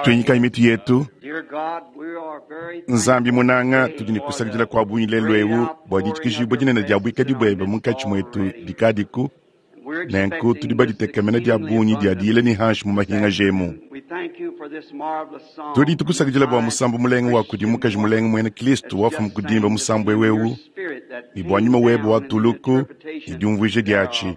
Tuinyikayi mitu yetu. Nzambi munanga, tudi ne kusakidila kua bungi lelu eu bua ditshikijibua dinene dia buikadi buebe munkatshi muetu dikadiku. Nenku tudi baditekemena dia bungi dia diyila ne hanshi mu mahingaja emu. Tudi tukusakidila bua musambu mulenga wa kudi mukaji mulenga muena Kristo wafuma kudimba musambu eu eu ne bua nyuma webe wa tuluku ne diumvuija diatshi.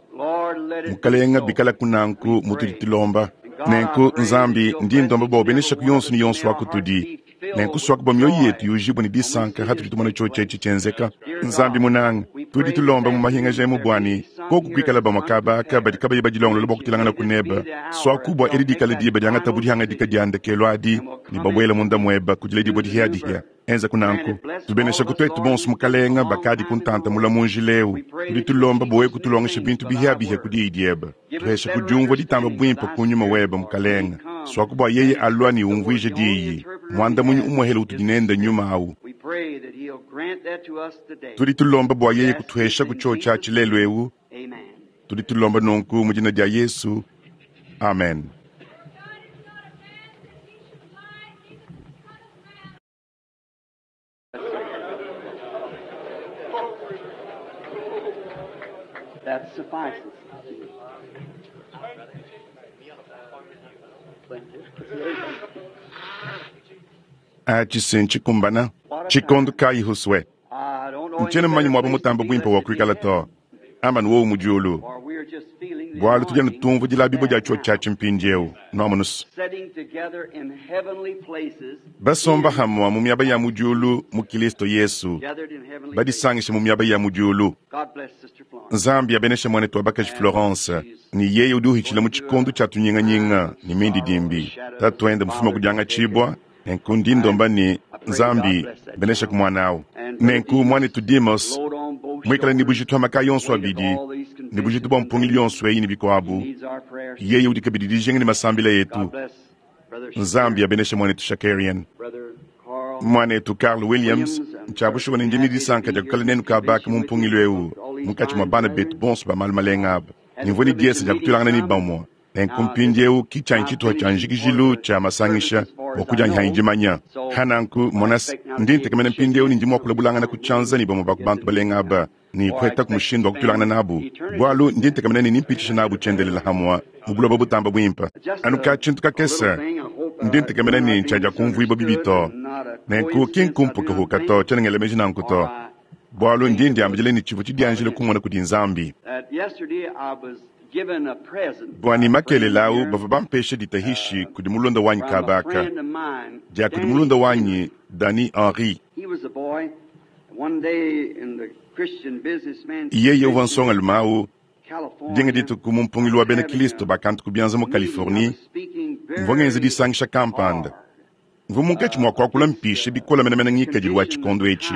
Mukalenga bikalaku nanku mutudi tulomba. Nenku Nzambi, ndi ndomba bua ubeneshaku yonso ne yonso wa kutudi. Nenku suaku bua mioyo yetu yujibue ne disanka hatudi tumona tshiotshi etshi tshienzeka. Nzambi munanga, tudi tulomba mu mahingaja emu bua ne koku kuikala bamue kaba aka badi kabayi badilongolola bua kutelanganaku nebe. Suaku bua edi dikale diba diangatabu dihangadika dia ndekelu adi ne babuela munda muebe ku diledibua dihiadihia. Enzaku nanku. Tubeneshaku tuetu bonso, Mukalenga, bakadi ku ntanta mula mu njila eu. Tudi tulomba bua wewe kutulongesha bintu bihiabihia ku diyi diebe. Tuhesha ku diumvua ditamba buimpe ku nyuma webe, Mukalenga. Suaku bua yeye alua ne umvuije diyi. Muandamunyi umuehele utudi nende nyuma au. Tudi tulomba bua yeye kutuheshaku tshiotshi atshi lelu eu. Tudi tulomba nunku mu dina dia Yesu. Amen. That suffices. Atshi si ntshikumbana tshikondo kayi huswe? Ntshiena mumanye muaba mutambe buimpe wa kuikala to, amba ne wowu mu diulu, bualu tudi anu tumvua dilabibua dia tshiotshi atshi mpindieu. Nuamonu's? Basomba hamua mu miaba ya mu diulu mu Kilisto Yesu, badisangishe mu miaba ya mu diulu. Nzambi abeneshe muanetu wa bakaji Florence, ne yeye udi uhitshila mu tshikondo tshia tunyinganyinga ne mindidimbi. Tatuende mufuma ku diangatshibua, nenku ndi ndomba ne, Nzambi, beneshaku muana au. Nenku muanetu Demos, muikale ne bujitu ha makaya onso abidi, ne bujitu bua mpungilu yonso eyi ne bikuabu, yeye udi kabidi dijinga ne masambila etu. Nzambi abeneshe muanetu Shakarian. Muanetu Carl Williams, ntshia bushuwa ne ndi ne disanka dia kuikala nenu kaba aka mu mpungilu eu munkatshi mua bana betu bonso ba malu malenga aba. Ne mvua ne diesa dia kutuilangana ne bamue. Nenku mpindieu ki tshianyi tshituha tshia njikijilu tshia masangisha bua kudianyihanyi dimanya. Ha nanku, monas, ndi ntekemena mpindieu ne ndi mua kulabulangana ku tshianza ne bamue ba ku bantu balenga aba ne kuhetaku mushindu wa kutuilangana nabu, bualu ndi ntekemena ne nempitshishe nabu tshiendelela hamua mu buloba butamba buimpe. Anu ka tshintu kakese, ndi ntekemena ne ntshiadiakumvuibua bibi to. Nenku ki nkumpukahuka to, tshiena ngela meji nanku to, bualu ndi ndiambidila ne tshivua tshidianjile kumona kudi Nzambi. Bua ne makelela au bavua bampesha ditahishi kudi mulunda wanyi kaba aka, dia kudi mulunda wanyi Danny Henry. Yeye uvua nsongalume au dinga dituku mu mpungilu wa bena Kristo ba kantu ku bianza mu Californie, mvua ngenza disangisha kampanda. Mvua munkatshi mua kuakula mpishe bikole menemene ngikadilu wa tshikondo etshi.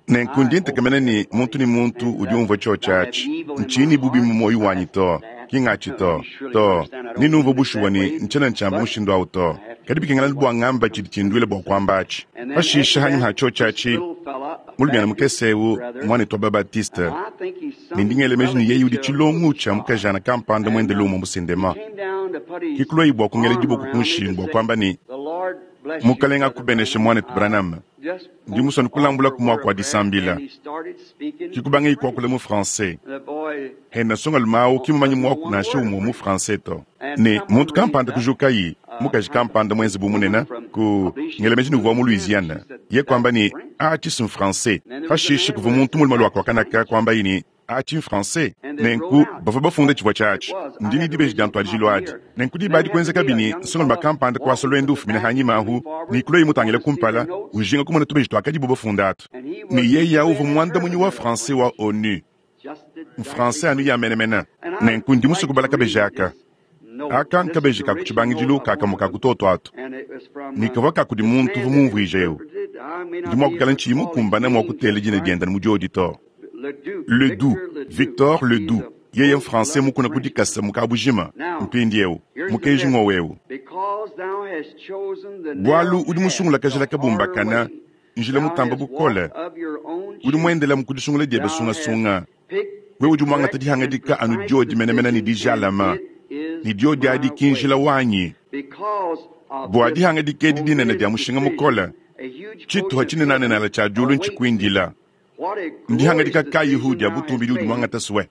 Nenku ndi ntekemena ne muntu ne muntu udi umvua tshiotshi atshi. Ntshiyi ne bubi mu muoyo wanyi to, ki ngatshi to, to. Ndi numvua bushuwa ne ntshiena ntshiamba mushindu au to. Kadi bikengela bua ngamba tshidi tshinduila bua kuamba atshi. Pashishe hanyima ha tshiotshi atshi, mulumiana mukese eu, muanetu wa ba-Baptiste, ne ndi ngela meji ne yeye udi tshilongu tshia mukajana kampanda muende lumu mu sindema, ke kuluaye bua kungela diboko ku nshingu bua kuamba ne, Mukalenge akubeneshe, muanetu Branham. Ndi musue kulambulaku muaku wa disambila. Ke kubangaye kuakula mu français. Hena nsongalume au ki mumanye muaku nansha umue mu français to. Ne muntu kampanda kujukayi, mukaji kampanda muenze bu munene, ku ngela meji ne uvua mu Louisiana, ye kuamba ne, Atshi si n'français. Pashishe kuvua muntu mulume lua kua kanaka kuambaye ne, Atshi n'français. Nenku bavua bafunda tshivua tshiatshi. Ndi ne dibeji dia ntuadijilu adi. Nenku diba adi kuenzekabi ne, nsongalume kampanda kuasa luendu ufumina hanyima ahu ne kuluaye mutangile kumpala, ujinga kumona tubeji tuakadibu bafunda atu. Ne yeye au uvua muandamunyi wa français wa ONU. N'français anu ya menemene. Nenku ndi musue kubala kabeji aka. Aka nkabeji ka ku tshibangidilu ka kamue ka ku tuotu atu, ne kavua ka kudi muntu uvua mumvuije eu. Ndi mua kuikala ntshiyi mukumbane mua kutela dina diende mu diodi to. Ledoux, Victor Ledoux, yeye n'Français mukuna ku dikasa mu kabujima. Mpindieu, mukenji ng'wowu eu. Bualu udi musungula kajila kabumbakana, njila mutamba bukole, udi muendelamu ku disungula diebe sungasunga. Wewe udi muangata dihangadika anu diodi menemene ne dijalama, ne diodi adi ki njila wanyi. Bua dihangadika edi dinene dia mushinga mukole, tshituha tshinenanenala tshia diulu ntshikuindila. Ndihangadika kayihu dia butumbi diudi muangata sue?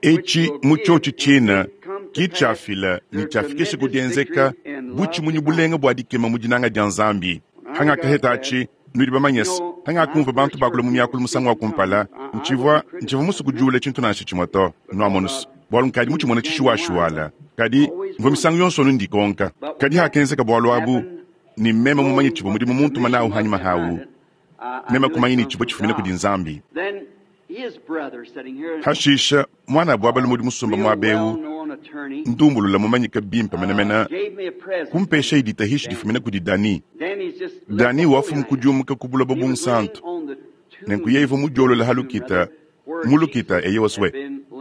Etshi mu tshiotshi tshina ki tshiafila ne tshiafikisha ku dienzeka butshimunyi bulenga bua dikema mu dinanga dia Nzambi. Hangakaheta atshi, nudi bamanye se, hangakumvua bantu bakula mu miakulu musangu wa kumpala, ntshivua ntshivua musue kudiula tshintu nansha tshimue to. Nuamonu se, bualu nkadi mutshimone tshishuwashuwala. Kadi mvua misangu yonso anu ndikonka. Kadi hakenzeka bualu abu, ne meme mumanye tshivua mudimu muntuma nawu hanyima hawu, meme kumanya ne tshivua tshifumina kudi Nzambi. Hashisha, muanabu wa balume udi musomba muaba eu, ndumbulula mumanyike bimpe menemene, kumpeshaye ditahishi difumina kudi Dani. Dani wafumu ku diumuka ku buloba bunsantu, nenku yeye uvua mudiolola ha lukita, mu lukita eyewa sue,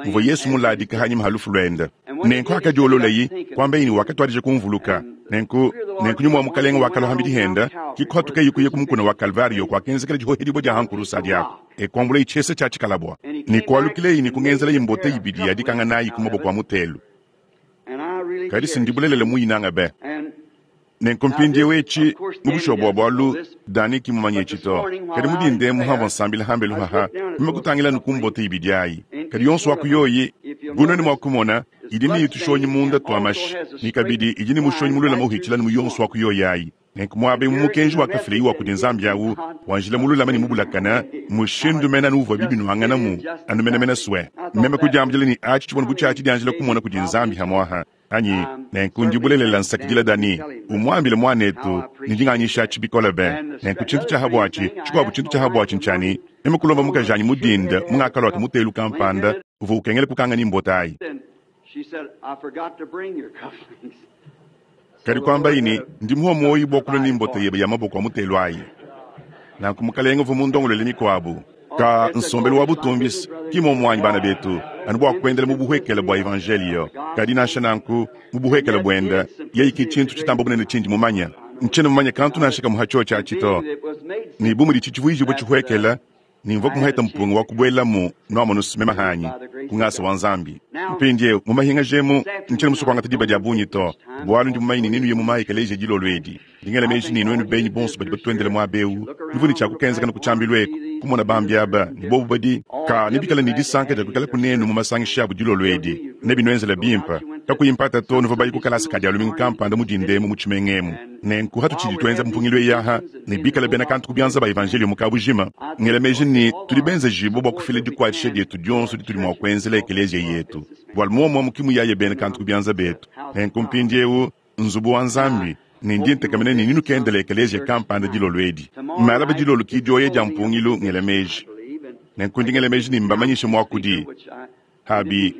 muvua Yesu muladika hanyima ha lufu luende. Nenku hakadiololayi, kuambaye ne wakatuadija kumvuluka. Nenku, nenku nyuma wa Mukalenge wakalua hambidi henda, ki kuhatukaye kuya ku mukuna wa Kalvario kuakenzekela dihohedibua dia hankurusa adi aku, e kuambulaye tshiesa tshia tshikalabua, ne kualukileyi ne kungenzelaye mbote ibidi ya dikanga nayi ku maboko a mutelu. Kadi si ndi bulelela muyinanga be. Nenku mpindieu etshi, mu bushuwa bua bualu, Danny ki mumanye etshi to. Kadi mu dinda emu hamvua nsambila hambelu haha, meme kutangila anu ku mbote ibidi ayi. Kadi yonso wa ku yoyi, bu nuenu mua kumona, idi ne tushonyi munda tua mashi, ne kabidi idi ne mushonyi mululame uhitshila anu mu yonso wa ku yoyi ayi. Nenku muaba eu mu mukenji wakafilayi wa kudi Nzambi au wa njila mululame ne mubulakane, mushindu mene anu uvuabi binuanganamu, anu menemene sue. Meme kudiambila ne atshi tshivua bu tshia tshidianjila kumona kudi Nzambi hamuaha anyi? Nenku ndi bulelela nsakidila Danny, umuambile muanetu ne ndi nganyishatshi bikole be. Nenku tshintu tshia habuatshi, tshikuabu tshintu tshia habuatshi ntshia ne, meme kulomba mukajanyi mu dinda mungakalua mutelu kampanda uvua ukengela kukanga ne mbota ayi. Kadi kuambayi ne, Ndi muhua muoyo bua kulua ne mbota yebe ya maboko a mutelu ayi. Nanku Mukalenge uvua mundongoluele mikuabu. Ka nsombelu wa butumbi ki muomu anyi bana betu, anu bua kuendela mu buhuekele bua evanjeliyo. Kadi nansha nanku, mu buhuekele buende, yeye ki tshintu tshitamba bunene tshindi mumanye. Ntshiena mumanye kantu nansha kamue ha tshiotshi atshi to. Ne bu muditshi tshivuijibue tshihuekele, ne mvua kumuheta mpunga wa kubuelamu, nuamonu mema hanyi, ku ngasa wa Nzambi. Mpindieu, mu mahingaja emu, ntshiena musue kuangata diba dia bungi to, bualu ndi mumanye ne nenuye mu mayi ekeleziya dilolo edi. Ndi ngela meji ne nuenu benyi bonso badi batuendele muaba eu, nuvua ne tshia kukenzakana ku tshiambilu eku, kumona bambi aba, ne bobu badi ka nebikale ne disanka dia kuikala kunenu mu masangisha abu dilolo edi. Nebinuenzele bimpe. Kakuyi mpata to, nuvua baye ku kalasa ka dia lumingu kampanda mu dinda emu mu tshimenga emu. Nenku hatutshidi tuenza mpungilu eyi aha, ne bikale bena kantu ku bianza ba evanjeliyo mu kabujima, ngela meji ne tudi benzejibue bua kufila dikuatshisha dietu dionso ditudi mua kuenzela ekeleziya yetu, bualu muomuomu ki muyaya bena kantu ku bianza betu. Nenku mpindieu, nzubu wa Nzambi, ne ndi ntekemena ne nenukendele ekeleziya kampanda dilolo edi. Malaba dilolo ki dioya dia mpungilu, ngela meji. Nenku ndi ngela meji ne mbamanyishe muakudi. Abi,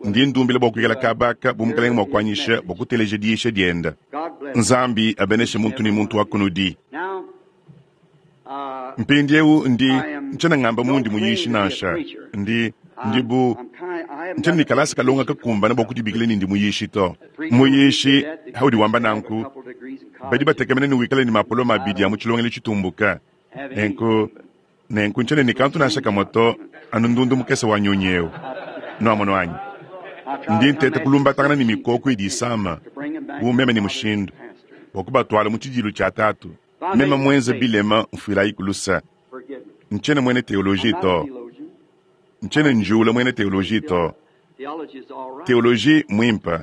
ndi ndumbila bua kuikala kaba aka bu Mukalenge mua kuanyisha bua kuteleja diyisha dienda. Nzambi abeneshe muntu ne muntu wa kunudi. Mpindieu ndi ntshiena ngamba mundi muyishi nansha. Ndi ndi bu ntshiena ne kalasa kalonga kakumbana bua kudibikila ne ndi muyishi to. Muyishi, haudi wamba nanku, badi batekemena ne wikale ne mapolome abidi a mu tshilongelu tshitumbuka. Nenku Nenku ntshiena ne kantu nansha kamue to, anu ndundu mukese wa nyunyi eu. Nuamonu anyi? Ndi nteta kulumbatangana ne mikoko idi isama, bu meme ne mushindu, bua kubatuala mu tshidilu tshia Tatu. Meme muenze bilema, mfuilayiku luse. Ntshiena muena teoloji to. Ntshiena njiwula muena teoloji to. Teoloji mmuimpe.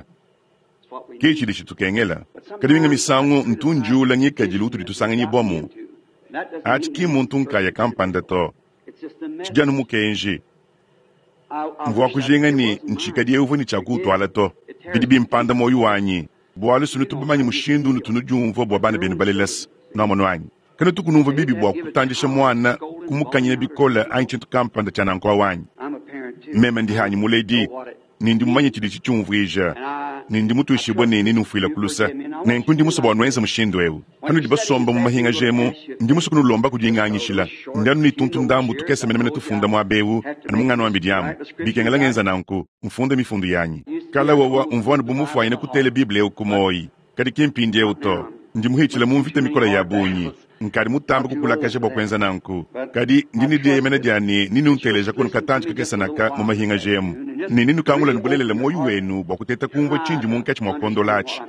Ke tshidi tshitukengela. Kadi minga misangu ntu njiwula ngikadilu utudi tusanganyibuamu. Atshi ki mmuntu nkaya kampanda to. Tshidi anu mukenji. Mvua kujinga ne ntshikadi eu uvua ne tshia kuutuala to. Bidi bimpanda muoyo wanyi, bualu si nutu bamanye mushindu unutu nudiumvua bua bana benu balela se. Nuamonu anyi? Kanutuku numvua bibi bua kutandisha muana, kumukanyina bikole anyi tshintu kampanda tshia nanku au anyi? Meme ndi hanyi muledi, ne ndi mumanye tshidi tshiumvuija, ne ndi mutuishibue ne nenumfuilaku luse. Nenku ndi musue bua nuenze mushindu eu. Panudi basomba mu mahingaja emu, ndi musue kunulomba ku dinganyishila. Ndi anu ne tuntu ndambu tukese menemene tufunda muaba eu, anu munganuambidi amu. Bikengela ngenza nanku, mfunde mifundu yanyi. Kala wowa umvua anu bu mufuanyine kutela Bible eu ku muoyi, kadi ki mpindieu to. Ndi muhitshile mu mvita mikole ya bungi. Nkadi mutambe kukulakaja bua kuenza nanku. Kadi ndi ne dieyemena dia ne nenunteleja kono katantshi kakese naka mu mahingaja emu, ne nenukangula ne bulelela muoyo wenu bua kuteta kumvua tshindi munkatshi mua kuondola atshi.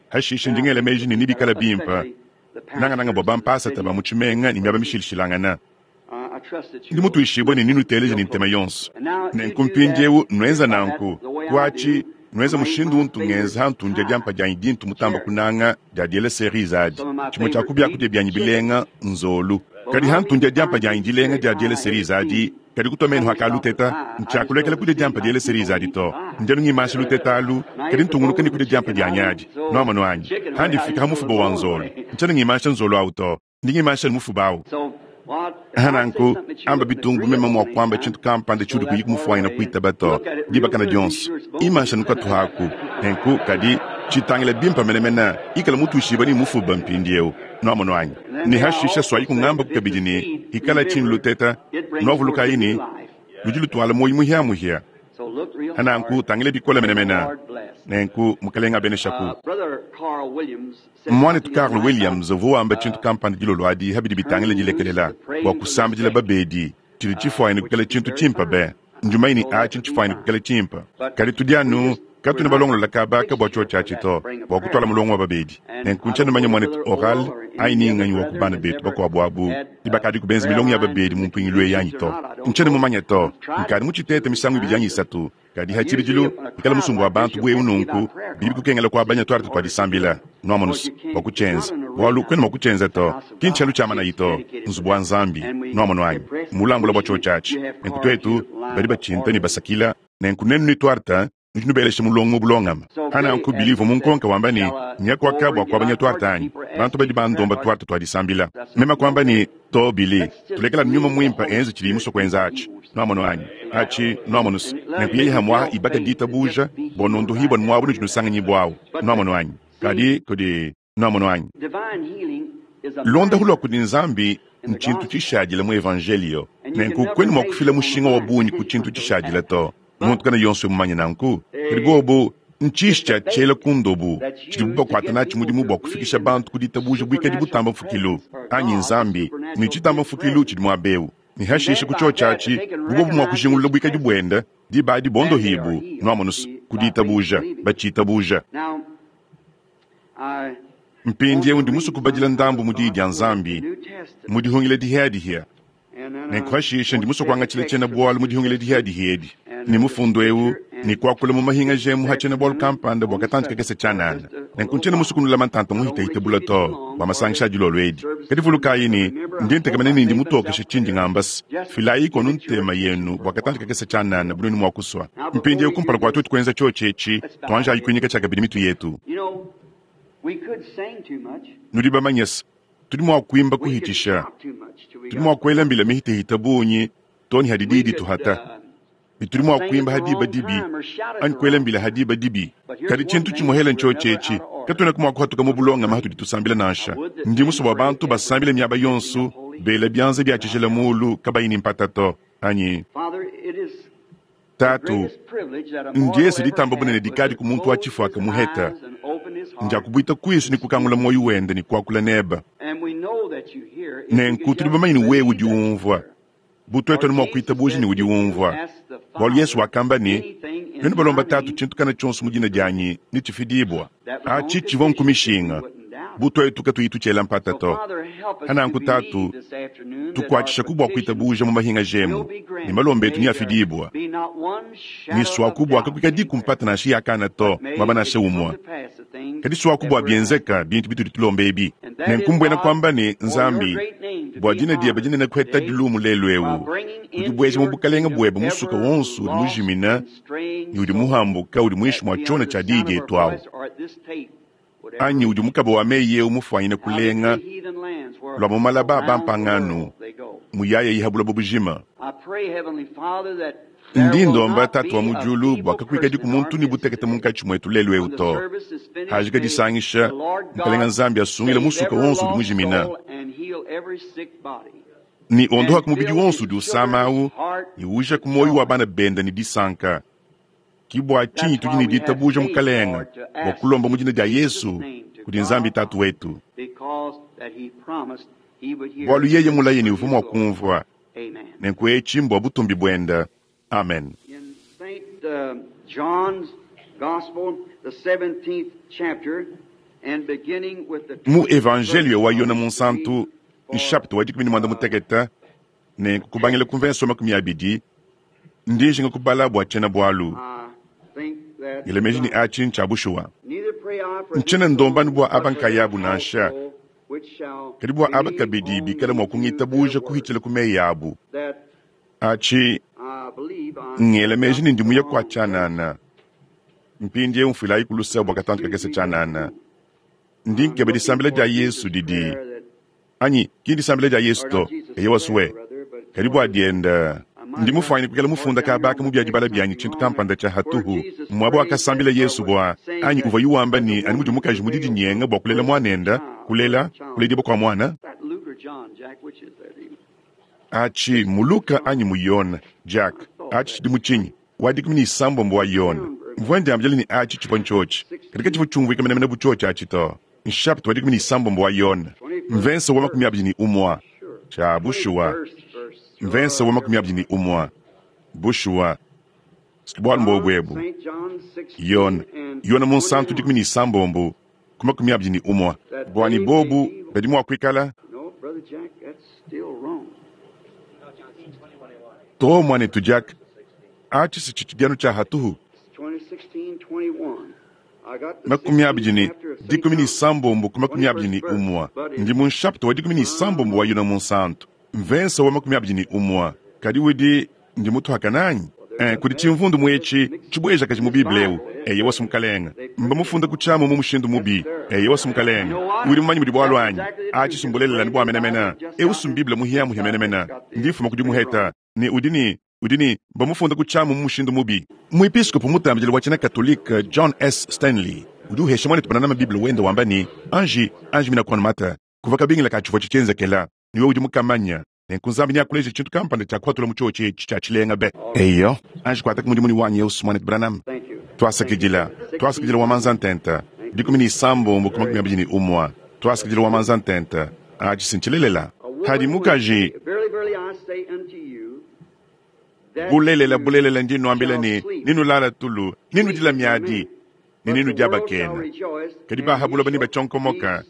Hashishe ndi ngela meji ne nebikale bimpe, nangananga bua bampasata ba mu tshimenga ne miaba mishilashilangane. Ndi mutuishibue ne nenuteleje ne ntema yonso. Nenku mpindieu nuenza nanku, kuatshi nuenza mushindu untu ngenza hantu ndia diampa dianyi dintu mutamba kunanga dia diela cerise adi. Tshimue tshia ku biakudia bianyi bilenga nzolu. Kadi hantu ndia diampa dianyi dilenga dia diela cerise adi, kadi kutua menu aka luteta, ntshiakulekela kudia diampa diela cerise adi to. Ndi anu ngimansha luteta alu, kadi ntungunuka ne kudia diampa dianyi adi. Nuamonu anyi? Handi mfika ha mufuba wa nzolu, ntshiena ngimansha nzolu awu to. Ndi ngimansha ne mufuba awu. Ha nanku, amba bitungu bu meme mua kuamba tshintu kampanda tshiudi kuyi kumufuanyina kuitaba to, dibakana dionso. Imansha nu katuha aku. Nenku, kadi, tshitangila bimpe menemene, ikala mutuishibue ne mufuba mpindieu. Nuamonu anyi? Ne hashisha suayi kungambaku kabidi ne, Ikala tshini luteta. Nuavulukayi ne, ludi lutuala muoyo muhia-muhia. Ha nanku, tangila bikole menemene. Nenku, Mukelenge abeneshaku. Muanetu Carl Williams uvua wamba tshintu kampanda dilolo adi pa bidi bitangila dilekelela bua kusambidila babedi, tshidi tshifuanyine kuikala tshintu tshimpe be. Ndi mumanye ne, atshi ntshifuanyine kuikala tshimpe, kadi tudi anu katuena balongolola kaba ka bua tshiotshi atshi to, bua kutuala mulongo wa babedi. Nenku ntshiena mumanye muanetu Oral anyi ni nganyi wa ku bana betu bakuabu abu ni bakadiku benza milongo ya babedi mu mpungilu eyi anyi to. Ntshiena mumanye to. Nkadi mutshitete misangu ibidi anyi isatu. Kadi ha tshibidilu, bikala musumba wa bantu bu eu nunku, bidi bikukengela kuabanya tuarte tua disambila, nuamonus, bua kutshienza, bualu kuena mua kutshienza to. Ki ntshialu tshia manayi to, nzubu wa Nzambi, nuamonu anyi, mmulambula bua tshiotshi atshi. Nenku tuetu, badi batshinta ne basakila, nenku nuenu ne tuarte, nudi nubelesha mulongo mu bulongame. Pa nanku Billy uvua munkonke wamba ne, Nya kuaka bua kuabanya tuarte anyi? Bantu badi bandomba tuarte tua disambila. Meme kuamba ne, To, Billy, tulekela Nyuma Muimpe enze tshidiye musue kuenza atshi. Nwamonu anyi? Aci, nwamonu's. Nenku yeye hamwaha ibaka diitabuuja, bwa nondohiibwa nwabo nudi nusanganyibwawu. Nwamonu anyi? Kadi kudi. Nwamonu anyi? Luondapu lwa kudi Nzambi ncintu cishaadila mu Evanjeeliyo. Nenku kwena mwa kufila mushinga wa bungi ku cintu cishaadila to. Muntu kana yonso mumanye nanku. Kadi bobu, ntshishi tshia tshiela ku ndobu tshidibu bakuata natshi mudimu bua kufikisha bantu ku ditabuja buikadi butamba mfukilu, anyi Nzambi, ne tshitamba mfukilu tshidi muaba eu. Ne hashishe ku tshiotshi atshi, bu bobu mua kujingulula buikadi buende, diba adi bondohibu, nuamonus, ku ditabuja, batshitabuja. Mpindieu ndi musue kubadila ndambu mu Diyi dia Nzambi mu Dihungila Dihiadihia. Nenku hashishe ndi musue kuangatshila tshiena-bualu mu Dihungila Dihiadihia edi ne mufundu eu ne kuakula mu mahingaja emu ha tshiena-bualu kampanda bua katantshi kakese tshianana. Nenku ntshiena musue kunulama ntanta muhitahite bule to bua masangisha a dilolo edi. Kadi vulukayi ne, ndi ntekemena ne ndi mutokeshe tshindi ngamba se, filayiku anu ntema yenu bua katantshi kakese tshianana bu nuenu mua kusua. Mpindieu kumpala kua tuetu kuenza tshiotshi etshi, tuanjayi kuinyika tshiakabidi mitu yetu. Nudi bamanye se, tudi mua kuimba kuhitshisha, tudi mua kuela mbila mihitehite bungi to ne hadi diyi dituhata, ne tudi mua kuimba ha diba dibi anyi kuela mbila ha diba dibi. Kadi tshintu tshimuehele ntshiotshi etshi, katuenaku mua kuhatuka mu bulongame hatudi tusambila nansha. Ndi musue bua bantu basambile miaba yonso, bela bianza bia tshijila mulu kabayi ne mpata to, anyi? Tatu, ndiese ditamba bunene dikadi ku muntu wa tshifuaka muheta, ndia kubuita kuisu ne kukangula muoyo wende ne kuakula nebe. Nenku tudi bamanye ne wewe udi umvua, bu tuetu anu mua kuitabuja ne udi umvua. Bualu Yesu wakamba ne, Nuenu balomba Tatu tshintu kana tshionso mu dina dianyi, netshifidibua. Atshi tshivua nkumishinga, bu tuetu katuyi tutshiela mpata to. Hananku Tatu, tukuatshishaku bua kuitabuja mu mahingaja emu, ne malomba etu neafidibua. Ne suaku bua kakuikadiku mpata nansha ya kana to, muaba nansha umue. Kadi suaku bua bienzeka bintu bitudi tulomba ebi. Nenku mbuena kuamba ne, Nzambi, bua dina diebe dinene kuhetadi lumu lelu eu, udi bueja mu bukalenge buebe musuka wonso udi mujimina ne udi muhambuka udi muinshi mua tshiona tshia diyi dietu awu, anyi udi mukaba wa meyi eu mufuanyine kulenga lua mu malaba a bampangano muyaya ha buloba bujima. Ndi ndomba Tatu wa mu diulu bua kakuikadiku muntu ne butekete munkatshi muetu lelu eu to. Hajika disangisha, Mukalenga Nzambi asungile musuka wonso udi mujimina, ne ondohaku mubidi wonso udi usama au, ne ujaku muoyo wa bana bende ne disanka. Ki bua tshinyi tudi ne ditabuja Mukalenga bua kulomba mu dina dia Yesu kudi Nzambi Tatu wetu. Bualu yeye mulaye ne uvua mua kumvua. Nenku etshi mbua butumbi buende. Amen. In St. John's Gospel, the 17th chapter, and beginning with the Mu Evanjeliyo wa Yone Munsantu, nshapita wa 16, nenku kubangila ku mvenso 20, ndi njinga kubala bua tshiena-bualu. Ngela meji ne atshi ntshia bushuwa. Ntshiena ndomba anu bua aba nkayabu nansha, kadi bua aba kabidi bikala mua kungitabuja kuhitshila ku meyi abu. Atshi ngela meji ne ndi muye kua tshianana. Mpindieu mfuilayi ku luse bua katantu kakese tshianana. Ndi nkeba disambila dia Yesu didi anyi ki ndisambila dia Yesu to, eyowa sue, kadi bua dienda. Ndi mufuanyine kuikala mufunda kaba aka mu bia dibala bianyi tshintu kampanda tshia hatuhu, muaba wakasambila Yesu bua anyi uvua yuwamba ne anu mudi mukaji mu didinyenga bua kulela muanenda, kulela, kuledibua kua muana. Atshi mu Luka anyi mu Yone, Jack, atshi tshidi mu tshinyi? Wa 16 wa Yone. Mvua ndiambila ne atshi tshivua ntshiotshi, kadi katshivua tshiumvuika menemene bu tshiotshi atshi to. Nshapita wa 16 wa Yone, mvensa wa 21. Tshia bushuwa, mvensa wa 21. Bushuwa, bualu mbobu ebu. Yone, Yone Munsantu 16 ku 21. Buani bobu badi mua kuikala to muanetu Jack, atshi si tshitshidianu tshia hatuhu. 26 ku 21. Ndi mu nshapita wa 16 wa Yone Munsantu, mvensa wa 21. Kadi udi ndi mutuhakana anyi? Kudi tshimvundu muetshi tshibueja kaji mu Bible eu. Eye wasu mukalenga mba mufunda ku tshiamu mu mushindu mubi. Eye wasu mukalenga udi mumanyi mudi bualu anyi? Atshi sumbulelela ne bua menemene. Eu sum Bible muhia muhia menemene. Ndi mfuma kudi muheta ne udi ne udi ne mba mufunda ku tshiamu mu mushindu mubi. Muepiskopo mutambidile wa tshiena Katolike John S. Stanley udi uhesha muanetu Branham Bible wenda wamba ne anji anji mina kuanu mata kuva kabingila ka tshivua tshitshienzekela ne wewe udi mukamanya. Nenku Nzambi neakuleje tshintu kampanda tshia kuhatula mu tshiotshi etshi tshia tshilenga be. Eyo, anji kuataka mudimu ne wanyi eu muanetu Branham. Tuasakidila, tuasakidila wa manza ntenta, 16 ku 21. Tuasakidila wa manza ntenta, atshi sintshilelela. Hadi mukaji bulelela bulelela ndi nuambila ne ninulala tulu, ninudila miadi, ne ninudiabakena. Kadi bahabuloba ne batshonkomoka,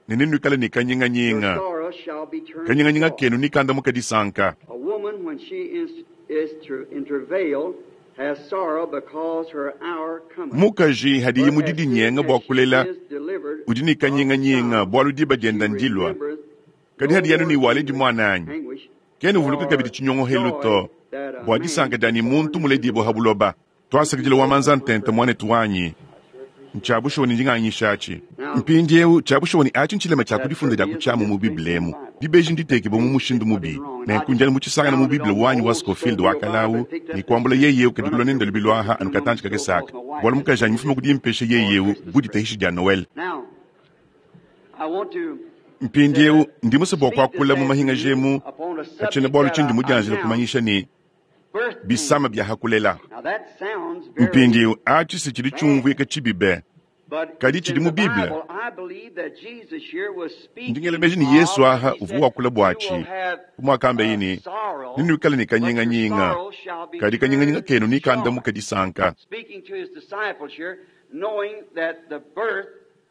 ne ninuikale ne kanyinganyinga. Kanyinganyinga kenu nikandamuka disanka. A woman, when she is in travail, has sorrow because her hour cometh. Mukaji hadiye mu didinyenga bua kulela, udi ne kanyinganyinga bualu diba dienda ndilua. Kadi hadi yanu ne waledi muana anyi, kena uvuluka kabidi tshinyongohelu to, bua disanka dia ne muntu muledibue ha buloba. Tuasakidila wa manza ntenta muanetu wanyi. Ntshia bushuwa ne ndinganyisha atshi. Mpindieu tshia bushuwa ne atshi ntshilema tshia kudifunda dia ku tshiamu mu Bible emu. Dibeji nditekibue mu mushindu mubi. Nenku ndianu mu tshisangana mu Bible wanyi wa Scofield wa kalawu ne kuambula yeye kadi kulua nende lubilu aha anu katantshi kakese aka. Bualu mukaji anyi mufuma kudimpesha yeye bu ditahishi dia Noel. Mpindieu ndi musue bua kuakula mu mahingaji emu katshiena bualu tshindi mudianjila kumanyisha ne bisama bia hakulela. Mpindieu atshi si tshidi tshiumvuika tshibi be, kadi tshidi mu Bible. Ndi ngela meji ne Yesu aha uvua wakula buatshi kumuakambaye ne ninuikale ne kanyinganyinga, kadi kanyinganyinga kenu nikandamuka disanka.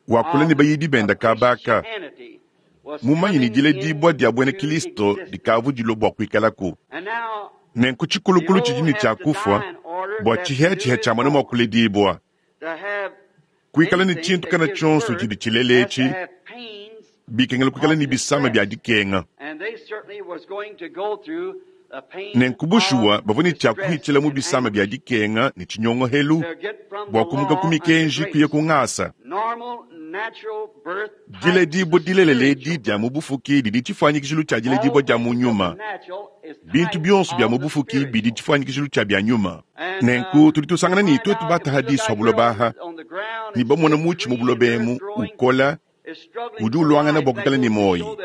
Wakula ne bayidi benda kabaka mumanyi ne diledibua dia buena Kristo dikavu dilua bua kuikalaku. Nenku tshikulukulu tshidi ne tshia kufua bua tshiheatshiha tshia mwana mua kuledibua. Kuikala ne tshintu kana tshionso tshidi tshilela etshi, bikengela kuikala ne bisama bia dikenga. Nenku bushuwa bavua ne tshia kuhitshila mu bisama bia dikenga ne tshinyongohelu bua kumuka ku mikenji kuya ku ngasa. Diledibua dilelela edi dia mu bufuki didi tshifuanyikijilu tshia diledibua dia mu nyuma. Bintu bionso bia mu bufuki bidi tshifuanyikijilu tshia bia nyuma. Nenku tudi tusangana ne tuetu bataha disu ha buloba aha, ne bamona mutshi mu buloba emu ukola, udi uluangana bua kuikala ne muoyo.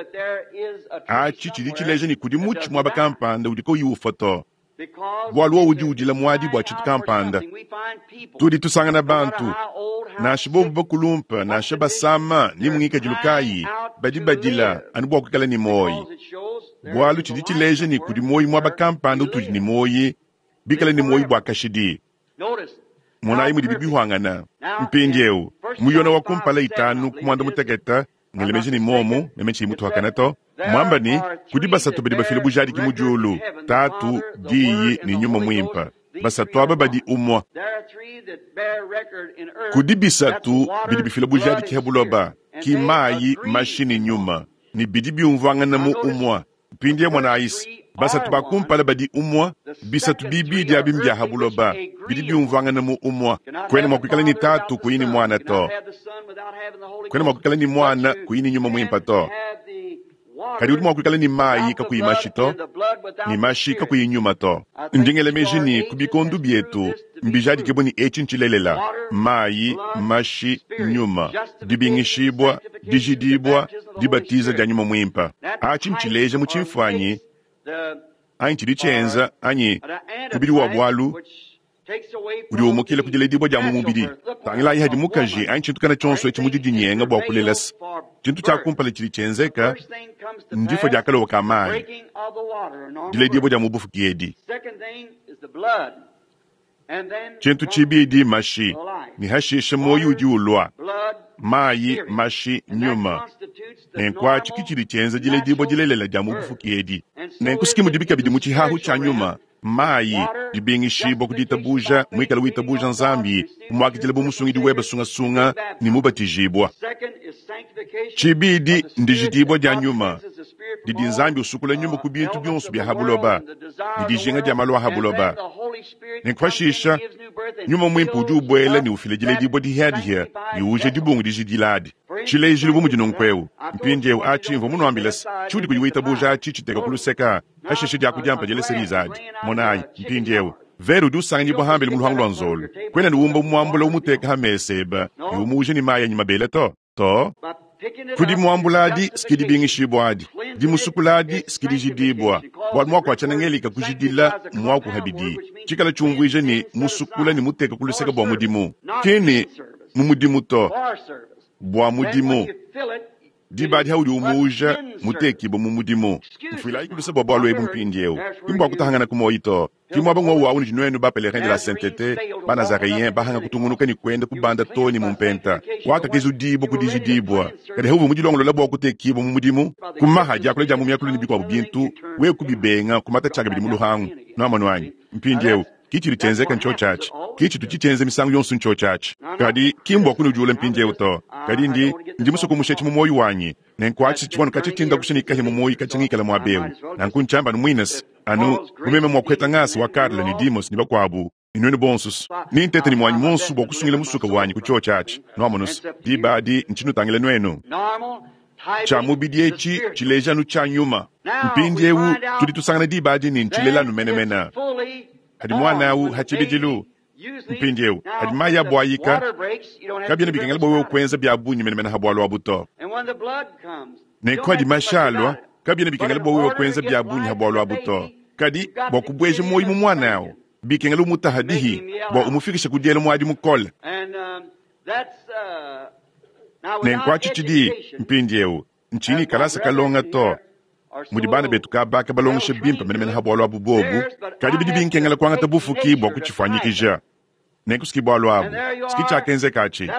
Atshi tshidi tshileja ne kudi mutshi muaba kampanda udi kauyi ufua to. Bualu wowu udi udila muadi bua tshintu kampanda. Tudi tusangana bantu, nansha bobu bakulumpe, nansha basama ne mu ngikadilu kayi, badi badila anu bua kuikala ne muoyo. Bualu tshidi tshileja ne, kudi muoyo muaba kampanda utudi ne muoyo, bikale ne muoyo bua kashidi. Monayi mudibi bihuangana. Mpindieu, mu Yona wa kumpala itanu ku muanda-mutekete, ngela meji ne momu, meme tshiyi mutuakane to, muamba ne, kudi basatu badi bafila bujadiki mu diulu, Tatu, Diyi ne Nyuma Muimpe. Basatu aba badi umue. Kudi bisatu bidi bifila bujadiki ha buloba, ki mayi, mashi ne Nyuma, ne bidi biumvuangana mu umue. Mpindieu monayi, basatu ba kumpala badi umue, bisatu bibidi abi mbia ha buloba, bidi biumvuangana mu umue. Kuena mua kuikala ne Tatu kuyi ne Muana to, kuena mua kuikala ne Muana kuyi ne Nyuma Muimpe to, kadi udi mua kuikala ne mayi kakuyi mashi to, ne mashi kakuyi nyuma to. Ndi ngela meji ne ku bikondo bietu mbijadike bu ne etshi ntshilelela: mayi, mashi, nyuma, dibingishibua, dijidibua, dibatiza dia Nyuma Muimpe. Atshi ntshileja mu tshimfuanyi anyi tshidi tshienza anyi mubidi wa bualu udi umukila ku diledibua dia mu mubidi. Tangilayi hadi mukaji anyi tshintu kana tshionso etshi mu didinyenga bua kulelesa. Tshintu tshia kumpala tshidi tshienzeka ndifua dia kalowa ka mayi, diledibua dia mu bufuki edi. Tshintu tshibidi mashi, ne hashishe muoyo udi ulua. Mayi, mashi, nyuma. Nenku atshi ke tshidi tshienza diledibua dilelela dia mu bufuki edi. Nenku siki mudibi kabidi mu tshihahu tshia nyuma, mayi, dibingishibua ku ditabuja, muikale witabuja Nzambi, kumuakidila bu musungidi webe sungasunga ne mubatijibua. Tshibidi ndijidibua dia nyuma, didi Nzambi usukula nyuma ku bintu bionso bia ha buloba ne dijinga dia malu a ha buloba. Nenku pashisha Nyuma Muimpe udi ubuela ne ufila diledibua dihiadihia ne uja dibungu dijidila adi. Tshilejilu bu mudi nunku eu, mpindieu atshi mvua munuambile se, tshiudi kuyi witabuja atshi tshiteka ku luseka, hashishe diakudia mpa diela serize adi. Monayi, mpindieu, vere udi usanganyibua hambele mu luhangu lua nzolo. Kuena ne umba umuambula umuteka ha mesa eba ne umuuja ne mayi anyi mabele to. To. Ku dimuambula adi siki dibingishibua adi, dimusukula adi siki dijidibua, bualu muaku wa tshiena-Ngelika kujidila mmuaku habidi, tshikala tshiumvuija ne musukula ne muteka ku luseke bua mudimu, ki ne mu mudimu to, bua mudimu. Diba adi haudi umuuja, mutekibue mu mudimu. Mfuilayiku luse bua bualu ebu mpindieu, ki mbua kutahangana ku muoyi to. Ki muaba ng'wowu awu nudi nuenu ba Pèlerins de la Sainteté, ba Nazareens bahanga kutungunuka ne kuenda kubanda too ne mu mpenta wakakezudibua ku dijidibua. Kadi hauvua mudilongolola bua kutekibua mu mudimu ku maha, diakula dia mu miakulu ne bikuabu bintu, wewe kubibenga, kumata tshiakabidi mu luhangu. Nuamonu anyi? Mpindieu, ki tshidi tshienzeka ntshiotshi atshi. Ki tshitu tshitshienza misangu yonso ntshiotshi atshi. Kadi ki mbua kunudiula mpindieu to. Kadi ndi, ndi musue kumusha etshi mu muoyo wanyi. Nenku atshi tshivua anu katshia tshindakusha ne kahia mu muoyo katshia ngikala muaba eu. Nanku ntshiamba anu muine se, anu bu meme mua kuheta ngasa wa Karl ne Demos ne bakuabu, ne nuenu bonso, ne ntete ne muanyi muonso bua kusungila musuka wanyi ku tshiotshi atshi. Nuamonu se, diba adi ntshinutangila nuenu. Tshia mubidi etshi tshileja anu tshia nyuma. Mpindieu tudi tusangana diba adi ne ntshilela anu menemene. Hadi muana au ha tshibidilu. Mpindieu hadi mayi abuayika, kabiena bikengela bua wewe kuenza bia bungi menemene ha bualu abu to. Nenku hadi mashi alua, kabiena bikengela bua wewe kuenza bia bungi ha bualu abu to. Kadi bua kubueja muoyo mu muana au, bikengela umutaha dihi bua umufikishe ku diela muadi mukole. Nenku atshi tshidi mpindieu ntshiyi ne kalasa kalonga to, mudi bana betu kabaka balongesha bimpe menemene ha bualu abu bobu, kadi bidi binkengela kuangata bufuki bua kutshifuanyikija. Nenku siki bualu abu, siki tshiakenzeka atshi.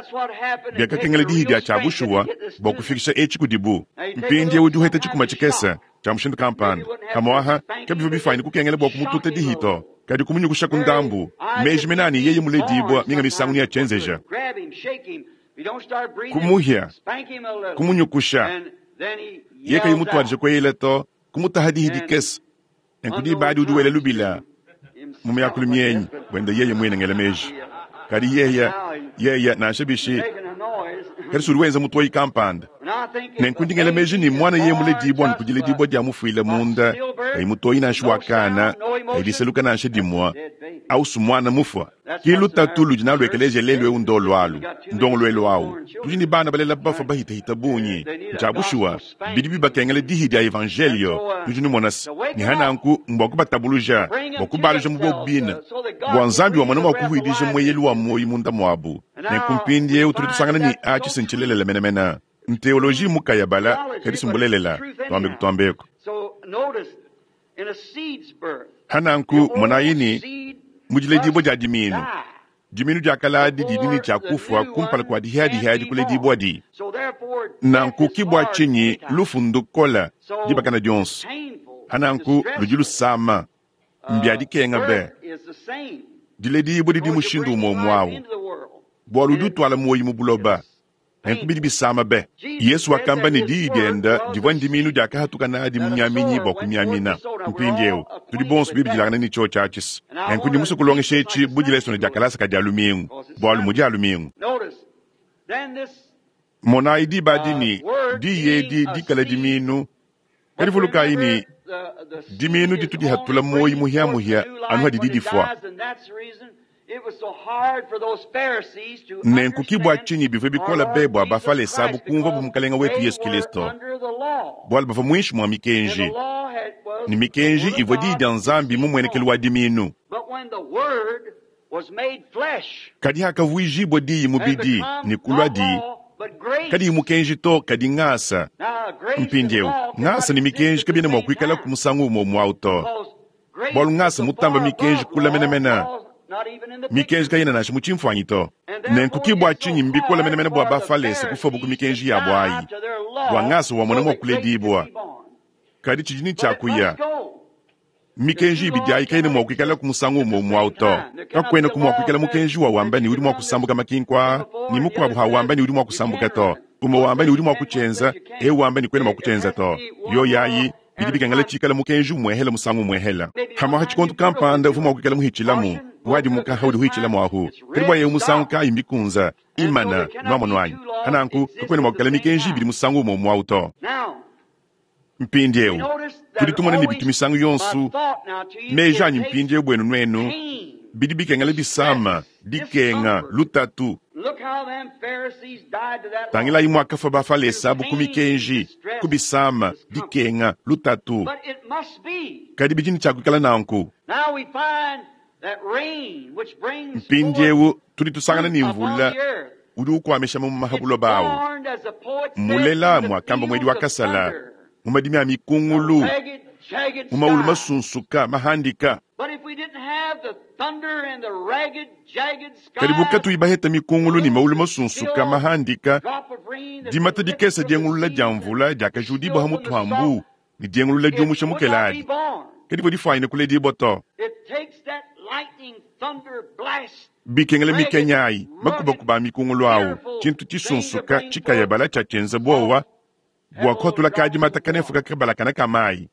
Biakakengela dihi dia tshia bushuwa bua kufikisha etshi kudibu. Mpindieu udi uheta tshikuma tshikese tshia mushindu kampanda. Pamu'apa kabivua bifuanyine kukengela bua kumututa dihi to, kadi kumunyukushaku ndambu. Meji mene a ne yeye muledibua minga misangu neatshienzeja. Kumuhia, kumunyukusha, yeye kayi mutuadije kueyela to, kumutaha dihi dikese. Nenku diba adi udi wela lubila mu miakulu mienyi buende yeye muine ngela meji. Kadi yeye, yeye nansha bishi, kadi si udi wenza mutoyi kampanda. Nenku ndi ngela meji ne muana yeye muledibua anu ku diledibua dia mufuile munda, kayi mutoyi nansha wa kana, kayi diseluka nansha dimue, Ausu mwana mufwa. Ki lutatu ludi nalu ekeleziya lelu ewu ndolu alu, ndongoluelu awu. Tudi ne bana balela bafwa bahitahita bungi. Ncya bushuwa, bidi bibakengela dihi dya Evanjeeliyo, nudi numona's. Ne ha nanku mbwa kubatabuluja, bwa kubaaluja mu bobu biine, bwa Nzambi wamona mwa kuhwidija Mweyelu wa mwoyi munda mwabu. Nenku mpindyewu tudi tusangana ne aci se ncilelela menemene. Nteoloji mmukayabala, kadi si mbulelela. Twambeku twambeku. Ha nanku, monayi ne, mu diledibua dia dimiinu, dimiinu dia kale adi didi ne tshia kufua kumpala kua dihiadihiadi kuledibuadi. Nanku ki bua tshinyi lufu ndukole dibakana dionso. Ha nanku ludi lusama, mbia dikenga be. Diledibua didi mushindu umue umue au, bualu udi utuala muoyo mu buloba. Nenku bidi bisama be! Yesu wakamba ne diyi diende divua ndimiinu diakahatuka nadi mumiaminyi bua kumiamina. Mpindieu, tudi bonso bibidilangane ne tshiotshi atshis. Nenku ndi musue kulongesha etshi bu dilesona dia kalasa ka Dia lumingu, bualu mu Dia lumingu. Monayi diba adi ne diyi edi dikale dimiinu, kadi vulukayi ne, dimiinu ditu dihatula muoyo muhia-muhia anu hadidi difua. Nenku ki bua tshinyi bivua bikole be bua Bafalese abu kumvuabu Mukalenge wetu Yesu Kilisto, bualu bavua muinshi mua mikenji, ne mikenji ivua Diyi dia Nzambi mu muenekelu wa dimiinu. Kadi hakavuijibua Diyi mubidi ne kuluadi kadiyi mukenji to, kadi ngasa. Mpindieu, ngasa ne mikenji kabiena mua kuikalaku musangu umue umue au to. Bualu ngasa mutamba mikenji kule menemene. Mikenji kayena nansha mu tshimfuanyi to. Nenku ki bua tshinyi mbikole menemene bua Bafalese kufuabu ku mikenji yabu ayi, bua ngasa wamona mua kuledibua. Kadi tshidi ne tshia kuya. Mikenji ibidi ayi kayena mua kuikalaku musangu umue umue au to. Kakuenaku mua kuikala mukenji wa wamba ne udi mua kusambuka makinku aa, ne mukuabu ha wamba ne udi mua kusambuka to. Umue wamba ne udi mua kutshienza, eu wamba ne kuena mua kutshienza to. Yoyi ayi bidi bikengela tshikale mukenji umuehela musangu umuehela. Pamuapa tshikondo kampanda uvua mua kuikala muhitshilamu, wadimuka haudi uhitshilamu ahu. Kadi bua eu musangu kayi mbikunza, imana, nuamonu anyi? Pananku kakuena mua kuikala mikenji ibidi musangu umue umue au to. Mpindieu tudi tumona ne bitu misangu yonso meji anyi mpindieu buenu nuenu, bidi bikengela bisama, dikenga, lutatu. Tangilayi muakafua Bafalese abu ku mikenji, ku bisama, dikenga, lutatu. Kadi bidi ne tshia kuikala nanku. Mpindieu tudi tusangana ne mvula udi ukuamisha mamuma ha buloba awu. Mulela, muakamba muedi wa kasala, mu madimi a mikungulu, mu maulu masunsuka mahandika. Kadi bu katuyi baheta mikungulu ne maulu masunsuka mahandika, dimata dikese diengulula dia mvula diakajudibua ha mutu ha mbu ne diengulula diumusha mukela adi kadivua difuanyine kuledibua to. Bikengela mikenya ayi, makubakuba a mikungulu awu, tshintu tshisunsuka tshikayabala tshia tshienza buowa bua kuhatula kadi mata kanefuka kabalakana ka mayi.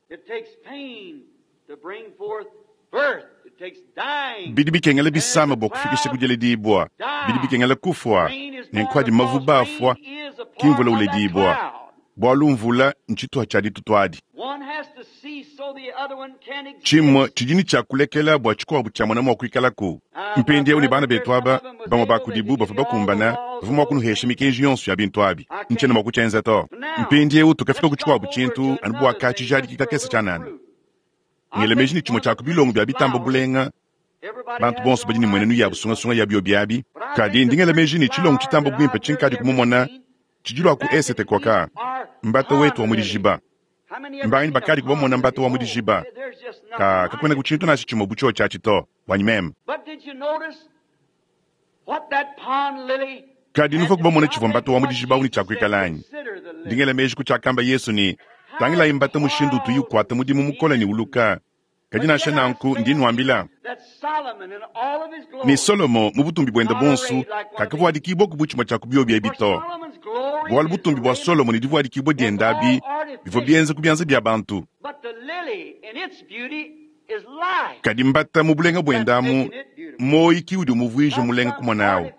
Bidi bikengela bisama bua kufikisha ku diledibua, bidi bikengela kufua, nenku adi mavuba afua, ki mvula uledibua, bualu mvula ntshituha tshia ditutu adi. Tshimue tshidi ne tshia kulekela bua tshikuabu tshiamona mua kuikalaku. Mpindieu ne bana betu aba, bamue ba kudibu bavua bakumbana, bavua mua kunuhesha mikenji yonso ya bintu abi. Ntshiena mua kutshienza to. Mpindieu tukafika ku tshikuabu tshintu anu bua ka tshijadiki kakese tshianana. Ngela meji ne tshimue tshia ku bilongo bia bitamba bulenga, bantu bonso badi ne mmuenenu yabu sungasunga ya biobi abi, kadi ndi ngela meji ne tshilongo tshitamba buimpe tshinkadi kumumona tshidi lua ku esete kuaka, mbata wetu wa mu dijiba. Mbanganyi bakadi kubamona mbata wa mu dijiba? Ka, kakuenaku tshintu nansha tshimue bu tshiotshi atshi to, buanyi meme. Kadi nuvua kubamona tshivua mbata wa mu dijiba au ne tshia kuikala anyi? Ndi ngela meji ku tshiakamba Yesu ne, Tangilayi mbata mushindu utuyi ukuata mudimu mukole ne uluka. Kadi nansha nanku ndi nnuambila ne, Solomo mu butumbi buende buonso kakavuadikibuaku bu tshimue tshia ku biobi ebi to. Bualu butumbi bua Solomo ne divuadikibua diende abi bivua bienza ku bianza bia bantu. Kadi mbata mu bulenga buende amu, muoyi ki udi umuvuija mulenga kumona awu.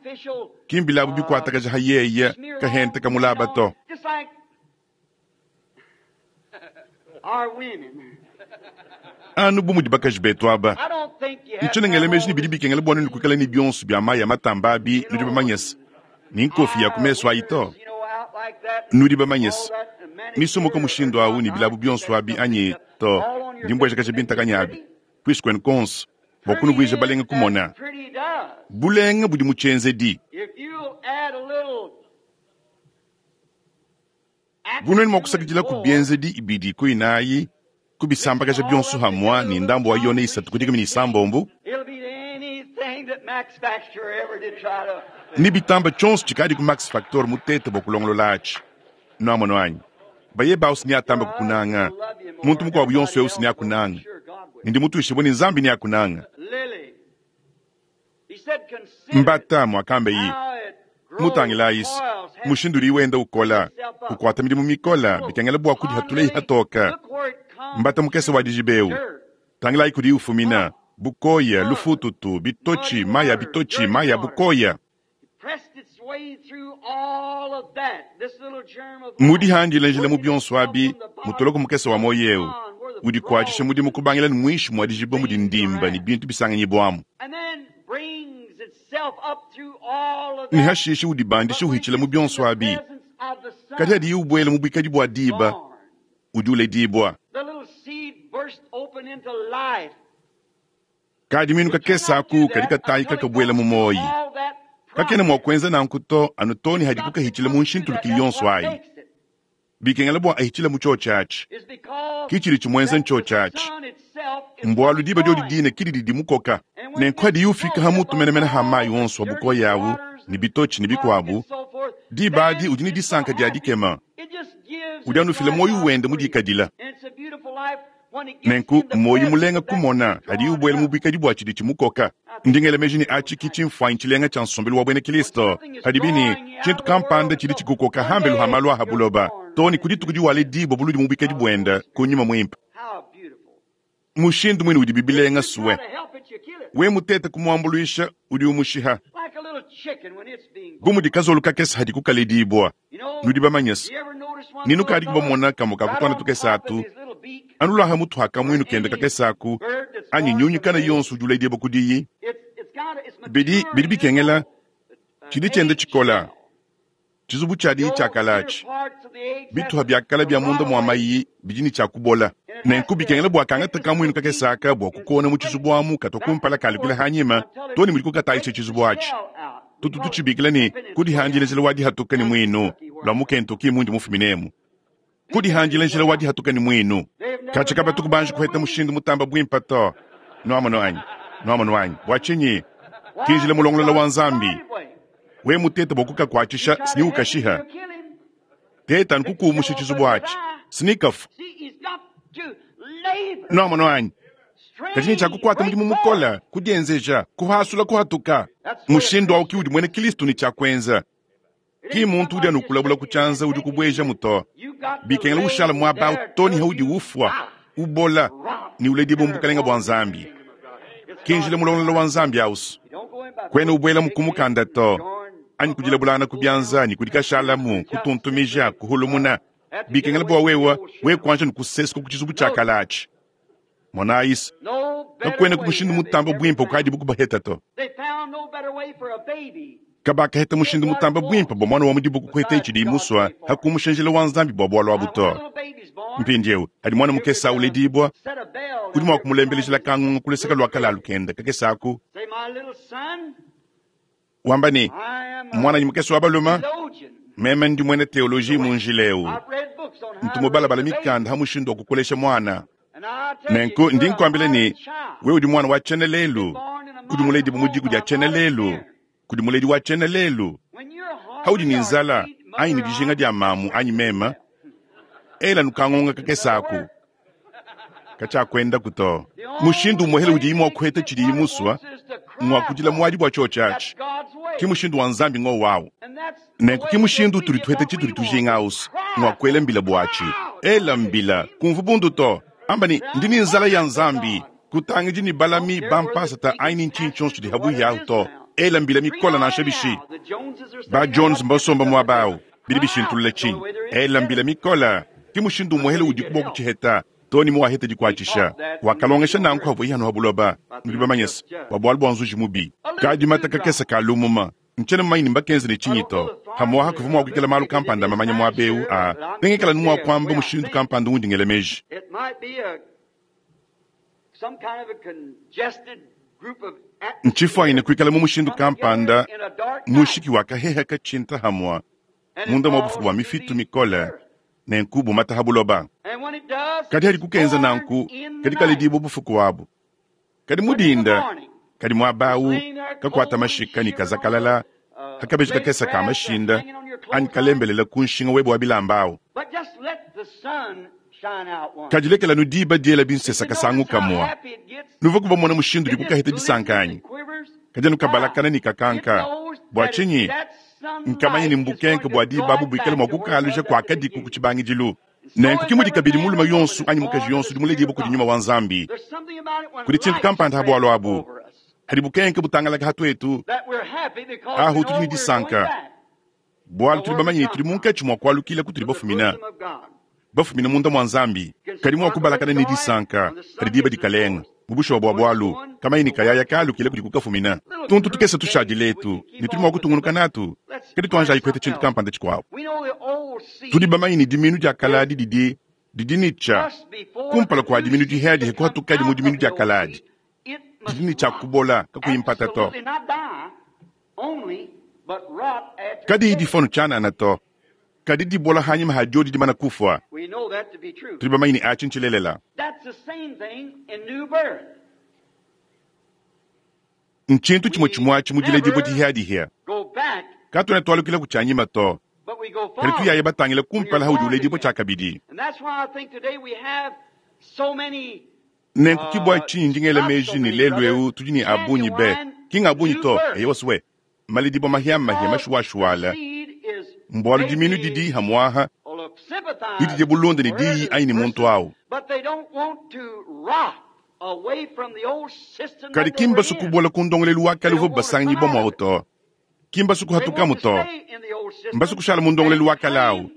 Ki mbilabu bikuatakaja ha yeye kahente ka mulaba to. Anu bu mudi bakaji betu aba, ntshiena ngela meji ne bidi bikengela bua nuenu kuikala ne bionso bia mayi a matamba abi, nudi bamanye se, ni nkofi ya ku mesu ayi to. Nudi bamanye se, misomoka mushindu awu ne bilabu bionso abi anyi to, ndi mbuejakaja bintakanyi abi kuisu kuenu kuonso bua kunuvuija balenga kumona. Bulenga budi mu tshienzedi. Bu nuenu mua kusakidila ku bienzedi ibidi ku inayi, kubisambakaja bionso hamua ne ndambu wa yone isatu ku dikumi ne isambombo, ne bitamba tshionso tshikadi ku Max Factor mutete bua kulongolola atshi. Nuamono anyi? Baye bawu si neatamba kukunanga, muntu mukuabu yonso eu si neakunanga, ne ndi mutuishibue ne Nzambi neakunanga. Mbata, muakambeyi. Mutangilayise mushindu udi wenda ukola, ukuata midimu mikola, bikengela bua kudihatula hatoka. Mbata mukese wa dijiba eu, tangilayi kudiyi ufumina, bukoya, lufututu, bitotshi, mayi a bitotshi, mayi a bukoya. Mudihandila njila mu bionso abi, mutoloko mukese wa muoyo eu udi kuatshisha mudimu kubangila ne muinshi mua dijiba mudi ndimba ne bintu bisanganyibuamu. Ne hashishe udibandisha uhitshila mu bionso abi, kadi hadiye ubuela mu buikadi bua diba, udi uledibua. Kadiminu kakese aku kadi katayi kakabuela mu muoyi. Kakena mua kuenza nanku to anu too ne hadiku kahitshila mu nshintulukilu yonso ayi. Bikengela bua ahitshile mu tshiotshi atshi. Ki tshidi tshimuenza ntshiotshi atshi. Mbualu diba diodi dine ki didi dimukoka. Nenku hadiye ufika ha mutu menemene ha mayi onso a bukoya awu ne bitotshi ne bikuabu, diba adi udi ne disanka dia dikema. Udi anu ufila muoyo wende mudikadila. Nenku, muoyo mulenga kumona hadiye ubuela mu buikadi bua tshidi tshimukoka. Ndi ngela meji ne atshi ki tshimfuanyi tshilenga tshia nsombelu wa buena Kristo, padibi ne, tshintu kampanda tshidi tshikukoka hambelu ha malu a ha buloba, too ne ku dituku diwaledibua buludi mu buikadi buende ku nyuma muimpe. Mushindu muine udibi bilenga sue! We mutete kumuambuluisha, udi umushiha. Bu mudi kazolo kakese hadiku kaledibua, nudi bamanye se, ne nukadiku bamona kamue ka ku tuana tukese atu, anu luaha mutu ha kamuinu kende kakese aku, anyi nyunyu kana yonso udi uledibua kudiyi, bidi, bidi bikengela tshidi tshienda tshikola. Tshizubu tshia diyi tshia kala atshi, bituha bia kala bia munda mua mayi bidi ne tshia kubola. Nenku bikengela bua kangata kamuinu kakese aka bua kukona mu tshizubu amu katua kumpala kalukila hanyima too ne mudiku katayisha tshizubu atshi. Tutu tutshibikila ne, kudihandila njila wa dihatuka ne muinu lua mu Kentucky mundi mufuminemu. Kudihandila njila wa dihatuka ne muinu. Katshia kabatu kubanji kuheta mushindu mutamba buimpe to. Nuamono anyi? Nuamono anyi? Bua tshinyi? Ki njila mulongolola wa Nzambi. We mutete bua kukakuatshisha sni ukashiha. Teta anu kukuumusha tshizubu atshi. Sni kafu. Nuamono anyi? Kadi ne tshia kukuata mudimu mukole, kudienzeja, kuhasula, kuhatuka. Mushindu au ki udi muena Kristo ne tshia kuenza. Ki muntu udi anu ukulabula ku tshianza udi ukubuejamu to. Bikengela ushala muaba au to ne haudi ufua, ubola, ne uledibua mu bukalenge bua Nzambi. Ki njila mulongolola wa Nzambi ausu. Kuena ubuelamu ku mukanda to, anyi kudilabulangana ku bianza ne kudikashalamu, kutuntumija, kuhulumuna. Bikengela bua wewe, wewe kuanji anu kusesuka ku tshizubu tshia kala atshi. Monayi se, kakuenaku mushindu mutambe buimpe ukadibu kubaheta to. Kabakaheta mushindu mutambe buimpe bua muana wa mu dibuku kuheta tshidiye musua ha kumusha njila wa Nzambi bua bualu abu to. Mpindieu hadi muana mukese au uledibua, udi mua kumulembelejila kangungu ku luseke lua kalalu kende kakese aku, wamba ne, Muananyi mukese wa balume, meme ndi muena teoloji mu njila eu. Ntu mubalabala mikanda ha mushindu wa kukolesha muana. Nenku ndi nkuambila ne, wewe udi muana wa tshiena lelu, udi muledibue mu diku dia tshiena lelu, kudi muledi wa tshiena lelu. Haudi ne nzala anyi ne dijinga dia mamu anyi meme, ela nukangonga kakese aku. Katshiakuendaku to. Mushindu umuehele udiyi mua kuheta tshidiyi musua ngua kudila muadi bua tshiotshi atshi. Ki mushindu wa Nzambi ngowu au. Nenku ki mushindu utudi tuheta tshitudi tujinga ausu ngua kuela mbila buatshi. Ela mbila, kumvu bundu to. Amba ne, Ndi ne nzala ya Nzambi. Kutangidi ne balami ba mpasata anyi ne ntshinyi tshionso tshidi habuihi ahu to. Ela mbila mikole nansha bishi. Ba Jones mbasomba muaba au. Bidi bishintulula tshinyi? Ela mbila mikole. Ki mushindu umuehele udiku bua kutshiheta. Too ne muwaheta dikuatshisha. Wakalongesha nanku havuaye hano ha buloba, nudi bamanye se, bua bualu bua nzuji mubi. Kadimata kakese ka lumuma. Ntshiena mumanye ne mbakenze ne tshinyi to. Pamu'apa kuvua mua kuikala malu kampanda mamanya muaba eu a nengikala anu mua kuamba mushindu kampanda undi ngela meji. Ntshifuanyine kuikala mu mushindu kampanda mushiki wa kaheha katshinta hamua munda mua bufuku bua mifitu mikole nenku bumata ha buloba. Kadi hadi kukenza nanku, kadi kaledibua bufuku abu. Kadi mu dinda, kadi muaba au kakuata mashika ne kazakalala ha kabeji kakese ka mashinda anyi kalembelela ku nshinga webe wa bilamba au. Kadi lekela anu diba diela binsesa kasangu kamua. Nuvua kubamona mushindu udiku kaheta disanka anyi? Kadi anu kabalakana ne kakanka. Bua tshinyi? Nkamanya ne mbukenke bua diba abu buikale mua kukaluja kuakadiku ku tshibangidilu. Nenku ke mudi kabidi mulume yonso anyi mukaji yonso udi muledibue kudi nyuma wa Nzambi. Kudi tshintu kampanda ha bualu abu, hadi bukenke butangalaka ha tuetu, ahu tudi ne disanka, bualu tudi bamanye ne tudi munkatshi mua kualukila kutudi bafumina, bafumina munda mua Nzambi. Kadi mua kubalakana ne disanka hadi diba dikalenga. Mu bushuwa bua bualu, kamanyi ne kayaya kaalukila kudi kukafumina. Tuntu tukese tushadile etu, ne tudi mua kutungunuka natu, kadi tuanjayi kupeta tshintu kampanda tshikuabu. Tudi bamanye ne diminu dia kaladi didi didi ne tshia kumpala kua diminu dihiadihi kuhatukadi mu diminu dia kaladi, didi ne tshia kubola kakuyi mpata to. Kadiyi difua nu tshianana to, kadi dibola hanyima ha diodi dimana kufua. Tudi bamanye ne atshi ntshilelela. Ntshintu tshimue tshimue atshi mu diledibua dihiadihia. Katuena tualukila ku tshianyima to, kadi tuyaya batangile kumpala haudi uledibua tshiakabidi. Nenku ki bua tshinyi ndi ngela meji ne lelu eu tudi ne a bungi be, ki nga bungi to, eyowa swe, maledibua mahiamahia mashuashuala, mbualu diminu didi hamuaha didi bulunda ne diyi anyi ne muntu au. Kadi ki mbasue kubola ku ndongoluelu wa kale uvuabu basanganyibua muawu to. Ki mbasue kuhatukamu to. Mbasue kushala mu ndongoluelu wa kale au.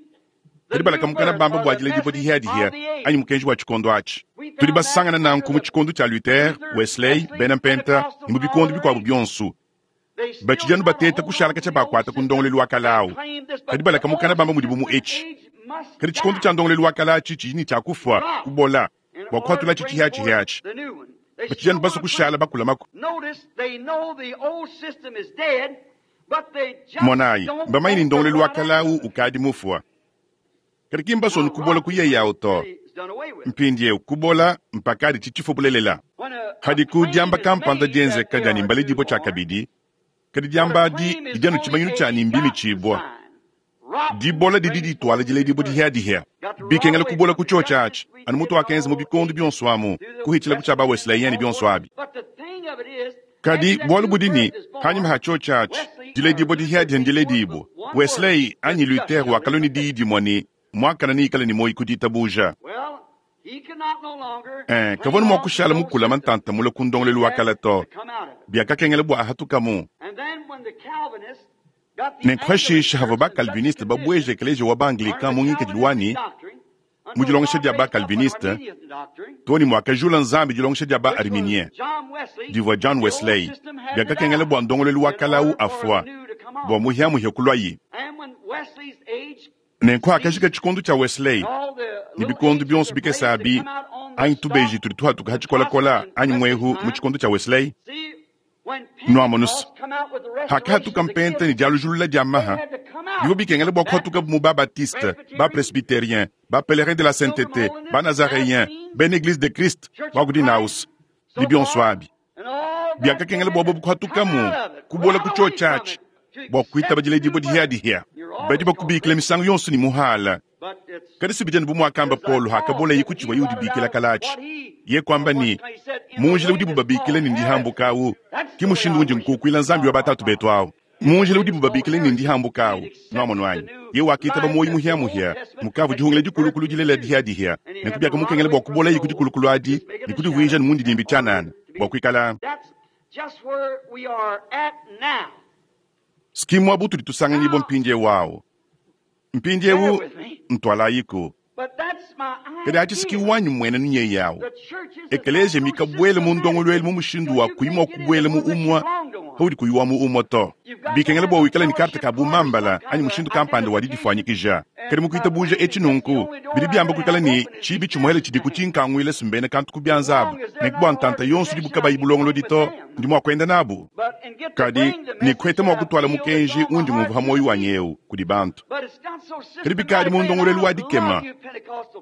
Kadi balaka mukana bamba bua diledibua dihiadihia anyi mukenji wa tshikondo atshi. Tudi basangana nanku mu tshikondo tshia Luther, Wesley, bena Mpenta ne mu bikondo bikuabu bionso. Batshidi anu bateta kushala katshia bakuata ku ndongoluelu wa kale au. Kadi balaka mukana bamba mudibu mu etshi. Kadi tshikondo tshia ndongoluelu wa kale atshi tshidi ne tshia kufua, kubola, bua kuhatulatshi tshihiatshihia atshi. Batshidi anu basue kushala bakulamaku. Monayi, mbamanye ne ndongoluelu wa kale au ukadi mufua. Kadi ki mbasue anu kubola ku yeye au to. Mpindieu kubola mpakadi tshitshifua bulelela. Padiku diamba kampanda dienzeka dia ne mbaledibue tshiakabidi, kadi diamba adi didi anu tshimanyinu tshia ne mbimitshibua. Dibola didi dituala diledibua dihiadihia. Bikengela kubola ku tshiotshi atshi, anu mutuakenza mu bikondo bionso amu, kuhitshila ku tshia ba Wesleyen ne bionso abi. Kadi bualu budi ne, panyima ha tshiotshi atshi, diledibua dihiadihia ndiledibua. Wesley anyi Luther wakalua ne diyi dimue ne, Muakane neikale ne muoyo ku ditabuja. Ee, kavua mua kushala mukulama ntanta mule ku ndongoluelu wa kale to. Biakakengela bua ahatukamu. Nenku pashishe havua ba-Calviniste babueje ekeleziya wa ba-Anglican mu ngikadilu wa ne, mu dilongesha dia ba-Calviniste, too ne muakajula Nzambi dilongesha dia ba-Arminien divua John Wesley, biakakengela bua ndongoluelu wa kale au afua bua muhiamuhia kuluayi. Nenku hakajika tshikondo tshia Wesley ne bikondo bionso bikese abi, anyi tubeji tudi tuhatuka ha tshikolakola anyi muehu mu tshikondo tshia Wesley, Nuamonuse, hakahatuka mpenta ne dialujulula dia maha, bivua bikengela bua kuhatukabu mu ba-Baptiste, ba-Presbyterien, ba-Pelerin de la Sainteté, ba-Nazareyen, bena Eglise de Christ, ba ku Dinaus, ne bionso abi. Biakakengela bua bobu kuhatukamu, kubola ku tshiotshi atshi, bua kuitaba diledibua dihiadihia. Badi bakubikila misangu yonso ne muhala. Kadi si bidi anu bu muakamba Paulo hakaboleye ku tshivuaye udibikila kale atshi. Ye kuamba ne, Mu njila udibu babikila ne ndihambuka au, ke mushindu undi nkukuila Nzambi wa batatu betu au. Mu njila udibu babikila ne ndihambuka au, nuamonu anyi? Ye wakitaba muoyo muhia-muhia, mukavua dihungila dikulukulu dilela dihia-dihia, nenku biakamukengela bua kuboleye ku dikulukulu adi ne kudivuija ne mundidimbi tshianana bua kuikala. Ski muaba utudi tusanganyibua mpindieu au. Mpindieu, ntualayiku. Kadi aci ki wanyi mmuenenu nyeye awu. Ekeleeziya mikabwele mu ndongolwelu mu mushindu wa kuyi mwa kubwela mu umwe paudi kuyi wa mu umwe to. Bikengela bwa wikale ne karte ka bumambala anyi mushindu kampanda wa didifwanyikija. Kadi mu kwitabuuja eci nunku, bidi byamba kwikala ne ciibi cimwele cidiku cinkangwila s'mbena kantu ku byanza aba, nenku bwa ntanta yonso udibu kabayi bulongolodi to, ndi mwa kwenda nabu. Kadi, ne kweta mwa kutwala mukenji undi ngumvwa ha mwoyi wanyi ewu kudi bantu. Kadi bikaadi mu ndongolwelu wa dikema,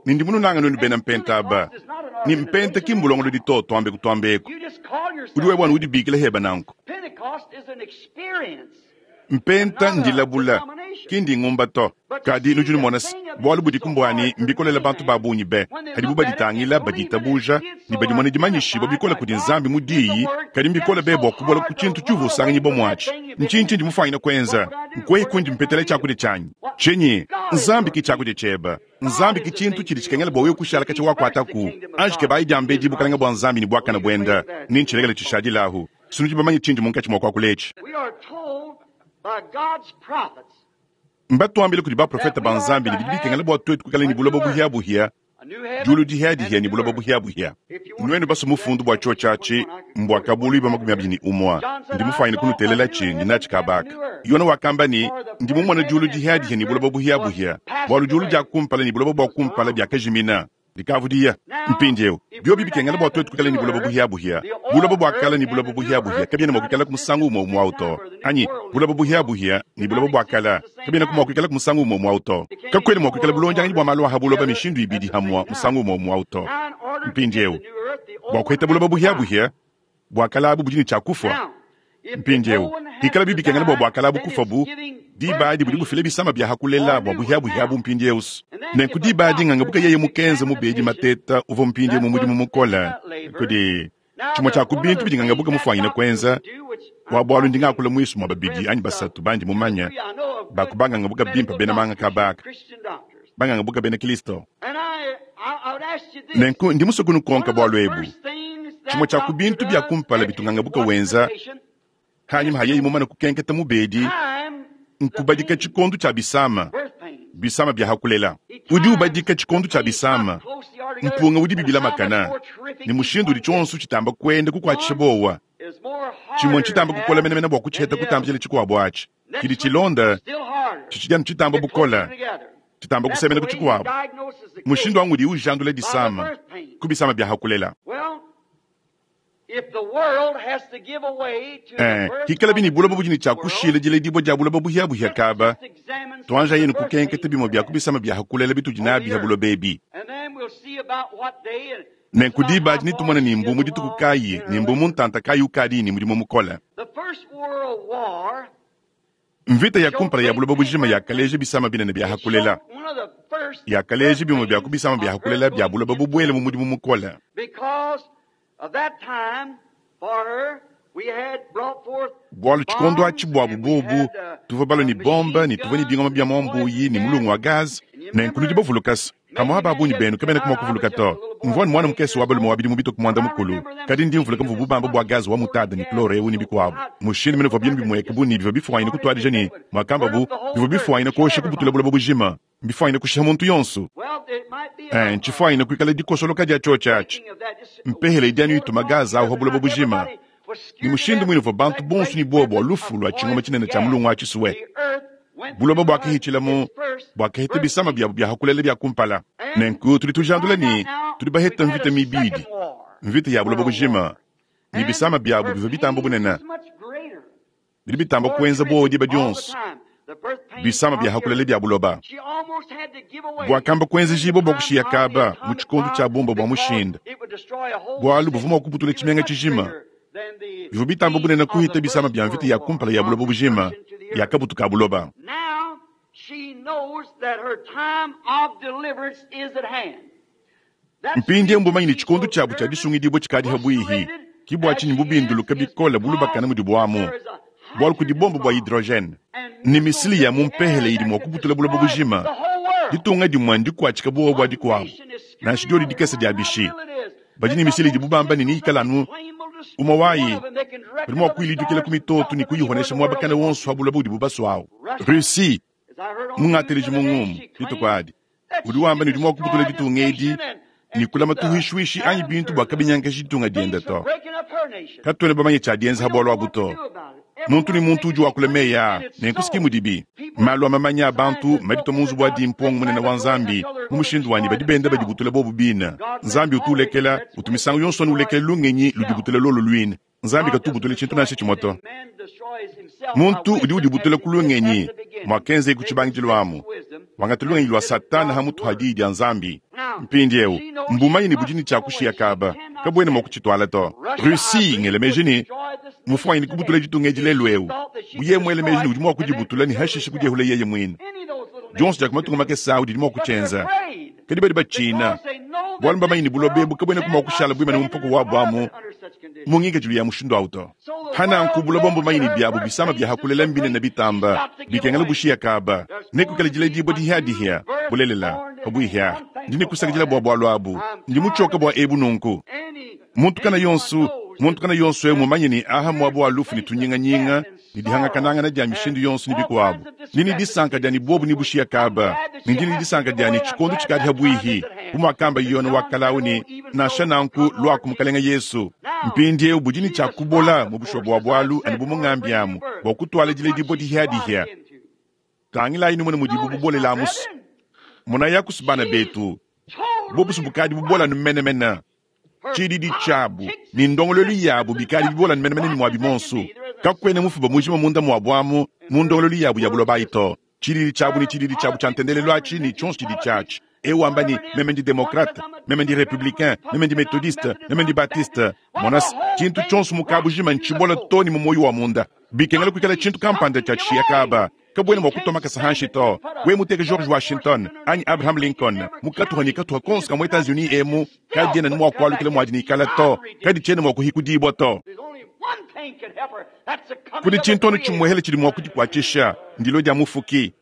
ne ndi mununanga nwenu bena Mpenta aba. Ne Mpenta ki mbulongolodi to, twambe kutwamba eku. Udi wewe anu udibiikila heba nanku. Mpenta ndilabula, ki ndingumba to. Kadi nudi numona se, bualu budiku mbua ne, mbikolele bantu ba bungi be, padibu baditangila, baditabuja, ne badimona dimanyishibua bikole kudi Nzambi mu Diyi, kadi mbikole be bua kubuela ku tshintu tshiuvua usanganyibua muatshi. Ntshinyi tshindi mufuanyine kuenza? Nkuehi kundi mpetela tshiakudia tshianyi? Tshinyi? Nzambi ki tshiakudia tshiebe. Nzambi ki tshintu tshidi tshikengela bua wewe kushala katshia wakuataku. Anji kebayi diambedi Bukalenge bua Nzambi ne buakane buende, ne ntshilekele tshishadilahu. Sinudi bamanye tshindi munkatshi mua kuakula etshi. Mbatuambile kudi baprofete ba Nzambi ne bidi bikengela bua tuetu kuikala ne buloba buhia-buhia, diulu dihia-dihia ne buloba buhia-buhia. Nuenu basue mufundu bua tshiotshi atshi, mbua kabuluiba 21. Ndi mufuanyine kunuteelela-tshi, ndi natshi kaba aka. Yone wakamba ne, Ndi mumone diulu dihia-dihia ne buloba buhia-buhia, bualu diulu dia kumpala ne buloba bua kumpala biakajimina. Dikavu diya. Mpindieu, biobi bikengela bua tuetu kuikala ne buloba buhiabuhia, buloba bua kale ne buloba buhiabuhia kabiena mua kuikalaku musangu umue umue au to. Anyi buloba buhiabuhia ne buloba bua kale kabienaku mua kuikalaku musangu umue umue au to. Kakuena mua kuikala bulondianganyi bua malu a ha buloba mishindu ibidi hamua musangu umue umue au to. Mpindieu, bua kuheta buloba buhiabuhia, bua kale abu budi ne tshia kufua. Mpindieu, pikalabi bikengela bua bua kale abu kufua bu diba adi budi bufila bisama bia ha kulela bua buhiabuhia abu mpindieu. Nenku diba adi ngangabuka yeye mukenze mubedi mateta uvua mpindieu mu mudimu mukole kudi tshimue tshia ku bintu bidi ngangabuka mufuanyine kuenza wa bualu ndi ngakula muisu mua babidi anyi basatu bandi mumanye ba ku bangangabuka bimpe bena manga kabaka bangangabuka bena Kristo. Nenku ndi musue kunukonka bualu ebu. Tshimue tshia ku bintu bia kumpala bitu ngangabuka wenza hanyima ha yeye mumane kukenketa mubedi nkubadika tshikondo tshia bisama, bisama bia ha kulela. Udi ubadika tshikondo tshia bisama, mpunga udi bibilamakana, ne mushindu udi tshionso tshitamba kuenda kukuatshisha buowa. Tshimue ntshitamba kukola menemene bua kutshiheta kutambila tshikuabu atshi. Tshidi tshilonda tshitshidi anu tshitamba bukole, tshitamba kusemena ku tshikuabu. Mushindu au ngudi ujandula disama ku bisama bia ha kulela. Ee, hikalabi ne buloba budi ne tshia kushila diledibua dia buloba buhia-buhia kaba, tuanjayenu kukenketa bimue bia ku bisama bia ha kulela bitudi nabi ha buloba ebi. Nenku diba adi netumone ni mbu mu dituku kayi ne mbu mu ntanta kayi ukadi ne mudimu mukole. Mvita ya kumpala ya buloba bujima yakaleja bisama binene bia ha kulela. Yakaleja bimue bia ku bisama bia ha kulela bia buloba bubuele mu mudimu mukole. Bualu tshikondo atshi buabu buobu, tuvua balue ne bombe ne tuvua ne bingoma bia muambuyi ne mulungu wa gaze. Nenku nudi bavuluka se, pamu'apa ba bungi benu kabenaku mua kuvuluka to. Mvua ne muana mukese wa balume wa bidimu bitue ku muanda-mukulu, kadi ndi mvuluka muvuabu bamba bua gaze wa mutade ne klore eu ne bikuabu. Mushindu mene uvua bintu bimueka bu ne bivua bifuanyine kutuadija ne muakambabu, bivua bifuanyine kuosha kubutula buloba bujima. Mbifuanyine kushiha muntu yonso. Ee, ntshifuanyine kuikala dikosoloka dia tshiotshi atshi. Mpehele idi anu ituma gaze au pa buloba bujima. Ne mushindu muine uvua bantu bonso ne buowa bua lufu lua tshingoma tshinene tshia mulungu wa tshisue. Buloba buakahitshilamu, buakaheta bisama biabo bia ha kulela bia kumpala. Nenku tudi tujandula ne, tudi baheta mvita mibidi, mvita ya buloba bujima, ne bisama biabo bivua bitamba bunene, bidi bitamba kuenza buowa diba dionso, bisama bia ha kulela bia buloba. Buakamba kuenzejibua bua kushiya kaba mu tshikondo tshia bumba bua mushinda, bualu buvua mua kubutula tshimenga tshijima. Bivua bitamba bunene kuhita bisama bia mvita ya kumpala ya buloba bujima ya kabutu ka buloba. Mpindieu mbumanye ne tshikondo tshiabu tshia disungidibua tshikadi pabuipi. Ke bua tshinyi mbubinduluke bikole bulubakane mudibu amu, bualu kudi bombe bua hydrogene ne misile ya mu mpehele idi mua kubutula buloba bujima. Ditunga dimue ndikuatshike buowa bua dikuabu, nansha diodi dikese dia bishi. Badi ne misile idibu bamba ne, neyikale anu umue wayi, badi mua kuyiludikila ku mitoto ne kuyihonesha muaba kana wonso pa buloba udibu basue au. Russie, mungateleji mu ngumu dituku adi. Udi wamba ne udi mwa kubutula ditunga edi ne kulama tuhuishuishi anyi bintu bwa kabinyangaji ditunga diende to. Katwena bamanye tshia dienza ha bwalu abu to. Muntu ne muntu udi wakula meyi aa, nenku si ki mudibi. Malu a mamanya a bantu maditua mu nzubu wa dimpongo munene wa Nzambi mu mushindu wa ne badi benda badibutula bobu bine. Nzambi utu ulekela, utu misangu yonso anu ulekela lungenyi ludibutula lolo luine. Nzambi katu ubutula tshintu nansha tshimue to. Muntu udi udibutula ku lungenyi, muakenzeye ku tshibangidilu amu, wangata lungenyi lua Satana ha mutu ha Diyi dia Nzambi. Mpindieu, mbumanye ne budi ne tshia kushiya kaba, kabuena mua kutshituala to. Russie, ngela meji ne, mmufuanyine kubutula ditunga edi lelu'eu, bu yeye muele meji ne udi mua kudibutula ne hashishe kudiehula yeye muine. Dionso dia ku matunga makese au didi mua kutshienza. Kadi badi batshina, bualu mbamanye ne buloba ebu kabuenaku mua kushala buimane mu mpoko wabu amu mu ngikadilu ya mushindu au to. Pa nanku buloba mbumanye ne biabu bisama bia ha kulela mbinene bitamba, bikengela bushiya kaba, ne kuikala diledibua dihiadihia. Bulelela, pabuihi aha, ndi ne kusakidila bua bualu abu. Ndi mutshioke bua ebu nunku. Muntu kana yonso, muntu kana yonso eu mumanye ne aha muaba wa lufu ne tunyinganyinga ne dihangakanangana dia mishindu yonso ne bikuabu. Ndi ne disanka dia ne buobu ne bushiya kaba, ne ndi ne disanka dia ne tshikondo tshikadi habuihi, bu muakamba Yone wa kale ne, Nansha nanku, luaku Mukelenge Yesu. Mpindieu budi ne tshia kubola mu bushuwa bua bualu anu bu mungambi amu bua kutuala diledibua dihiadihia. Tangilayi numone mudibu bubolela amusu. Monayi akusu bana betu, bobusu bukadi bubola anu menemene. Tshididi tshiabu ne ndongoluelu yabu bikadi bibola anu menemene ne muabi muonso. Kakuena mufuba mujima munda muabu amu mu ndongoluelu yabu ya buloba ayi to. Tshididi tshiabu ne tshididi tshiabu tshia ntendelelu atshi ne tshionso tshidi tshiatshi. Eu wamba ne, Meme ndi demokrate, meme ndi republicain, meme ndi methodiste, meme ndi baptiste. Mona se, tshintu tshionso mu kabujima ntshibola too ne mu muoyo wa munda. Bikengela kuikala tshintu kampanda tshia tshishiya kaba. Kabuena mua kutua makasa hanshi to. Wewe muteke George Washington anyi Abraham Lincoln mu katuha ne katuha konso ka mu Etats-Unis emu, kadiena ne mua kualukila muadi ne ikala to, kaditshiena mua kuhikudibua to. Kudi tshintu anu tshimuehele tshidi mua kudikuatshisha, ndilua dia Mufuki.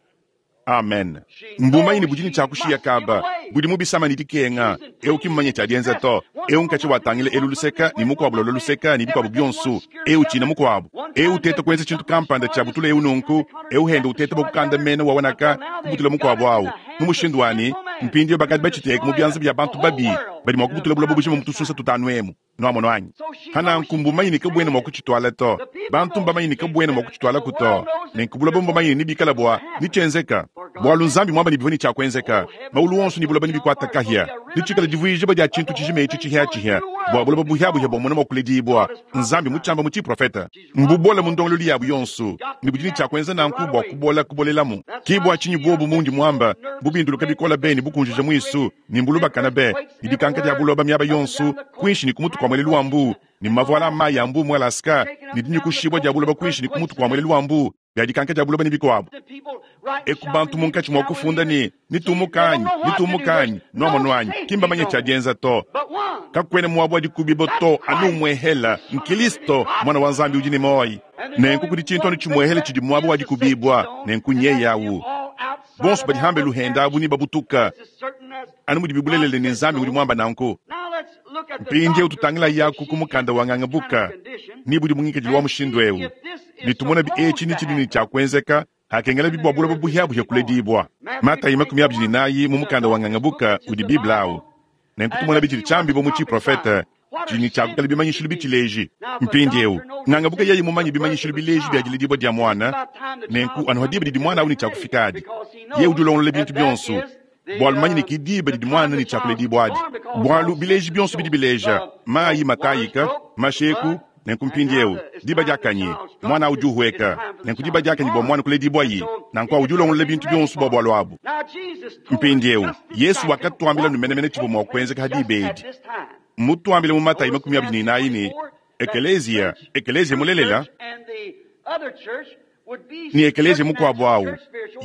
Amen. Mbumanye ne budi ne tshia kushiya kaba, budi mu bisama ne dikenga. Eu ki mmumanye tshia dienza to. Eu nkatshia watangila elu luseka ne mukuabu lua luseka ne bikuabu bionso. Eu tshina mukuabu. Eu uteta kuenza tshintu kampanda tshia butula eu nunku, eu henda uteta bua kukanda mena wa wanaka kubutula mukuabu au. Mu mushindu wa ne, mpindieu bakadi batshiteka mu bianza bia bantu babi badi mua kubutula buloba bujima mu tusunsa tutanu emu. Nuamono anyi? Pa nanku mbumanye ne kabuena mua kutshituala to. Bantu mbamanye ne kabuena mua kutshitualaku to. Nenku buloba mbumanye ne nebikala bua ne tshienzeka. Bualu Nzambi muamba ne bivua ne tshia kuenzeka. Maulu onso ne buloba nebikuata kahia. Netshikala divuijibua dia tshintu tshijima etshi tshihiatshihia, bua buloba buhiabuhia bua mona mua kuledibua. Nzambi mutshiamba mu tshiprofete. Mbubola mu ndongoluelu yabu yonso, ne budi ne tshia kuenza nanku bua kubola kubolelamu. Ke bua tshinyi buobu mundi muamba, mbubinduluka bikole be ne bukunjija muisu, ne mbulubakana be, ne dikanka dia buloba miaba yonso, kuinshi ne ku mutu kua muelelu wa mbuu, ne mavuala a mayi a mbuu mu Alaska, ne dinyukushibua dia buloba kuinshi ne ku mutu kua muelelu wa mbuu, bia dikanka dia buloba ne bikuabu. Eku bantu munkatshi mua kufunda ne, Nitumuka anyi? Nitumuka anyi? Nuamonu anyi? Ki mbamanye tshia dienza to. Kakuena muaba wa dikubibua to, anu umuehela, n'Kilisto, Muana wa Nzambi udi ne muoyo. Nenku kudi tshintu anu tshimuehela tshidi muaba wa dikubibua, nenku nyeye awu. Bonso badi hambelu henda abu nebabutuka, anu mudibi bulelela ne Nzambi udi muamba nanku. Mpindieu tutangilayaku ku mukanda wa Ngangabuka ne budi mu ngikadilu wa mushindu eu, ne tumonabi etshi ne tshidi ne tshia kuenzeka hakengelabi bua buloba buhiabuhia kuledibua. Matayi 24 mu mukanda wa Ngangabuka udi Bible au. Nenku tumonabi tshidi tshiambibua mu tshiprofete tshidi ne tshia kuikala bimanyishilu bitshileji. Mpindieu Ngangabuka yeye mumanye bimanyishilu bileji bia diledibua dia muana, nenku anu ha diba didi muana au ne tshia kufika adi, yeye udi ulongolola bintu bionso. Bualu manya ne ki diba didi muana ne tshia kuledibua adi, bualu bileji bionso bidi bileja mayi matayika, masheku. Nenku mpindieu diba diakanyi, muana udi uhueka. Nenku diba diakanyi bua muana kuledibuayi, nanku udi ulongolola bintu bionso bua bualu abu. Mpindieu Yesu wakatuambila nu menemene tshivua mua kuenzeka ha diba edi. Mmutuambile mu Matayi 24 ne, Ekeleziya, ekeleziya mulelela, ne ekeleziya mukuabu au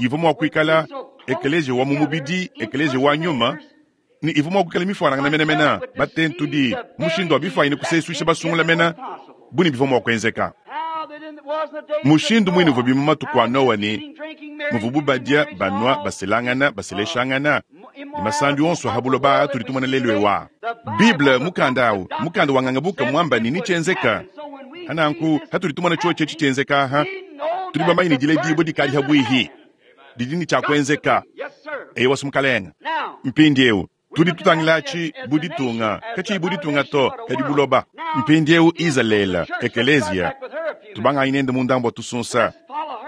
ivua mua kuikala ekeleziya wa mu mubidi, ekeleziya wa nyuma, ne ivua mua kuikala mifuanangana menemene, batentudi, mu mushindu wa bifuanyine kusesuisha basungula mene bu ne bivua mua kuenzeka. Mushindu muine uvuabi mu matuku a Noa ne muvubu badia, banua, baselangana, baseleshangana, ne masandi onso a ha buloba aa tudi tumona lelu eu aa. Bible, mukanda au, mukanda wa ngangabuka muamba ne netshienzeka. Hananku, hatudi tumona tshiotshi etshi tshienzeka aha, tudi bamanye ne diledibua dikadi habuihi, didi ne tshia kuenzeka. Eyowa, Mukalenge. Mpindiewu, tudi tutangila aci bu ditunga, kaciyi bu ditunga to, kadi buloba. Mpindiewu, Izaleela, ekeleeziya, tubangaayi nende mu ndambu wa tusunsa,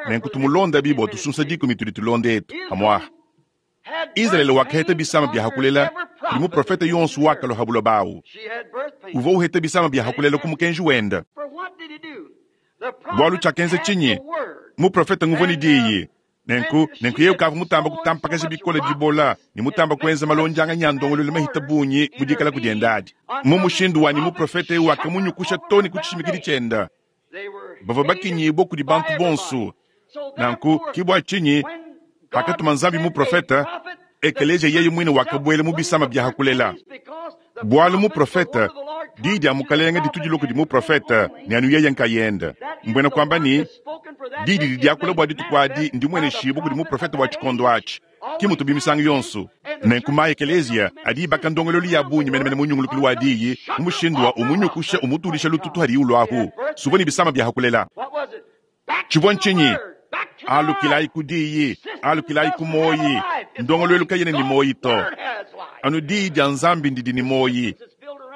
nenku tumulondabi bwa tusunsa dikumi tudi tulonda etu, amwaha. Izalele wakaheta bisama bia hakulela kudi muprofete yonso wakalua ha buloba awu. Uvua uheta bisama bia hakulela ku mukenji wenda. Bualu tshiakenza tshinyi? Muprofete nguvua ne diyi. Nenku, nenku yeye ukavua mutamba kutampakaja bikole dibola ne mutamba kuenza malondianganyi a ndongoluelu mahita bungi mu dikalaku diende adi. Mu mushindu wa ne muprofete eu wakamunyukusha too ne ku tshishimikidi tshiende. Bavua bakinyibua kudi bantu bonso. Nanku, ke bua tshinyi pakatuma Nzambi muprofete, ekeleziya yeye muine wakabuela mu bisama bia hakulela. Bualu muprofete, diyi dia Mukalenge ditu dilua kudi muprofete ne anu yeye nkayende. Mbuena kuamba ne, diyi didi diakula bua dituku adi ndimueneshibue kudi muprofete wa tshikondo atshi. Ke mutubi misangu yonso. Nenku ma ekeleziya adi ibaka ndongoluelu ya bungi menemene mu nyungulukilu wa diyi mu mushindu wa umunyukusha umutudisha lututu hadiyi uluahu. Suvua ne bisama bia hakulela. Tshivua ntshinyi? Alukilayi ku diyi, alukilayi ku muoyi. Ndongoluelu kayena ne muoyi to. Anu diyi dia Nzambi ndidi ne muoyi.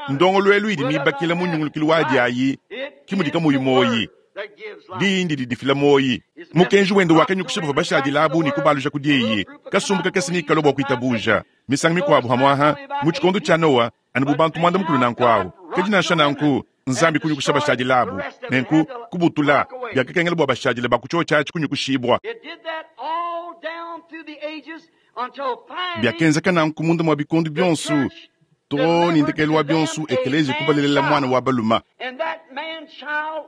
Ndongoluelu idi mibakila mu nyungulukilu wadi ayi ke mudi kamuyi muoyi. Diyi ndidi difila muoyi. Mukenji wende wakanyukusha bavua bashadile abu ne kubaluja ku diyi. Kasumbu kakese nekalue bua kuitabuja. Misangu mikuabu pamu'apa mu tshikondo tshia Nowa, anu bu bantu muanda-mukulu nanku awu. Kadi nansha nanku, Nzambi kunyukusha bashadile abu, nenku kubutula, biakakengela bua bashadile ba ku tshiotshi atshi kunyukushibua. Biakenzeka nanku munda mua bikondo bionso, too ne ndekelu wa bionso Ekeleziya kubalelela muana wa balume.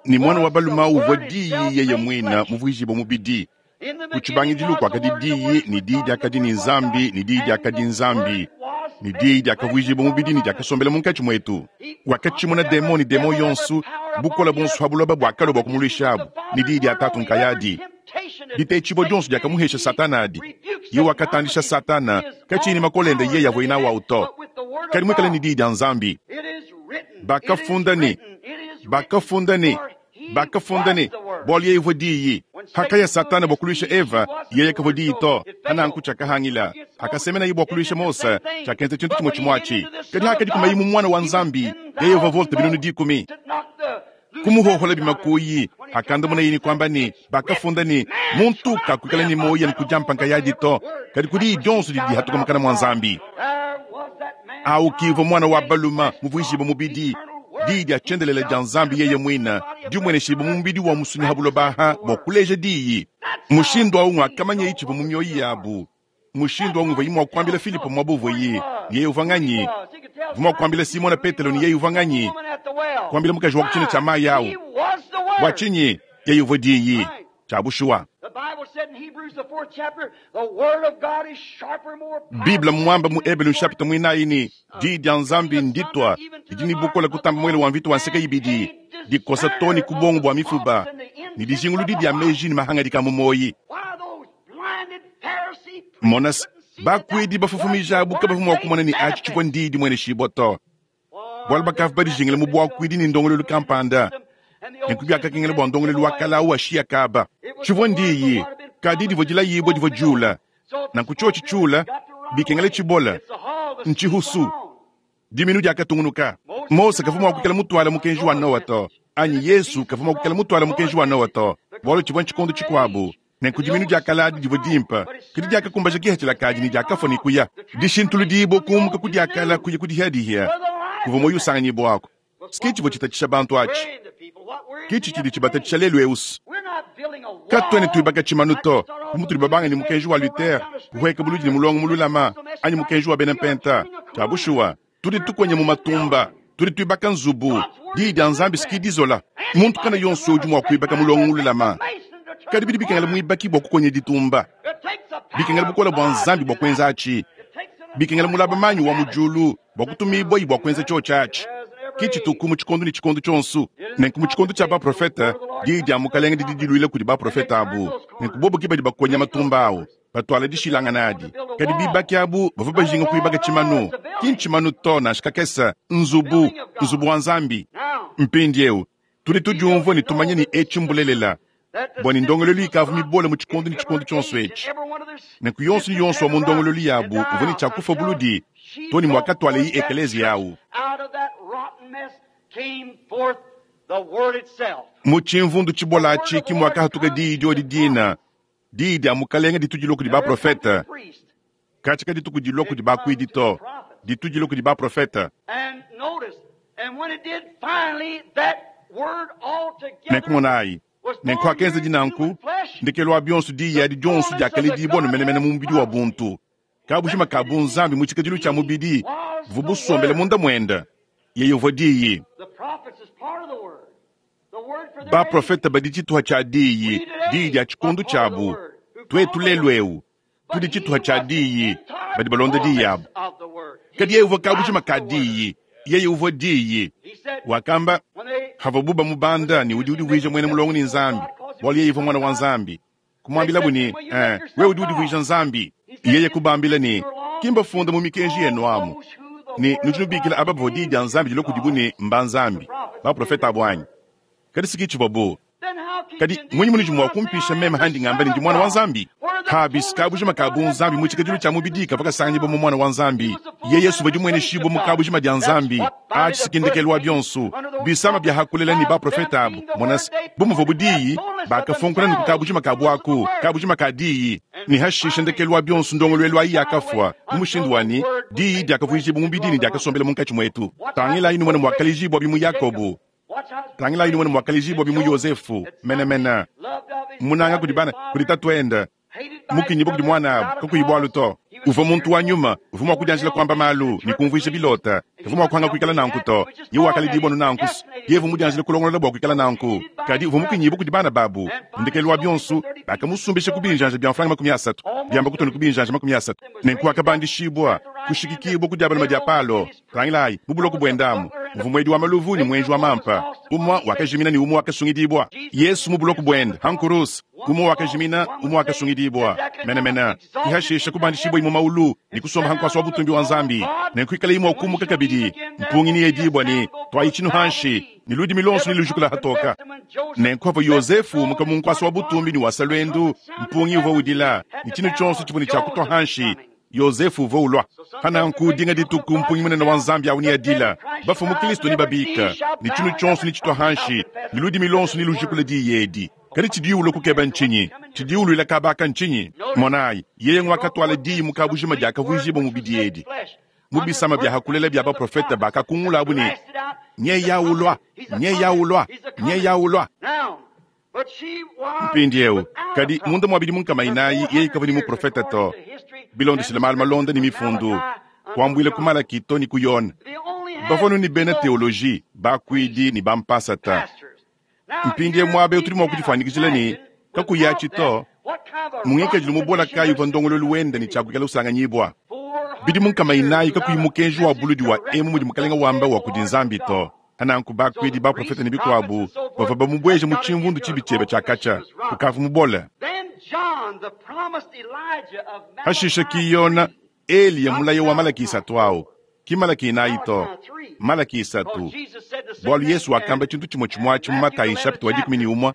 Ne muana wa balume au uvua Diyi yeye muine muvuijibue mubidi. Ku tshibangidilu kuakadi Diyi, ne Diyi diakadi ne Nzambi, ne Diyi diakadi Nzambi, ne Diyi diakavuijibua mubidi ne diakasombela munkatshi muetu. Wakatshimuna demon ne demon yonso, bukole buonso pa buloba buakalua bua kumuluishabu, ne Diyi dia Tatu nkayadi. Ditetshibua dionso diakamuhesha Satana adi, yeye wakatandisha Satana, katshiyi ne makole ende yeye avuaye nawu au to, kadi muikale ne Diyi dia Nzambi. Bakafunda ne, bakafunda ne, Bakafunda ne, Bualu yeye uvua Diyi. Hakaya Satana bua kuluisha Eva, yeye kavua Diyi to, pananku tshiakahangila. Hakasemenaye bua kuluisha Mose, tshiakenza tshintu tshimue tshimue atshi. Kadi hakadikumaye mu Muana wa Nzambi, yeye uvua volte 100,000. Kumuhohola bimakuyi, hakandamunaye ne kuamba ne, Bakafunda ne, Muntu kakuikala ne muoyo anu ku diampa nkayadi to, kadi ku diyi dionso didi dihatuka mukana mua Nzambi. Au ki uvua Muana wa balume muvuijibue mubidi, Diyi dia tshiendelele dia Nzambi yeye muine, dimueneshibue mu mubidi wa musunyi ha buloba aha bua kuleja Diyi. Mushindu au nguakamanyaye tshivua mu mioyo yabu. Mushindu au nguvuaye mua kuambila Filipo muaba uvuaye ne yeye uvua nganyi. Uvua mua kuambila Simona Petelo ne yeye uvua nganyi. Kuambila mukaji wa ku tshina tshia mayi au. Bua tshinyi? Yeye uvua Diyi. Tshia bushuwa. Bible mmuambe mu Ebelu nshapita muinayi ne, Diyi dia Nzambi nditua, didi ne bukole kutamba muele wa mvita wa nseke ibidi, dikosa too ne ku buongo bua mifuba, ne dijinguludi dia meji ne mahangadika a mu muoyi. Mona se, bakuidi bafofomija abu kabavua mua kumona ne atshi tshivua ndiyi dimueneshibua to. Bualu bakavua badijingile mu buakuidi ne ndongoluelu kampanda, nenku biakakengela bua ndongoluelu wa kale au ashiya kaba. Tshivua ndiyi, kadi divua dilayibua divua diula. Nanku tshiotshi tshiula, bikengela tshibola, ntshihusu. Diminu diakatungunuka. Mose kavua mua kuikala mutuale mukenji wa Noa to, anyi Yezu kavua mua kuikala mutuale mukenji wa Noa to, bualu tshivua ntshikondo tshikuabu. Nenku diminu dia kale adi divua dimpe, kadi diakakumbaja kipatshila kadi ne diakafua ne kuya. Dishintuludibua kumuka ku dia kale kuya ku dihiadihia kuvua muoyo usanganyibuaku. Ke tshivua tshitatshisha bantu atshi. Ke tshitshidi tshibatatshisha lelu'eu. Katuena tuibaka tshimanu to, bu mutudi babange ne mukenji wa Luther, kuhueka buludi ne mulongo mululama, anyi mukenji wa bena Mpenta. Tshia bushuwa, tudi tukonya mu matumba, tudi tuibaka nzubu. Diyi dia Nzambi si dizola. Muntu kana yonso udi mua kuibaka mulongo mululama, kadi bidi bikengela muibaki bua kukonya ditumba. Bikengela bukole bua Nzambi bua kuenza atshi. Bikengela mulaba manyi wa mu diulu bua kutumibuayi bua kuenza tshiotshi atshi. Ke tshituku mu tshikondo ne tshikondo tshionso. Nenku mu tshikondo tshia baprofete, diyi dia Mukalenge didi diluila kudi baprofete abu. Nenku bobo ke badi bakonya matumba au, batuala dishilangana adi. Kadi bibaki abu bavua bajinga kuibaka tshimanu, ki ntshimanu to nansha kakese, nzubu, nzubu wa Nzambi. Mpindieu tudi tudiumvua ne tumanya ne etshi mbulelela. Bua ne ndongoluelu ikavua mibole mu tshikondo ne tshikondo tshionso etshi. Nenku yonso ne yonso wa mu ndongoluelu yabu uvua ne tshia kufua buludi too ne muakatualayi ekeleziya au. Mu tshimvundu tshibola atshi ke muakahatuka diyi diodi dina, diyi dia Mukalenge ditu dilua kudi baprofete. Katshia kadituku dilua kudi bakuidi to, ditu dilua kudi baprofete. Nenku monayi, nenku hakenzedi nanku, ndekelu wa bionso diyi adi dionso diakaledibua ne menemene mu mubidi wa buntu. Kabujima ka bunzambi mu tshikadilu tshia mubidi buvua busombele munda muende. Yeye uvua Diyi. Baprofete badi tshituha tshia Diyi, Diyi dia tshikondo tshiabu. Tuetu lelu eu tudi tshituha tshia Diyi, badi balonda Diyi abu. Kadi yeye uvua kabujima ka Diyi, yeye uvua Diyi. Wakamba havuabu bamubanda ne udi udivuija muena mulongo ne Nzambi, bualu yeye uvua Muana wa Nzambi. Kumuambilabu ne, Eh, wewe udi udivuija Nzambi. Yeye kubambila ne, Ki mbafunda mu mikenji yenu amu ne, nudi nubikila aba bavua diyi dia Nzambi dilua kudibu ne, mba nzambi, baprofete abu anyi? Kadi si ke tshivuabu. Kadi mmunyi munudi mua kumpisha meme handi ngamba ne, ndi Muana wa Nzambi? Habis kabujima ka bunzambi mu tshikadilu tshia mubidi kavua kasanganyibua mu Muana wa Nzambi. Yeye Yesu uvua dimueneshibua mu kabujima dia Nzambi. Atshi si ke ndekelu wa bionso. Bisama bia hakulela ne baprofete abu, mona se, bu muvuabu diyi, bakafunkuna ne ku kabujima kabu aku, kabujima ka diyi. Ne hashishe ndekelu wa bionso ndongoluelu ayi yakafua, mu mushindu wa ne, diyi diakavuijibua mubidi ne diakasombela munkatshi muetu. Tangilayi numone muakalejibua mu Yakobo. Tangilayi numone muakalejibua mu Yosefu, menemene. Munanga kudi bana, kudi tatuende, mukinyibue kudi muanabu, kakuyi bualu to. Uvua muntu wa nyuma, uvua mua kudianjila kuamba malu ne kumvuija bilota. Kavua mua kuanga kuikala nanku to. Yeye wakaledibua anu nanku. Yeye uvua mudianjile kulongolola bua kuikala nanku. Kadi uvua mukinyibue kudi bana babu. Ndekelu wa bionso, bakamusumbisha ku binjanja bia mfranga 30, biamba kutua ne ku binjanja 30. Nenku wakabandishibua, kushikikibua ku dia balume dia Palo. Tangilayi, mu buloko buende amu muvua muedi wa maluvu ne muenji wa mampa, umue wakajimina ne umue wakasungidibua. Yesu mu buloko buende ha nkuruse, umue wakajimina, umue wakasungidibua. Menemene, ke hashishe kubandishibuaye mu maulu ne kusomba ha nkuasa wa butumbi wa Nzambi, nenku ikalaye mua kumuka kabidi. Mpungi neyedibua ne, Tuayi tshinu hanshi, ne ludimi luonso nelujukula hatoka. Nenku havua Yosefu umuka mu nkuasa wa butumbi ne wasa luendu, mpungi uvua udila, ne tshinu tshionso tshivua ne tshia kutua hanshi. Yosefu uvua ulua. Pananku dinga dituku mpungi munene wa Nzambi au neadila, bafue mu Kristo nebabika, ne tshinu tshionso netshitue hanshi, ne ludimi luonso nelujikule diyi edi. Kadi tshidiye ulua kukeba ntshinyi? Tshidiye uluila kaba aka ntshinyi? Monayi, yeye nguakatuala diyi mu kabujima diakavuijibua mubidi edi. Mu bisama bia hakulela bia baprofete bakakungulabu ne, Nyeya ulua, nyeya ulua, nyeya ulua. Mpindieu, kadi munda mua bidimu nkama inayi yeye kavua ne muprofete to, bilondeshile malu malonda ne mifundu, kuambuila ku Malaki to ne ku Yone. Bavua anu ne bena teoloji, bakuidi ne bampasata. Mpindieu muaba eu tudi mua kudifuanyikijila ne, kakuyi atshi to, mu ngikadilu mubola kayi uvua ndongoluelu wende ne tshiakuikala usanganyibua? Bidimu nkama inayi kakuyi mukenji wa buludi wa emu mudi Mukalenge wamba wa kudi Nzambi to. Nanku bakuidi, baprofete ne bikuabu bavua bamubueje mu tshimvundu tshibi tshiebe tshia katshia, ukavua mubole. Hashishe ki Yona, Eliya mulayi wa Malaki isatu au, ki Malaki inayi to, Malaki isatu, bualu Yesu wakamba tshintu tshimue tshimue atshi mu Matayi nshapita wa 11,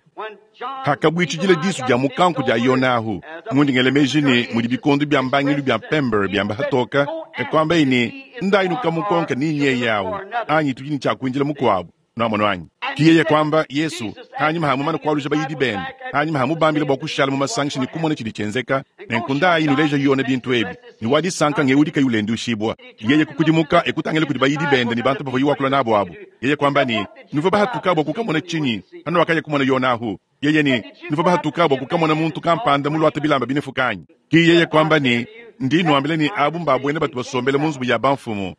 hakabuitshidila disu dia mukanku dia Yona ahu. Mundi ngela meji ne mudi bikondo bia mbangilu bia Pember biamba hatoka, e kuambaye ne, Ndayi nukamukonka ni nyeye awu, anyi tudi ne tshia kuindila mukuabu. Nuamonu anyi? Ki yeye kuamba, Yesu, hanyima ha mumane kualuja bayidi bende, hanyima ha mubambila bua kushala mu masangisha ne kumona tshidi tshienzeka, nenku ndayi nuleja Yone bintu ebi, ne wa disanka ngewu udi kayi ulenduishibua. Yeye kukudimuka e kutangila kudi bayidi bende ne bantu bavuaye wakula nabu abu. Yeye kuamba ne, Nuvua bahatuka bua kukamona tshinyi hanuakaya kumona Yone ahu? Yeye ne, Nuvua bahatuka bua kukamona muntu kampanda muluate bilamba binefuka anyi? Ki yeye kuamba ne, Ndi nuambila ne, abu mbabuena batu basombele mu nzubu ya bamfumu.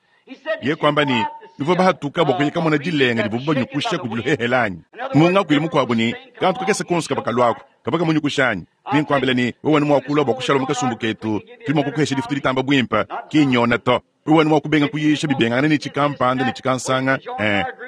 Yeye kuamba ne, Nuvua bahatuka bua kuya kamona dilenga divuabu banyukusha kudi luhehele anyi? Mu ngakuilu mukuabu ne, kantu kakese konso kavua kaluaku kavua kamunyukusha anyi? Nenkuambile ne, wewe mua kulua bua kushala mu kasumbu ketu, tudi mua kukuhesha difutu ditamba buimpe, ki nyona to. Wewe mua kubenga kuyisha bibengangane ne tshikampanda ne tshikansanga,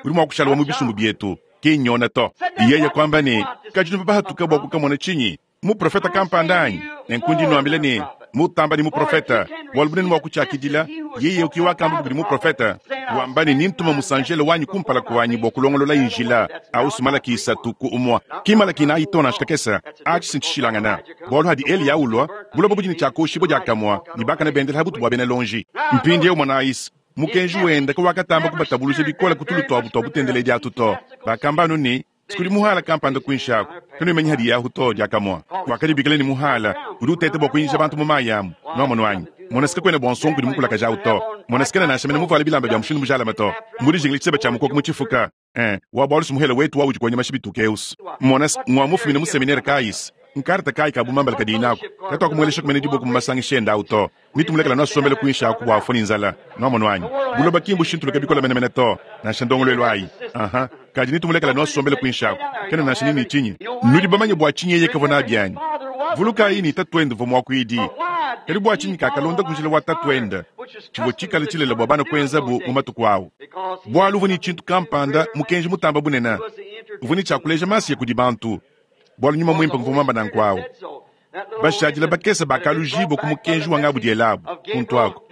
udi mua kushala wa mu bisumbu bietu, ki nyona to. Yeye kuamba ne, kadi nuvua bahatuka bua kukamona tshinyi? Muprofete kampanda anyi? Nenku ndi nuambila ne, mutamba ne muprofete. Bualu bunene bua kutshiakidila, yeye ke wakamba kudi muprofete, wamba ne, Nintuma musanjelo wanyi kumpala kuanyi bua kulongolola njila. Ausi Malaki isatu ku umua. Ki Malaki inayi to nansha kakese. Atshi si ntshishilangana. Bualu hadi Eliya ulua, buloba budi ne tshiakoshibua diakamua, ne bakane bendela ha butu bua bena lonji. Mpindieu monayi-se, mukenji wende kawakatamba kubatabuluja bikole ku tulu tuabu tua butendeledi atu to. Bakamba anu ne, Kudi muhala kampanda kuinshi aku, kanuimanyi hadiye ahu to. Diakamue wakadibikila ne, Muhala udi uteta bua kuinjisha bantu mu mayi amu. Nuamonu anyi? Mona, si kakuena bua nsongo kudi mukulakaje awu to. Mona, si kena nansha mene muvuale bilamba bia mushindu mujalame to. Mmudijingile tshiseba tshia mukoko mu tshifuka. Eh, wa bualu si muhele wetu wa udi kuonya mashi bituke eus. Mona, si ngua mufumine mu seminere kayi? Si nkarta kayi ka bumambala kadiyi naku? Katuakumueleshaku mene diboko mu masangisha ende awu to. Nitumulekela nuasombele kuinshi aku bua afue ne nzala. Nuamonu anyi? Buloba ki mbushintuluke bikole menemene to, nansha ndongoluelu ayi. Aha. Kadi nitumulekela nuasombele kuinshi aku, kena nansha ne ne tshinyi. Nudi bamanye bua tshinyi yeye kavua nabi anyi? Vulukayi ne, tatuende uvua muakuidi. Kadi bua tshinyi kakalonda ku njila wa tatuende, tshivua tshikale tshilele bua bana kuenzabu mu matuku au? Bualu uvua ne tshintu kampanda, mukenji mutambe bunene. Uvua ne tshia kuleja Masiya kudi bantu, bualu nyuma muimpe nguvua muambe nanku au. Bashadile bakese bakalujibua ku mukenji wa ngabu dielabu kuntu aku.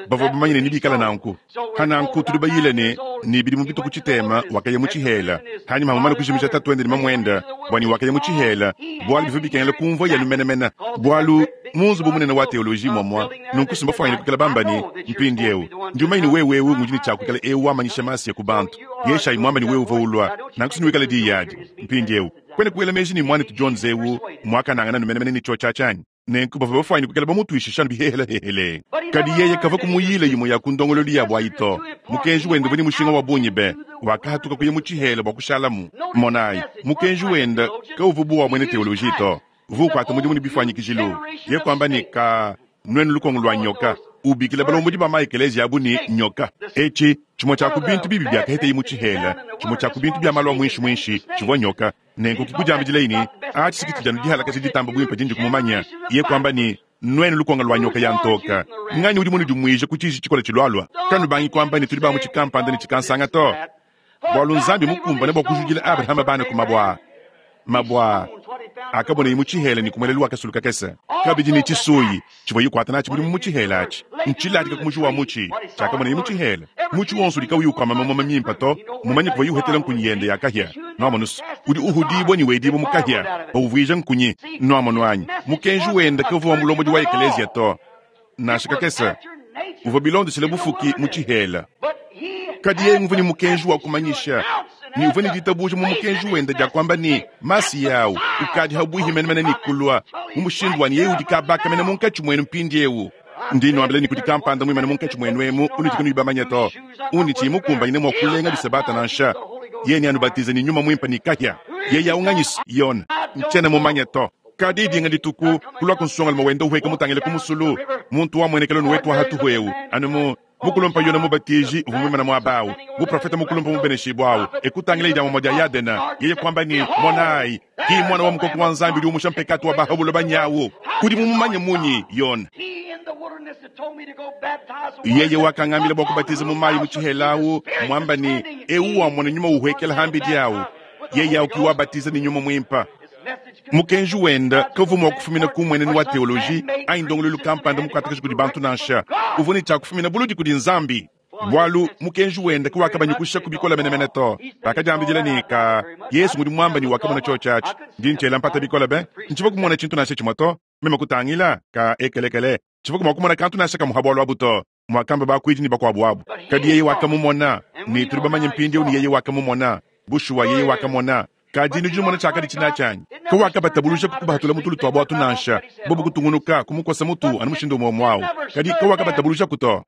Bavua bamanye ne nebikale nanku. Pa nanku tudi bayile ne, ne bidimu bitue ku tshitema wakaya mu tshihela, hanyima ha mumane kujimija tatuende ne mamuende, bua ne wakaya mu tshihela bualu bivua bikengela kumvua yanu menemene, bualu mu nzubu munene wa teoloji muamua nunku si mbafuanyine kuikala bamba ne, Mpindieu ndi mumanye ne wewe eu ngudi ne tshia kuikala eu wamanyisha Masiya ku bantu. Yeshayi muambe ne wewe uvua ulua, nanku si nuikale diyi adi. Mpindieu kuena kuela meji ne muanetu Jones eu muakanangana nu menemene ne tshiotshi atshi anyi? Nenku bavua bafuanyine kuikala bamutuishisha anu bihehelahehele. Kadi yeye kavua kumuyila imue ya ku ndongoluelu yabu ayi to. Mukenji wende uvua ne mushinga wa bungi be! Wakahatuka kuya mu tshihela bua kushalamu. Monayi, mukenji wende kauvua bu wa muena teoloji to. Uvua ukuata mudimu ne bifuanyikijilu. Yeye kuamba ne, Ka nuenu lukongo lua nyoka, ubikila balombodi ba ma-ekeleziya abu ne, nyoka. Etshi tshimue tshia ku bintu bibi biakaheteye mu tshihela, tshimue tshia ku bintu bia malu a muinshi-muinshi, tshivua nyoka. Nenku kikudiambidilaye ne, Atshi si tshidi anu dihalakaja ditamba buimpe dindi kumumanya. Iye kuamba ne, Nuenu lukonga lua nyoka ya ntoka, nganyi udi munudimuije ku tshiji tshikole tshilualua? Kanubangi kuamba ne, tudi ba mu tshikampanda ne tshikansanga to, bualu Nzambi mukumbane bua kujudila Abrahama bana ku mabue aa. Mabue aa akabonaye mu tshihela ne ku muelelu wa kasulu kakese, kabidi ne tshisuyi tshivuaye ukuata natshi mudimu mu tshihela atshi ntshiladika ku muji wa mutshi tshiakamonaye mu tshihela. Mutshi wonso udi kauyi ukuama mamuma mimpe to, mumanye kuvuaye uhetela nkunyi yende ya kahia. Nuamonu se, udi uhudibua ne wedibua mu kahia, bauvuija nkunyi. Nuamonu anyi? Mukenji wende kavua wa mulombodi wa ekeleziya to, nansha kakese. Uvua bilondeshile bufuki mu tshihela. Kadi yeye nguvua ne mukenji wa kumanyisha, ne uvua ne ditabuja mu mukenji wende dia kuamba ne, Masiya au ukadi habuihi menemene ne kulua, mu mushindu wa ne yeye udi kabaka mene munkatshi muenu mpindieu. Ndi nnuambila ne, kudi kampanda muimane munkatshi muenu emu unudi kanuyi bamanye to, undi tshiyi mukumbanyine mua kulenga bisabata nansha. Yeye neanubatize ne nyuma muimpe ne kahia. Yeye au nganyi? Yone. Ntshiena mumanye to. Kadi dinga dituku, kuluaku nsongalume wenda uhueka mutangile ku musulu, muntu wamuenekela nu wetu wa hatuhu eu, anu mu mukulumpa Yone Mubatiji uvua muimane muaba au, muprofete mukulumpa mubeneshibue au, e kutangila dia dia Yadena, yeye kuamba ne, Monayi, ki muana wa mukoko wa Nzambi udi umusha mpekatu wa ba ha buloba nyawu. Udi mumumanye munyi, Yone? Yeye wakangambila bua kubatiza mu mayi mu tshihela au, muamba ne, Eu wamona nyuma uhuekela hambidi au, yeye au ki wabatiza ne nyuma muimpe. Mukenji wende kavua mua kufumina ku mmuenenu wa teoloji anyi ndongoluelu kampanda mukuatakaja kudi bantu nansha. Uvua ne tshia kufumina buludi kudi Nzambi, bualu mukenji wende kawakabanyukushaku bikole menemene to. Bakadiambidila ne, Ka, Yezu ngudi muambe ne wakamona tshiotshi atshi. Ndi ntshiela mpata bikole be! Ntshivua kumona tshintu nansha tshimue to. Meme kutangila, ka ekelekele, tshivua mua kumona kantu nansha kamue ha bualu abu to, muakamba bakuidi ne bakuabu abu. Kadi yeye wakamumona, ne tudi bamanye mpindieu ne yeye wakamumona. Bushuwa yeye wakamona. Kadi nudi numona tshiakadi tshinatshi anyi? Kawakabatabuluja kukubahatula mu tulu tuabu atu nansha, bobu kutungunuka kumukosa mutu anu mushindu umue umue au. Kadi kawakabatabulujaku to.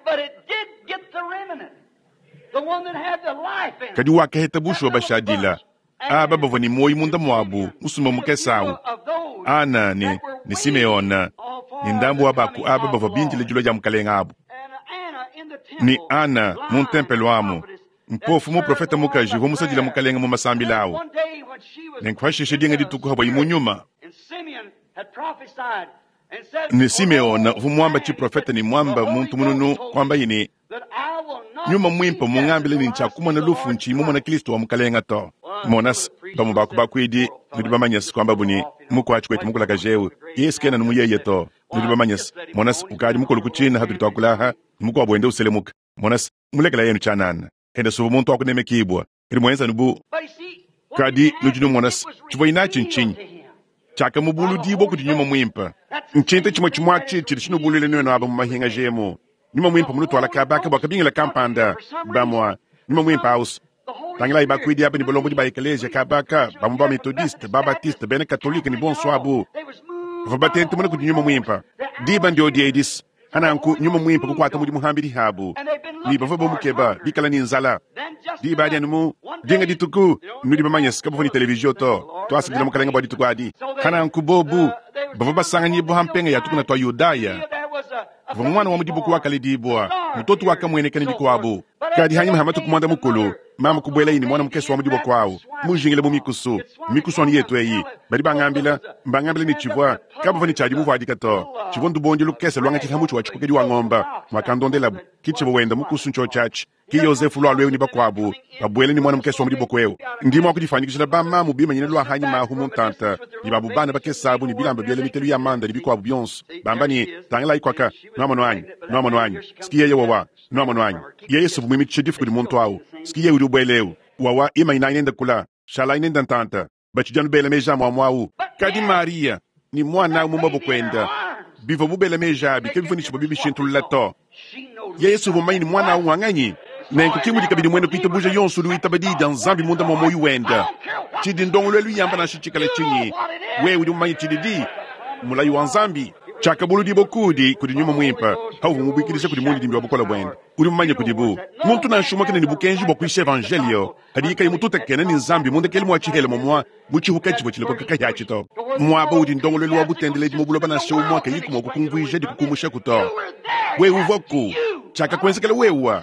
Kadi wakaheta bushuwa bashadila aba bavua ne muoyo munda muabu, musumba mukese au, Ana ne, ne Simeona ne ndambu wa ba ku aba bavua bindile dilua dia Mukalenge abu. Ne Ana mu ntempelo amu, mpofu muprofete mukaji uvua musadile Mukalenge mu masambila au. Nenku pashishe dinga dituku havuaye mu nyuma, ne Simeona uvua muamba tshiprofete ne muamba muntu mununu, kuambaye ne, Nyuma Muimpe mungambile ne ntshiakumona lufu ntshiyi mumona Kristo wa Mukalenga to. Mona se, bamue ba ku bakuidi, nudi bamanye se, kuambabu ne, Mukuatshi kuetu mukulakaje eu, Yesu kena anu muyeye to. Nudi bamanye's, mona's, ukadi mukulu ku tshiina hatudi tuakula aha, ne mukuabu wenda uselemuka. Mona's, mulekela yenu tshianana. Enda suva muntu wa kunemekibua, kadi muenza anu bu. Kadi nudi numona's, tshivuaye natshi ntshinyi? Tshiakamubuludibua kudi Nyuma Muimpe. Ntshintu tshimue tshimue atshi tshidi tshinubuluila nuenu aba mu mahingaja emu. Nyuma Muimpe munutuala kaba aka bua kabingila kampanda. Bamua, Nyuma Muimpe au's. Tangilayi bakuidi aba ne balombodi ba ekeleziya kaba aka, bamue ba Methodiste, ba Baptiste, bena Katolike ne bonso abu, bavua batentemuna kudi Nyuma Muimpe. Diba ndiodi edi's. Pananku Nyuma Muimpe kukuata mudimu hambidi habu, ne bavua bamukeba, bikala ne nzala. Diba adi anu mu dinga dituku, nudi bamanye's, kabavua ne televizion to. Tuasakidila Mukalenge bua dituku adi. Pananku bobu bavua basanganyibua ha mpenga ya tukuna tua Yudaya, kuvua muana wa mu dibuku wakaledibua, mutoto wakamueneka ne bikuabu. Kadi hanyima ha matuku muanda mukulu, mama kubuelaye ne muana mukese wa mu diboko au, mujingile mu mikusu. Mikusu anu yetu eyi. Badi bangambila, mbangambila ne tshivua, kabavua ne tshia dimuvuadika to. Tshivua ndubondi lukese luangatshila ha mutshi wa tshikokedi wa ngomba, muakandondelabu. Ki tshivua wenda mukusu ntshiotshi atshi. Ki Yozefu lualua eu ne bakuabu babuela ne muana mukese wa mu diboko eu. Ndi mua kudifuanyikijila ba mamu bimanyine lua hanyima ahu mu ntanta, ne babu bana bakese abu ne bilamba biela mitelu ya manda ne bikuabu bionso, bamba ne, Tangilayi kuaka, nuamonu anyi? Nuamonu anyi? Ski yeye wawa. Nuamonu anyi? Yeye suvua muimitshishe difu kudi muntu au. Ski yeye udi ubuela eu wawa, imanyinayi nende kula, shalayi nende ntanta. Batshidi anu bela meji amue-amue au. Kadi Mariya ne muana au mu maboko ende, bivuabu bela meji abi kabivua ne tshivua bibishintulula to. Yeye si uvua mumanye ne muana au ngua nganyi? Nenku ke mudi kabidi muena kuitabuja yonso udi witaba Diyi dia Nzambi munda mua muoyo wende. Tshidi ndongoluelu yamba nansha tshikale tshinyi, wewe udi mumanye tshididi mulayi wa Nzambi. Tshiakabuludibua kuudi kudi Nyuma Muimpe, pauvua mubuikidija kudi mundidimbi wa bukole buende. Udi mumanye kudibu muntu nansha umue kena ne bukenji bua kuyisha evanjeliyo padiye kayi mututakena ne Nzambi mu ndekelu mua tshihela momua mu tshihuka tshivua tshilekoka kahiatshi to. Muaba udi ndongoluelu wa butendeledi mu buloba nansha umue kayiku mua kukumvuija dikukumushaku to. Wewe uvuaku, tshiakakuenzekela wewe.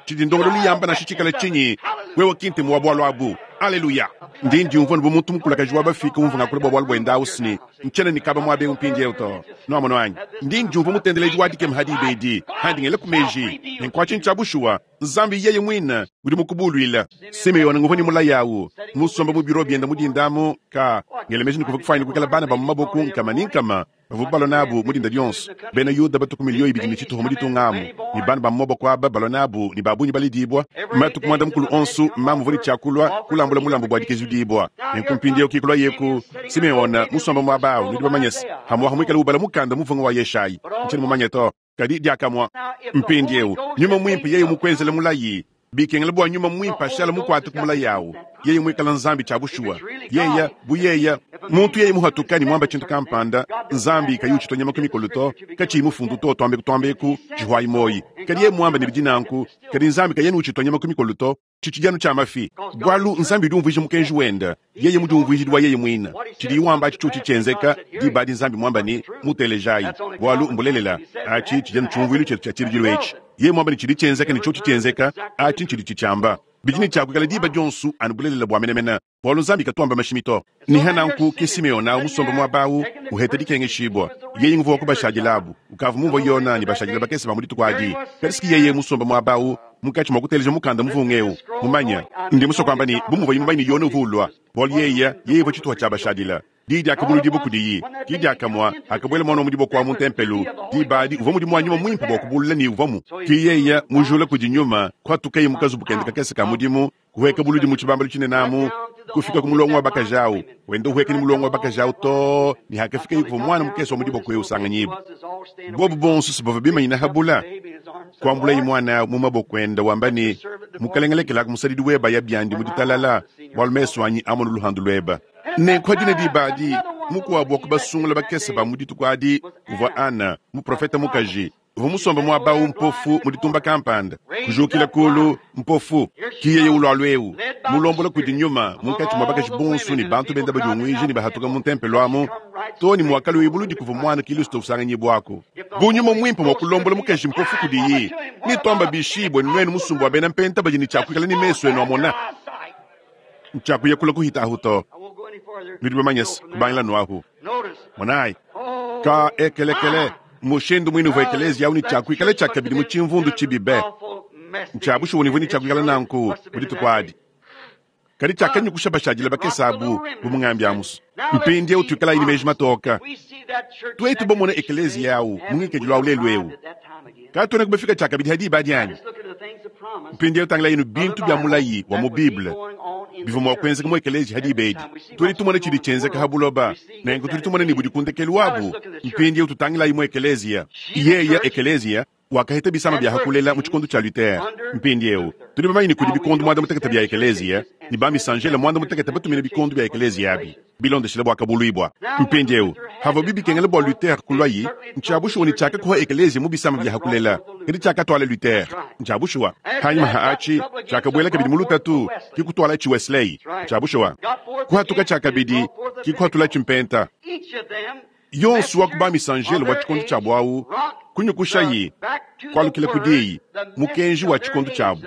Tshidi ndongoluelu yamba nansha tshikale tshinyi, wewe ki ntemu wa bualu abu. Aleluya! Ndi ndiumvua anu bu muntu mukulakaji wa bafike umvua ngakula bua bualu buende au ne, ntshiena ne kaba muaba eu mpindieu to. Nuamonu anyi? Ndi ndiumvua mutendeledi wa dikema ha diba edi, handi ngelaku meji. Nenku atshi ntshia bushuwa, Nzambi yeye muine udi mukubuluile. Simeona nguvua ne mulayi au, musombe mu biro biende mu dinda amu, ka ngela meji ne kuvua kufuanyine kuikala bana ba mu maboko nkama ne nkama bavua balua nabu mu dinda dionso. Bena Yuda batu ku miliyo ibidi ne tshituha mu ditunga amu, ne bana ba mu maboko aba balua nabu ne ba bungi baledibua. Matuku muanda mukulu onso mamu uvua ne tshia kulua kulambula mulambu bua dikezudibua. Nenku mpindieu ke kuluaye ku Simeona musombe muaba au, nudi bamanye se, pamu'apa muikale ubala mukanda muvunga wa Yeshayi. Ntshiena mumanye to. Kadi diakamue mpindieu, Nyuma Muimpe yeye mukuenzele mulayi, bikengela bua Nyuma Muimpe ashale mukuate ku mulayi awu, yeye muikale Nzambi tshia bushuwa. Yeye, bu yeye, muntu yeye muhatuka ne muamba tshintu kampanda, Nzambi kayi utshitua nyama ku mikolo to, katshiyi mufundu to, tuambeku tuambeku, tshihuayi muoyi. Kadi yeye muamba ne bidi nanku, kadi Nzambi kayena utshitua nyama ku mikolo to. Tshitshidi anu tshia mafi, bualu Nzambi udi umvuija mukenji wende, yeye mudiumvuijidi wa yeye muine. Tshidiye wamba atshi tshiotshi tshienzeka, diba adi Nzambi muamba ne, Mutelejayi, bualu mbulelela. Atshi tshidi anu tshiumvuilu tshietu tshia tshibidilu etshi. Yeye muamba ne tshidi tshienzeka ne tshiotshi tshienzeka, atshi ntshidi tshitshiamba. Bidi ne tshia kuikala diba dionso anu bulelela bua menemene, bualu Nzambi katu wamba mashimi to. Ne hananku ke Simeona awu musombe muaba awu, uheta dikengeshibua. Yeye nguvua wa kubashadilabu. Ukavua mumvua Yona ne bashadile bakese ba mu dituku adi. Kadi siki yeye musombe muaba awu, munkatshi mua kuteleja mukanda muvunga eu, mumanye. Ndi musue kuamba ne, bu muvuaye mumanye ne Yona uvua ulua, bualu yeye, yeye uvua tshituha tshia bashadile. Diyi diakabuludibua kudiyi, ki diakamue hakabuela muana wa mu diboko wa mu ntempelo. Diba adi uvua mudimu wa Nyuma Muimpe bua kubulula ne uvuamu. Ki yeye, mujula kudi Nyuma, kuhatukaye mu kazubu kende kakese ka mudimu, kuhueka buludi mu tshibambalu tshinene amu, kufika ku mulongo wa bakaji au, wenda uhueka ne mulongo wa bakaji au too ne hakafikaye kuvua muana mukese wa mu diboko eu usanganyibua. Bobu bonso si bavua bimanyine ha bula, kuambulaye muana au mu maboko ende wamba ne, Mukalenge, lekelaku musadidi webe aya biandi mu ditalala, bualu mesu anyi amonu luhandu luebe. Nenku ha dine diba adi, mukuabu wa ku basungula bakese ba mu dituku adi uvua Ana, muprofete mukaji, uvua musombe muaba au mpofu mu ditumba kampanda, kujukila kulu mpofu. Ki yeye ulualu eu, mulombola kudi Nyuma munkatshi mua bakaji bonso ne bantu benda badiunguija ne bahatuka mu ntempelo amu, too ne muakalua buludi kuvua muana Kilisto usanganyibuaku. Bu Nyuma Muimpe mua kulombola mukaji mpofu kudiyi, netuamba bishi buenu nuenu musumba wa bena mpenta badi ne tshia kuikala ne mesu enu amona? Ntshiakuya kule kuhita ahu to. Nudi bamanye se, kubangila nu ahu. Monayi, ka ekelekele, mushindu muine uvua ekeleziya au ne tshia kuikala tshiakabidi mu tshimvundu tshibi be. Ntshia bushuwa ne uvua ne tshia kuikala nanku mu dituku adi. Kadi tshiakanyukusha bashadile bakese abu, bu mungambi amusu. Mpindieu tuikalayi ne meji matoka. Tuetu bamone ekeleziya au mu ngikadilu au lelu eu, katuenaku bafika tshiakabidi ha diba adi anyi? Mpindieu tangilayinu bintu bia mulayi wa mu Bible bivua mua kuenzeka mu ekeleziya ha diba edi. Tudi tumona tshidi tshienzeka ha buloba, nenku tudi tumona ne budi ku ndekelu wabu. Mpindieu tutangilayi mu ekeleziya. Yeya ekeleziya wakaheta bisama bia hakulela mu tshikondo tshia Luther. Mpindieu tudi bamanye ne kudi bikondo muanda mutekete bia ekeleziya, ne bamisanjele muanda mutekete batumina bikondo bia ekeleziya abi bilondeshile buakabuluibua. Mpindieu havuabi bikengela bua Luther kuluayi, ntshia bushuwa ne tshiakakuha ekeleziya mu bisama bia hakulela, kadi tshiakatuala Luther. Ntshia bushuwa. Hanyima ha atshi tshiakabuela kabidi mu lutatu, ki kutualatshi Wesley. Ntshia bushuwa. Kuhatuka tshiakabidi, ki kuhatulatshi Mpenta. Yonso wa ku bamisanjelo wa tshikondo tshiabu au kunyukushayi kualukila ku diyi, mukenji wa tshikondo tshiabu,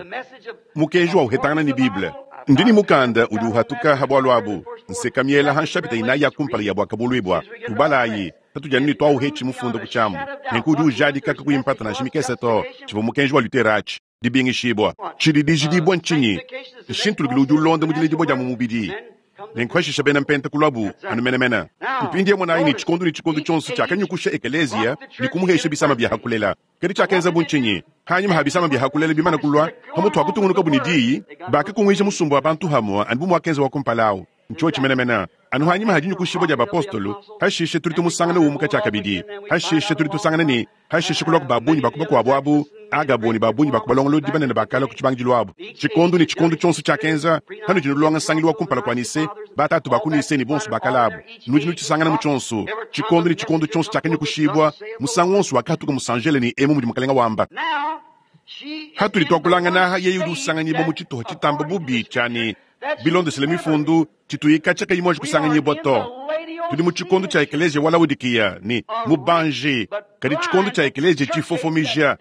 mukenji wa uhetangana ne Bible. Ndi ne mukanda udi uhatuka ha bualu abu, nseka miela ha nshapita inayi ya kumpala ya Buakabuluibua. Tubalayi, patudi anu ne tuauhetshi mufunda ku tshiamu. Nenku udi ujadika kakuyi mpata nansha mikese to tshivua mukenji wa Luther atshi, dibingishibua. Tshidi dijidibua ntshinyi? Nshintulukilu udi ulonda mu diledibua dia mu mubidi. Nenku hashisha bena Mpenta kuluabu anu menemene. Mpindieu monayi ne tshikondo ne tshikondo tshionso tshiakanyukusha ekeleziya ne kumuhesha bisama bia hakulela. Kadi tshiakenzabu ntshinyi? Hanyima ha bisama bia hakulela bimane kulua, pamutu ha kutungunukabu ne diyi, bakakunguija musumba wa bantu hamue anu bu muakenza wa kumpala au. Ntshiotshi menemene. Anu hanyima ha dinyukushibua dia bapostolo, hashishe tudi tumusangana umuka tshiakabidi. Hashishe tudi tusangana ne Hashishe kuluaku ba bungi ba ku bakuabu abu, Agabo ne ba bungi ba ku balongolodi banene bakalua ku tshibangidilu abu. Tshikondo ne tshikondo tshionso tshiakenza, panudi nulonga nsangilu wa kumpala kua Nise, batatu ba ku Nise ne bonso bakala abu, nudi nutshisangana mu tshionso. Tshikondo ne tshikondo tshionso tshiakanyukushibua, musangu wonso wakahatuka musanjele ne emu mudi Mukelenge wamba. Hatudi tuakulangana aha, yeye udi usanganyibua mu tshituha tshitamba bubi tshia ne, bilondeshile Mifundu, tshituyi katshia kayi muanji kusanganyibua to. Tudi mu tshikondo tshia ekeleziya wa Laodikiya ne mubanji, kadi tshikondo tshia ekeleziya tshifofomija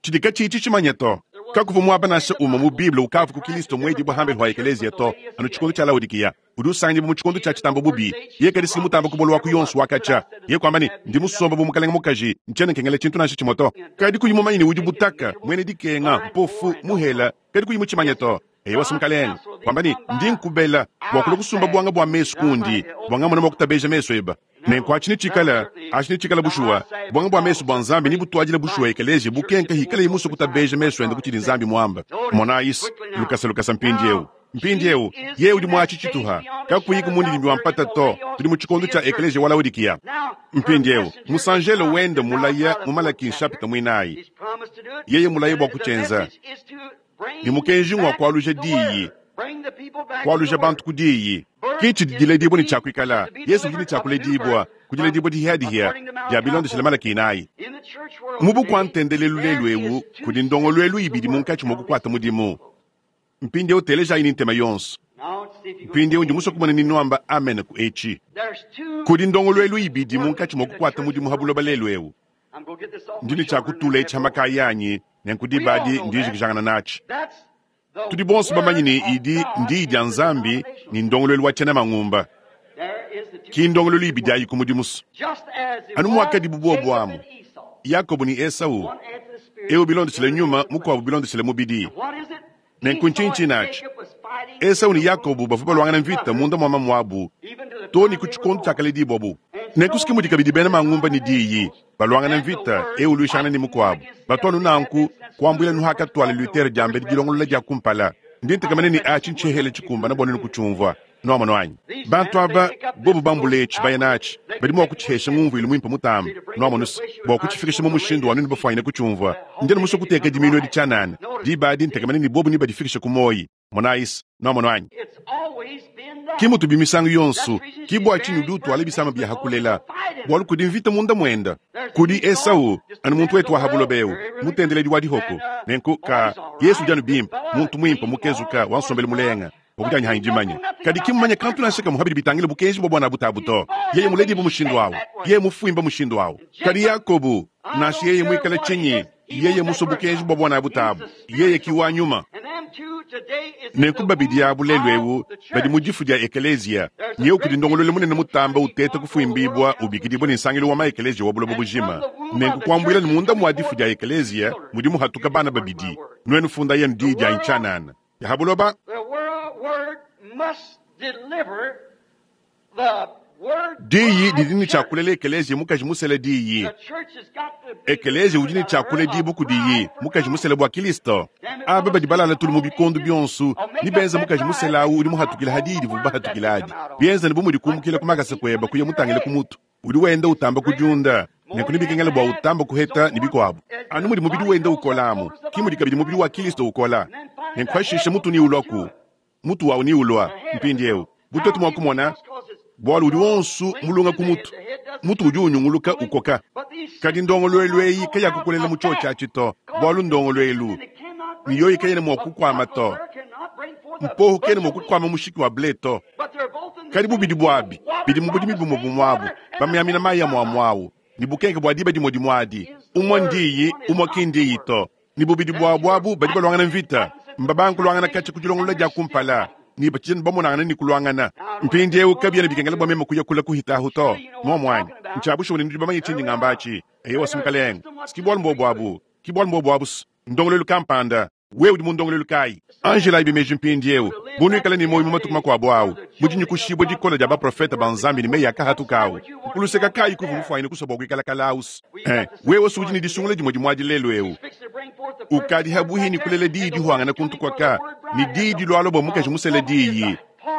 tshidi katshiyi tshitshimanya to. Kakuvua muaba nansha umue mu Bible ukavua ku Kilisto muedibue hambelu hua ekeleziya to, anu tshikondo tshia Laodikiya. Udi usanganyibua mu tshikondo tshia tshitamba bubi. Yeye kadi si mutamba kubola wa ku yonso wa katshia. Yeye kuamba ne, Ndi musomba bu mukalenge mukaji, ntshiena nkengela tshintu nansha tshimue to. Kadi kuyi mumanye ne udi butaka, muena dikenga, mpofu, muhela, kadi kuyi mutshimanye to. Eyowa, Mukalenge, wamba ne, Ndi nkubela bua kulua kusumba buanga bua mesu kundi, bua ngamona mua kutabeja mesu eba. Nenku atshi netshikale, atshi netshikale bushuwa, buanga bua mesu bua Nzambi nebutuadile bushuwa ekeleziya bukenka hikaleye musue kutabeja mesu ende ku tshidi Nzambi muamba. Monayi's, lukasa lukasa mpindiewu. Mpindiewu, yeye udi mu atshi tshituha, kakuyiku mundidimbi wa mpata to. Tudi mu tshikondo tshia ekeleziya wa Laodikiya. Mpindiewu, musanjelo wende mulaya mu Malaki nshapita muinayi, yeye mulaya bua kutshienza. Ne mukenji ngua kualuja diyi, kualuja bantu ku diyi. Ke tshidi diledibua ne tshia kuikala. Yesu udi ne tshia kuledibua ku diledibua dihiadihia dia bilondeshile Malaki inayi. Mu bukua ntendelelu lelu eu kudi ndongoluelu ibidi munkatshi mua kukuata mudimu. Mpindieu telejayi ne ntema yonso. Mpindieu ndi musue kumona ni nuamba amen ku etshi. Kudi ndongoluelu ibidi munkatshi mua kukuata mudimu ha buloba lelu eu. Ndi ne tshia kutula etshi ha makaya anyi, nenku diba adi ndi njikijangana natshi. Tudi bonso bamanye ne idi ndiyi dia Nzambi ne ndongoluelu wa tshiena mangumba. Ki ndongoluelu ibidi ayi ku mudimu so. Anu muakadibu buobu amu, Yakobo ne Esau, eu bilondeshile nyuma, mukuabu bilondeshile mubidi. Nenku ntshinyi tshinatshi? Esau ne Yakobo bavua baluangana mvita munda mua mamuabu too ne ku tshikondo tshiakaledibuabu. Nenku ke mudi kabidi bena mangumba ne diyi baluangana mvita, eu uluishangana ne mukuabu. Batu anu nanku kuambuila nu hakatuala Luther diambedi dilongolola dia kumpala. Ndi ntekemena ne atshi ntshihela tshikumbana bua nuenu kutshiumvua. Nuamonu anyi? Bantu aba bobu bambule etshi baya natshi, badi mua kutshihesha ngumvuilu muimpe mutambe. Nuamonu se, bua kutshifikisha mu mushindu wa nuenu bafuanyine kutshiumvua, ndi anu musue kuteka dimiinu edi tshianana. Diba adi ntekemena ne bobu nebadifikishe ku muoyi. Monayi se, nuamonu anyi? Ki mutubi misangu yonso. Ki bua tshinyi udi utuala bisama bia ha kulela, bualu kudi mvita munda muende. Kudi Esau, anu muntu wetu wa ha buloba eu, mutendeledi wa dihoko. Nenku, ka, Yesu udi anu bimpe, muntu muimpe, mukezuka, wa nsombelu mulenga. Bua kudianyi dimanya, kadi ki mmumanye kantu nansha kamue habidi bitangila bukenji bua buana butabu to. Yeye muledibue mushindu au, yeye mufuimba mushindu au. Kadi Yakobo, nansha yeye muikale tshinyi, yeye musue bukenji bua buana butabu, yeye ki wa nyuma. Nenku babidi abu lelu eu badi mu difu dia ekeleziya, nyeu kudi ndongoluelu munene mutamba uteta kufuimbibua ubikidibua ne nsangilu wa maekeleziya wa buloba bujima. Nenku kuambuila ne munda mua difu dia ekeleziya mudi muhatuka bana babidi. Nuenu fundayi anu diyi dianyi tshianana. Ya ha buloba. Diyi didi ne tshia kulela ekeleziya mukaji musela Diyi. Ekeleziya udi ne tshia kuledibua kudiyi mukaji musela bua Kilisto. Aba badi balala tulu mu bikondo bionso ne benza mukaji musela awu udi muhatukila ha diyi divuabu bahatukila adi. Bienza ne bu mudi kumukila ku makasa kueba kuya mutangile ku mutu. Udi wenda utamba kudiunda, nenku nebikengele bua utamba kuheta ne bikuabu. Anu mudi mubidi wenda ukola amu, ki mudi kabidi mubidi wa Kilisto ukola. Nenku hashishe mutu neulua ku mutu wawu neulua mpindiewu, bu tuetu mua kumona, bualu udi wonso mulunga ku mutu, mutu udi unyunguluka ukoka. Kadi ndongoluelu eyi kayakukolela mu tshiotshi atshi to, bualu ndongoluelu ne yoyi kayena mua kukuama to. Mpohu kena mua kukuama mushiki wa ble to. Kadi bubidi buabi bidi mu budimi bumue bumue abu, bamiamina mayi amue amue awu, ne bukenke bua diba dimue dimue adi. Umue ndiyi, umue ki ndiyi to. Ne bubidi buabu abu badi baluangana mvita. Mbabanga kuluangana katshia ku dilongolola dia kumpala, ne batshidi bamonangana ne kuluangana. Mpindieu kabiena bikengela bua meme kuya kule kuhita ahu to. Muomu anyi? Ntshia bushuwa ne nudi bamanye tshindi ngamba atshi. Eyowa, si Mukalenge. Si bualu mbuobu abu. Ki bualu mbuobu abu. Ndongoluelu kampanda. Wewe udi mu ndongoluelu kayi? Anjilayibi meji mpindieu, bu nuikale ne muoyo mu matuku makuabu au, mu dinyikushibua dikole dia baprofete ba Nzambi ne meyi akahatuka au, nku luseka kayi kuvua mufuanyine kusua bua kuikala kalaus? Eh, wewe si udi ne disungula dimue dimue adi lelu eu. Ukadi habuhi ne kulela diyi dihuangana kuntu kuaka, ne diyi dilualua bua mukaji musele diyi.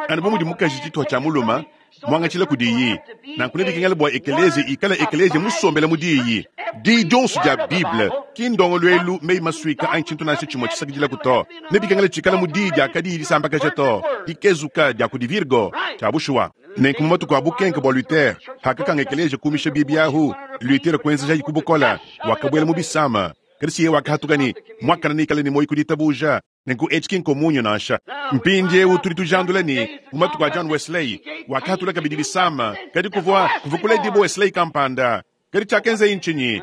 Anu bu mudi mukaji tshituha tshia mulume, muangatshila kudiyi, nanku nebikengele bua ekeleziya ikale ekeleziya musombele mu diyi. Diyi dionso dia Bible ki ndongoluelu, meyi masuika anyi tshintu nansha tshimue tshisakidilaku to. Nebikengele tshikale mu diyi dia kadiyi disambakaja to, dikezuka dia kudi Virgo. Tshia bushuwa. Nenku mu matuku a bukenke bua Luther, pakakanga ekeleziya kumisha bibi ahu, Luther kuenzejayi ku bukole, wakabuela mu bisama. Kadi si yeye wakahatuka ne, Muakane neikale ne muoyo ku ditabuja. Nenku etshi ki nkomunyo nansha. Mpindieu tudi tujandula ne, mu matuku a John Wesley, wakahatula kabidi bisama, kadi kuvua kuvua kuledibua Wesley kampanda. Kadi tshiakenzaye ntshinyi?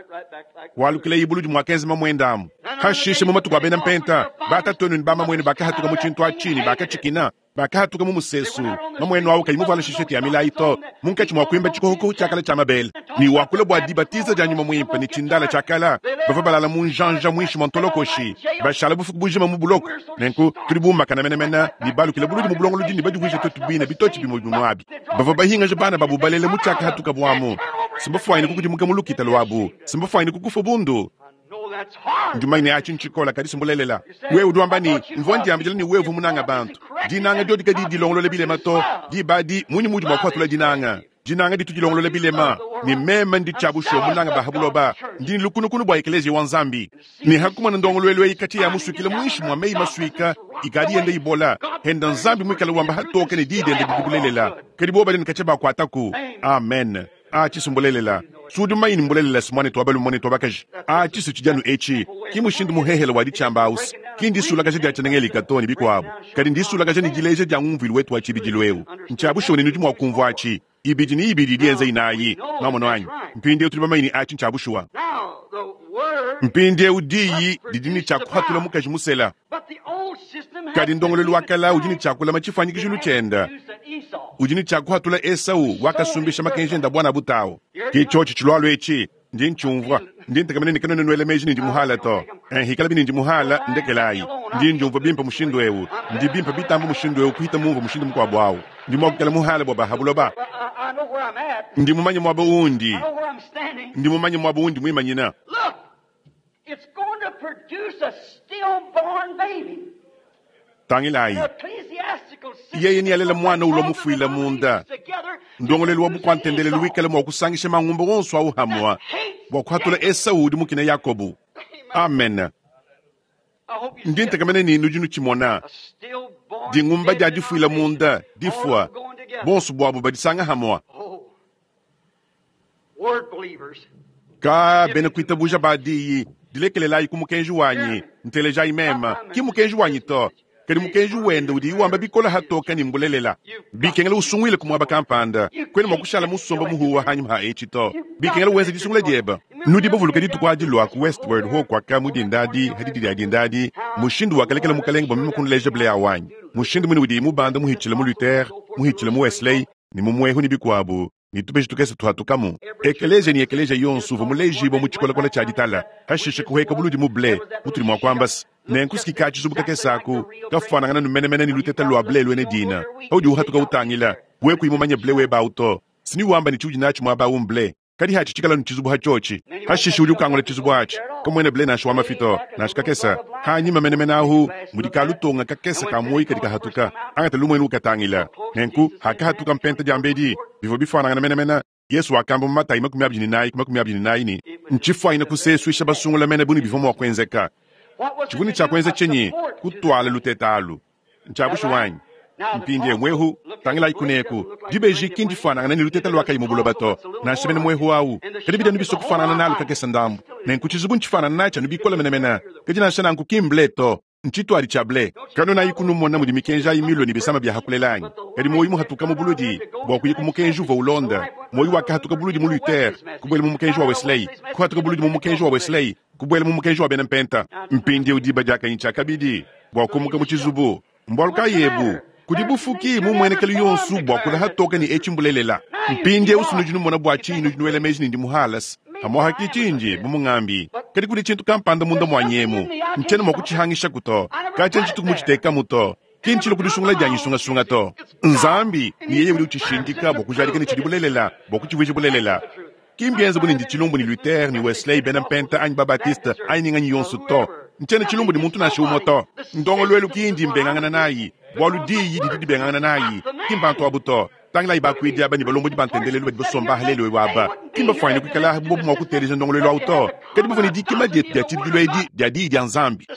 Walukilayi buludi muakenza mamuende amu. Hashishe mu matuku a bena Mpenta, batatuenu ne bamamuenu bakahatuka mu tshintu atshi ne bakatshikina, bakahatuka mu musesu, mamuenu awu kayi muvuale shishete ya milayi to, munkatshi mua kuimba tshikohoko tshia kala tshia mabele ne wakula bua dibatiza dia nyuma muimpe ne tshindala tshia kala, bavua balala mu njanja muinshi mua ntolokoshi, bashala bufuku bujima mu buloko. Nenku tudi bumbakana menemene ne balukile buludi mu bulongolodi ne badivuije tuetu bine bitotshi bimue bimue abi. Bavua bahingaje bana babu balele mu tshiakahatukabu amu, si mbafuanyine kukudimuka mu lukita luabu, si mbafuanyine kukufua bundu. Ndi mumanye ne atshi ntshikola, kadi si mbulelela. Wewe udi wamba ne, Mvua ndiambidila ne wewe uvua munange bantu. Dinanga diodi kadiyi dilongolola bilema to. Diba adi, mmunyi muudi mua kupatula dinanga? Dinanga ditu dilongolola bilema. Ne meme ndi tshia bushuwa munange ba ha buloba. Ndi ne lukunukunu bua Ekeleziya wa Nzambi. Ne ha kumona ndongoluelu eyi katshia yamusuikila muinshi mua meyi masuika ikadi yenda ibola, henda Nzambi muikale wamba hatoke ne diyi diende didi bulelela. Kadi bobo badi ne katshia bakuataku. Amen. Atshi si mbulelela. Si udi mumanye ne mbulelela si muanetu wa balume muanetu wa bakaji. Atshi si tshidi anu etshi. Ki mushindu muhehele wa ditshiamba au si ki ndisulakaja dia tshiena-Gelika to ne bikuabu, kadi ndisulakaja ne dileja dia ngumvuilu wetu wa tshibidilu eu. Ntshia bushuwa ne nudi mua kumvua atshi. Ibidi ne ibidi idi yenza inayi. Nwamonu anyi? Mpindieu tudi bamanye ne atshi ntshia bushuwa. Mpindieu diyi didi ne tshia kuhatula mukaji musela. Kadi ndongoluelu wa kale udi ne tshia kulama tshifuanyikijilu tshiende, udi ne tshia kuhatula Esau wakasumbisha makenji ende a buana butau. Ke tshiotshi tshilualua etshi, ndi ntshiumvua, ndi ntekemena ne kanuena nuela meji ne ndi muhala to. Eh, hikalabi ne ndi muhala, ndekelayi. Ndi ndiumvua bimpe mushindu eu, ndi bimpe bitamba mushindu eu kuhita mumvua mushindu mukuabu au. Ndi mua kuikala muhala bua ba ha buloba. Ndi mumanye muaba undi, ndi mumanye muaba undi muimanyina. It's going to produce a stillborn baby. Tangilayi, yeye nealele muana ulua mufuile munda. Ndongoluelu wa bukua-ntendelelu wikale mua kusangisha mangumba wonso au hamua bua kuhatula Esau udi mukine Yakobo. Amen. Ndi ntekemena ne nudi nutshimona. Dingumba dia difuila munda, difua, bonso buabu badisanga hamua. Ka bena kuitabuja ba diyi, dilekelelayi ku mukenji wanyi, ntelejayi meme, ki mukenji wanyi to, kadi mukenji wende udiyi wamba bikole hatoke ne mbulelela. Bikengela usunguile ku muaba kampanda, kuena mua kushala musomba muhuwa hanyima ha etshi to. Bikengela wenze disungula diebe. Nudi bavuluka dituku adi lua ku Westward Ho kuaka mu dinda adi, ha didi dia dinda adi, mushindu wakalekela Mukalenge bua meme kunuleja Blair wanyi, mushindu muine udiyi mubanda muhitshile mu Luther, muhitshile mu Wesley, ne mu muehu ne bikuabu, ne tubeji tukese tuhatukamu. Ekeleziya ne ekeleziya yonso uvua mulejibue mu tshikolakola tshia ditala, hashishe kuhueka buludi mu ble, mutudi mua kuamba se, Nenku si ka tshizubu kakese aku kafuanangana nu menemene ne luteta lua ble luena dina. Paudi uhatuka utangila, wewe kuyi mumanye ble webe au to. Si niwamba ne tshiudi natshi muaba au mble, kadi hatshi tshikala nu tshizubu hatshiotshi. Hashishe udi ukangula tshizubu atshi, kamuena ble nansha wa mafi to, nansha kakese. Hanyima menemene ahu mudi kalutonga kakese ka muoyi kadi kahatuka. Angata lumuenu ukatangila. Nenku hakahatuka mpenta diambedi, bivua bifuanangana menemene. Yesu wakamba mu Matayi 24 ku 24 ne, Ntshifuanyine kusesuisha basungula mene bu ne bivua mua kuenzeka. Tshivua ne tshia kuenza tshinyi? Kutuala luteta alu. Ntshia bushuwa anyi? Mpindieu muehu, tangilayi kuneku. Dibeji ki ndifuanangane ne luteta lua kayi mu buloba to, nansha mene muehu au. Kadi bidi anu bisua kufuanangana nalu kakese ndambu. Nenku tshizubu ntshifuanangane natshi anu bikole menemene. Kadi nansha nanku ki mble to. Ntshituadi tshia ble. Kanuenayi kunumona mudi mikenji ayi milue ne bisama bia hakulela anyi? Kadi muoyo muhatuka mu buludi bua kuya ku mukenji uvua ulonda. Muoyo wakahatuka buludi mu Luther, kubuela mu mukenji wa Wesley, kuhatuka buludi mu mukenji wa Wesley, kubuela mu mukenji wa bena Mpenta. Mpindieu diba diakanyi tshiakabidi bua kumuka mu tshizubu. Mbualu kayi ebu? Kudi bufuki mu mmuenekelu yonso bua kula hatoke ne etshi mbulelela. Mpindieu si nudi numona bua tshinyi nudi nuela meji ne ndi muhalase. Pamu'apa ki tshindi bu mungambi, kadi kudi tshintu kampanda munda muanyi emu. Ntshiena mua kutshihangishaku to. Katshia ntshituku mutshitekamu to. Ki ntshilue ku disungula dianyi sungasunga to. Nzambi, ne yeye udi utshishindika bua kujadika ne tshidi bulelela, bua kutshivuija bulelela. Ki mbienze bu ne ndi tshilumbu ne Luther, ne Wesley, bena Mpenta, anyi ba-Baptiste, anyi ne nganyi yonso to. Ntshiena tshilumbu ne muntu nansha umue to. Ndongoluelu ki indi mbengangana nayi, bualu Diyi didi dibengangana nayi, ki mbantu abu to. Tangilayi bakuidi aba ne balombodi ba ntendelelu badi basomba aha lelu eu aba. Ki mbafuanyine kuikala aha bu bobu mua kuteleja ndongoluelu au to, kadi bavua ne dikima dietu dia tshibidilu edi dia Diyi dia Nzambi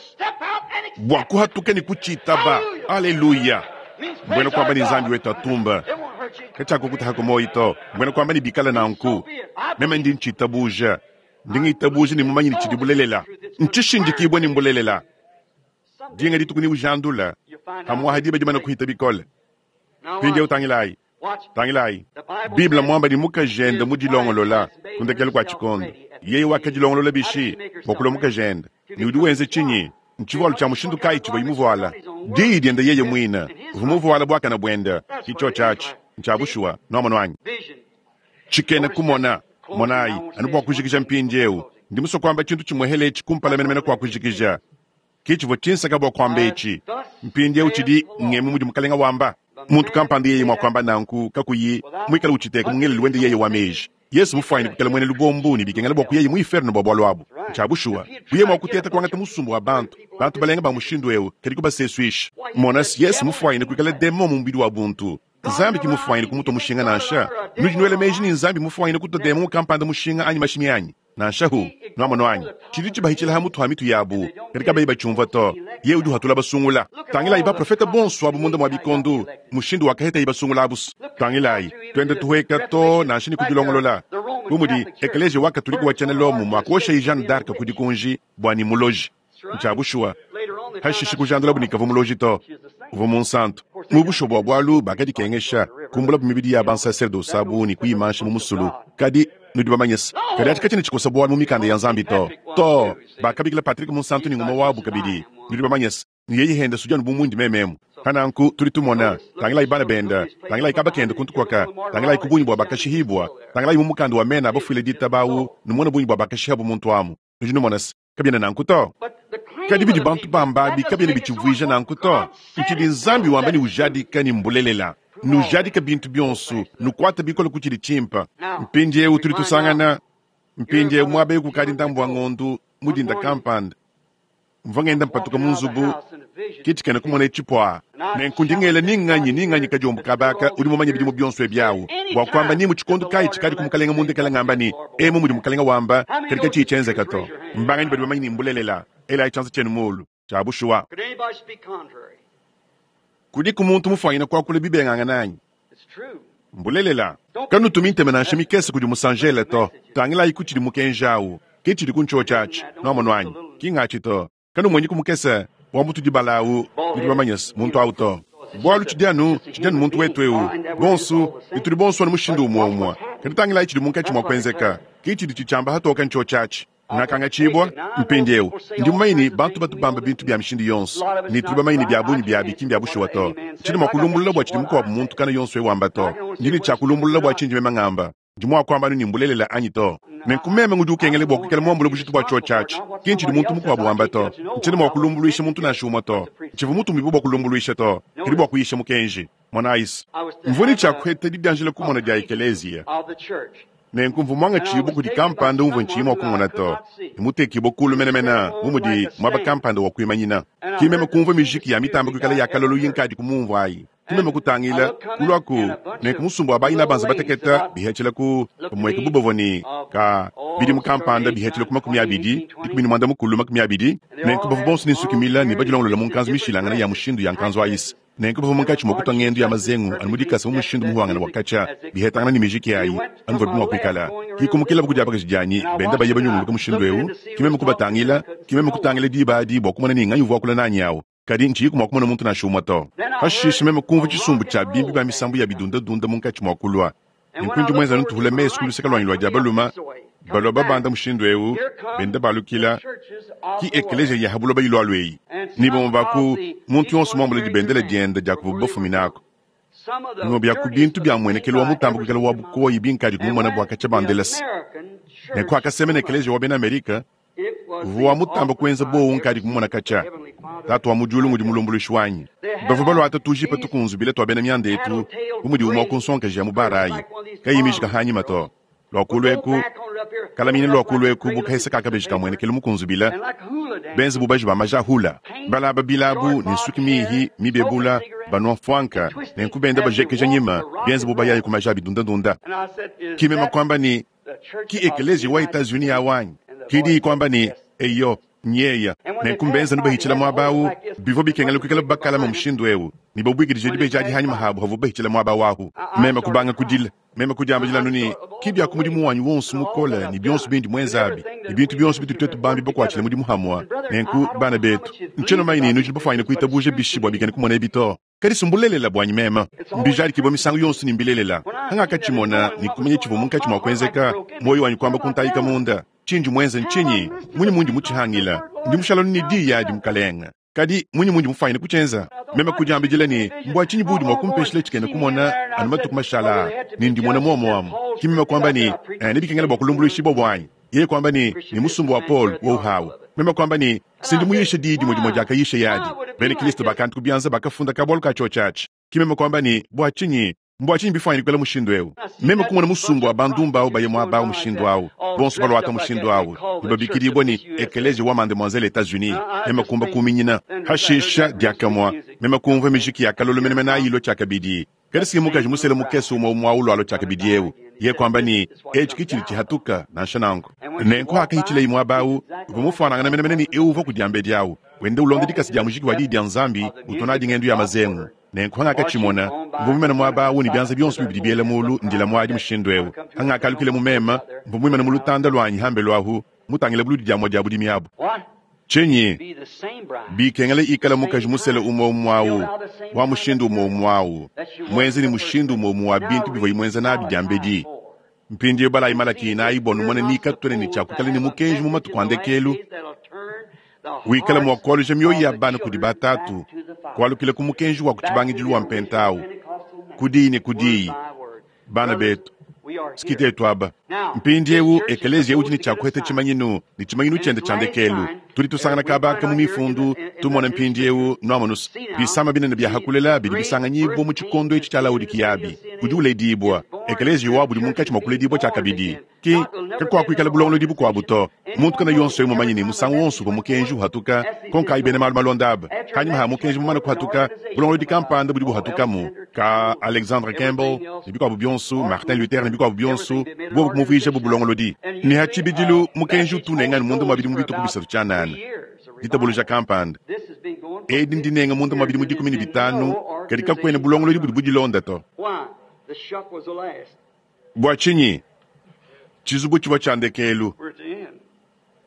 bua kuhatuka ne kutshitaba. Aleluya! Mbuena kuamba ne Nzambi wetu atumba. Katshiakukutahaku muoyo to. Mbuena kuamba ne bikala nanku, meme ndi ntshitabuja. Ndi ngitabuja ne mumanye ne tshidi bulelela. Ntshishindikibue ne mbulelela. Dinga dituku neujandula, pamu'apa diba dimane kuhita bikole. Mpindieu tangilayi, tangilayi. Bible muamba ne mukajende mudilongolola ku ndekelu kua tshikondo. Yeye wakadilongolola bishi bua kulua mukajende? Ne udi wenza tshinyi? Ntshivualu tshia mushindu kayi tshivuaye muvuala? Diyi diende yeye muine. Uvua muvuala buakane buende. Ki tshiotshi atshi. Ntshia bushuwa. Nuamonu anyi? Tshikena kumona. Monayi, anu bua kujikija mpindieu, ndi musue kuamba tshintu tshimuehele etshi kumpala menemene kua kujikija. Ke tshivua tshinsaka bua kuamba etshi. Mpindieu tshidi ngemu mudi Mukalenga wamba. Muntu kampanda yeye mua kuamba nanku kakuyi muikale utshiteka mu ngelelu wende yeye wa meji, Yesu mufuanyine kuikala muena lubombu ne bikengela bua kuyaye mu iferno bua bualu abu. Ntshia bushuwa, buye mua kuteta kuangata musumba wa bantu, bantu balenga ba mushindu eu, kadi kubasesuisha. Mona, Yesu mufuanyine kuikala demon mu mubidi wa buntu. Nzambi ki mufuanyine kumutua mushinga nansha. Nudi nuela meji ne Nzambi mufuanyine kutua demon kampanda mushinga anyi mashimi anyi? Nansha hu, nuamonu anyi? Tshidi tshibahitshila ha mutu ha mitu yabu, kadi kabayi batshiunvua to. Yeye udi uhatula basungula. Tangilayi baprofete bonso abu munda mua bikondo, mushindu wakahetaye basungula abu. Tangilayi, tuenda tuhueka to nansha ne kudilongolola, bu mudi ekeleziya wa Katolike wa tshiena Lomo muakuoshayi Jeanne d'Arc ku dikunji bua ne muloji. Ntshia bushuwa. Hashishe kujandulabu ne kavua muloji to, uvua munsantu. Mu bushuwa bua bualu bakadikengesha, kumbulabu mibidi ya bansaserdose abu ne kuyimansha mu musulu. Kadi nudi bamanye se, kadi atshi katshiena tshikosa bualu mu mikanda ya Nzambi to. Too, bakabikila Patrick Munsantu ne ngumue wabu kabidi. Nudi bamanye se, ne yeye henda sudi anu bu mundi meme emu. Pa nanku tudi tumona, tangilayi bana benda, tangilayi kaba kenda kuntu kuaka, tangilayi ku bungi bua bakashihibua, tangilayi mu mukanda wa mena a bafuile ditaba au, numone bungi bua bakashihabu muntu amu. Nudi numona se, kabiena nanku to. Kadi bidi bantu bamba abi kabiena bitshivuija nanku to. Ntshidi Nzambi wamba ne ujadika ne mbulelela. Nujadike bintu bionso, nukuate bikole ku tshidi tshimpe. Mpindieu tudi tusangana, mpindieu muaba eu kukadi ndambu wa ngondo, mu dinda kampanda, mvua ngenda mpatuka mu nzubu, ke tshikena kumona etshi puaa. Nenku ndi ngela ni nganyi ni nganyi kadiombo kaba aka udi mumanye bidimu bionso ebi awu, bua kuamba ni mu tshikondo kayi tshikadi ku Mukalenga mundekela ngamba ne, Emu mudi Mukalenga wamba, kadi katshiyi tshienzeka to. Mbanganyi badi bamanye ne mbulelela? Elayi tshianza tshienu muulu. Tshia bushuwa. Kudiku muntu mufuanyine kuakula bibengangane anyi? Mbulelela. Kanutumi ntema nansha mikese kudi musanjele to. Tangilayiku tshidi mukenji awu. Ke tshidi ku ntshiotshi atshi. Nuamonu anyi? Ki ngatshi to. Kanumonyiku mukese wa mutudi bala awu, nudi bamanye-se muntu awu to. Bualu tshidi anu, tshidi anu muntu wetu ewu, bonsu, ne tudi bonsu anu mushindu umue-umue. Kadi tangilayi tshidi munkatshi mua kuenzeka. Ke tshidi tshitshiamba hatoke ntshiotshi atshi. Ngakangatshibua. Mpindieu, ndi mumanye ne, bantu batu bamba bintu bia mishindu yonso, ne tudi bamanye ne bia bungi biabi ki mbia bushuwa to. Tshiena mua kulumbulula bua tshidi mukuabu muntu kana yonso eu wamba to. Ndi ne tshia kulumbulula bua tshindi meme ngamba. Ndi mwa kwamba anu ni mbulelela anyi to. Nenku meme ngudi ukengela bwa kwikala mwambule bujitu bwa cyoci aci. Ki ncidi muntu mukwabo wamba to. Ncyena mwa kulumbulwisha muntu nansha umwe to. Ncivwa mutumibwe bwa kulumbulwisha to, kadi bwa kuyisha Mukenji. Monayi's, mvwa ne cya kuheta didyanjila kumona dya ekeleeziya. Nenku mvwa mwangaciibwe kudi kampanda umvwa nciyi mwa kumona to, ne mutekiibwe kuulu menemene bu mudi mwaba kampanda wa kwimanyina. Ki meme kumvwa mijiki ya mitamba kwikala ya kalolo yinkaadiku muumvwa ayi. Ki meme kutangila, kulwaku, nenku musumba wa bayina banza bateketa bihecela ku pamweka bu bavwa ne, ka, bidimu kampanda bihecela ku 20, 15, 20, nenku bavwa bonso ne nsuki mila ne badilongolola mu nkanzu mishilangane ya mushindu ya nkanzu ayis. Nenku bavua munkatshi mua kutua ngendu ya mazengu anu mu dikasa mu mushindu muhuangane wa katshia, bihetangana ne mijiki ayi, anu muvuabi mua kuikala. Ki kumukilabu ku diabakaji dianyi, benda baya banyunguluka mushindu eu, ki meme kubatangila, ki meme kutangila diba adi bua kumona ne nganyi uvua wakula nanyi au, kadi ntshiyiku mua kumona muntu nansha umue to. Pashishe meme kumvua tshisumbu tshia bimbi ba misambu ya bidundadunda munkatshi mua kulua. Nenku ndi muenze anu ntuhula mesu ku luseke luanyi lua dia balume, balua babanda mushindu eu, benda balukila, ki ekeleziya ya ha buloba ilualua eyi. Ne bamue ba ku muntu yonso muambule dibendele diende dia kuvubo bafuminaku. Bimue bia ku bintu bia mmuenekelu wa mutambe kuikala wa bukoyi binkadi kumumona bua katshia bandelese. Nenku hakasemena ekeleziya wa bena Amerika, uvua wa mutambe kuenza buowa unkadi kumumona katshia. Tatu wa mu diulu ngudi mulumbuluishi wanyi. Bavua baluata tujipa tukunzubile tua bena mianda etu, bu mudi umue wa ku nsongakaji ya mu bare ayi, kayiyi mijika hanyima to. Lua kulu eku, kalamina lua kulu eku bu kahesa ka kabeji kamuenekelu mukunzubile, benze bu baji ba maja a hula. Balaba bilabu ne nsuki mihi mibebula, banua mfuanka, nenku benda bajekeja nyima, bienze bu bayaya ku maja a bidundadunda. Ki meme kuamba ne, Ki ekeleziya wa Etats-Unis awu anyi? Ki diyi kuamba ne, Eyo, nyeya. Nenku mbenza anu bahitshila muaba awu. Bivua bikengela kuikala bakalama mushindu ewu, ne babuikidije dibeji adi hanyima habu havuabu bahitshila muaba awu ahu. Meme kubanga kudila. Meme kudiambila anu ne, Ki bia ku mudimu wanyi wonso mukole ne bionso bindi muenze abi, ne bintu bionso bitudi tuetu bambi bakuatshile mudimu hamua. Nenku, bana betu, ntshiena mumanye ne nudi bafuanyine kuitabuja bishi bua bikena kumona ebi to. Kadi si mbulelela buanyi meme. Mbijadikibue misangu yonso ne mbilelela. Hangakatshimona ne kumanya tshivua munkatshi mua kuenzeka, muoyo wanyi kuamba kuntayika munda. Tshindi muenze ntshinyi? Munyi mundi mutshihangila? Ndi mushala anu ne diyi adi, Mukalenge. Kadi munyi mundi mufuanyine kutshienza? Meme kudiambidila ne, Mbua tshinyi buudi mua kumpeshila tshikena kumona anu matuku mashala aa, ne ndimona muomu amu? Ki meme kuamba ne, Eh, nebikengele bua kulumbuluishibua buanyi. Yeye kuamba ne, Ne musumba wa Paulo wowu hawu. Meme kuamba ne, Si ndi muyishe diyi dimue dimue diakayisheye adi. Bena Kilisto bakantu ku bianza bakafunda kabualu ka tshiotshi atshi. Ki meme kuamba ne, Bua tshinyi? Mbua tshinyi bifuanyine kuikala mushindu eu? Meme kumona musumba wa bandumba au baye muaba au mushindu au, bonso baluata mushindu au, ne babikidibua ne, Ekeleziya wa Mademoiselle Etats-Unis. Meme kumba kuminyina. Hashisha, diakamue, meme kumvua mijiki ya kalolo menemene ayi ilua tshiakabidi. Kadi si mukaji musele mukese umue umue au lualua tshiakabidi eu. Yeye kuamba ne, Etshi ke tshidi tshihatuka, nansha nanku. Nenku hakahitshileyi muaba au, uvua mufuanangane menemene ne eu uvua ku diambedi au, wenda ulonda dikasa dia mujiki wa diyi dia Nzambi, utua nadi ngendu ya mazengu. Nenku hangakatshimona, mvua muimane muaba au ne bianza bionso bibidi biela mulu, ndila muadi mushindu eu. Hangakalukila mu meme, mvua muimane mu lutanda luanyi hambelu ahu, mutangile buludi dia mua dia budimi abu. Tshinyi? Bikengela ikala mukaji musele umue umue au, wa mushindu umue umue au, muenze ne mushindu umue umue wa bintu bivuaye muenze nabi diambedi. Mpindieu balayi Malaki inayi bua numone ni katuena ne tshia kuikala ne mukenji mu matuku a ndekelu wikala mua kualuja mioyo ya bana kudi batatu, kualukila ku mukenji wa ku tshibangidilu wa mpenta au, ku diyi ne ku diyi. Bana betu, sikitetu aba. Mpindiewu ekeleziya udi ne tshia kuheta tshimanyinu, ne tshimanyinu tshiende tshia ndekelu. Tudi tusangana kaba aka mu Mifundu, tumona mpindiewu, nuamonus, bisama binene bia hakulela bidi bisanganyibua mu tshikondo etshi tshia Laodikiya abi. Udi uledibua. Ekeleziya wabu udi munkatshi mua kuledibua tshiakabidi. Ki kakuakuikala bulongolodi bukuabu to. Muntu kana yonso eu mumanye ne musangu wonso uvua mukenji uhatuka, konkayi bena malu malonda aba. Panyima ha mukenji mumane kuhatuka, bulongolodi kampanda budi buhatukamu, ka Alexandre Campbell ne bikuabu bionso, Martin Luther ne bikuabu bionso, buobu kumuvuija bu bulongolodi. Ne ha tshibidilu mukenji utu unenga anu munda mua bidimu bitue ku bisatu tshianana, ditabuluja kampanda. Edi ndinenga munda mua bidimu 15, kadi kakuena bulongolodi budi budilonda to. Bua tshinyi? Tshizubu tshivua tshia ndekelu.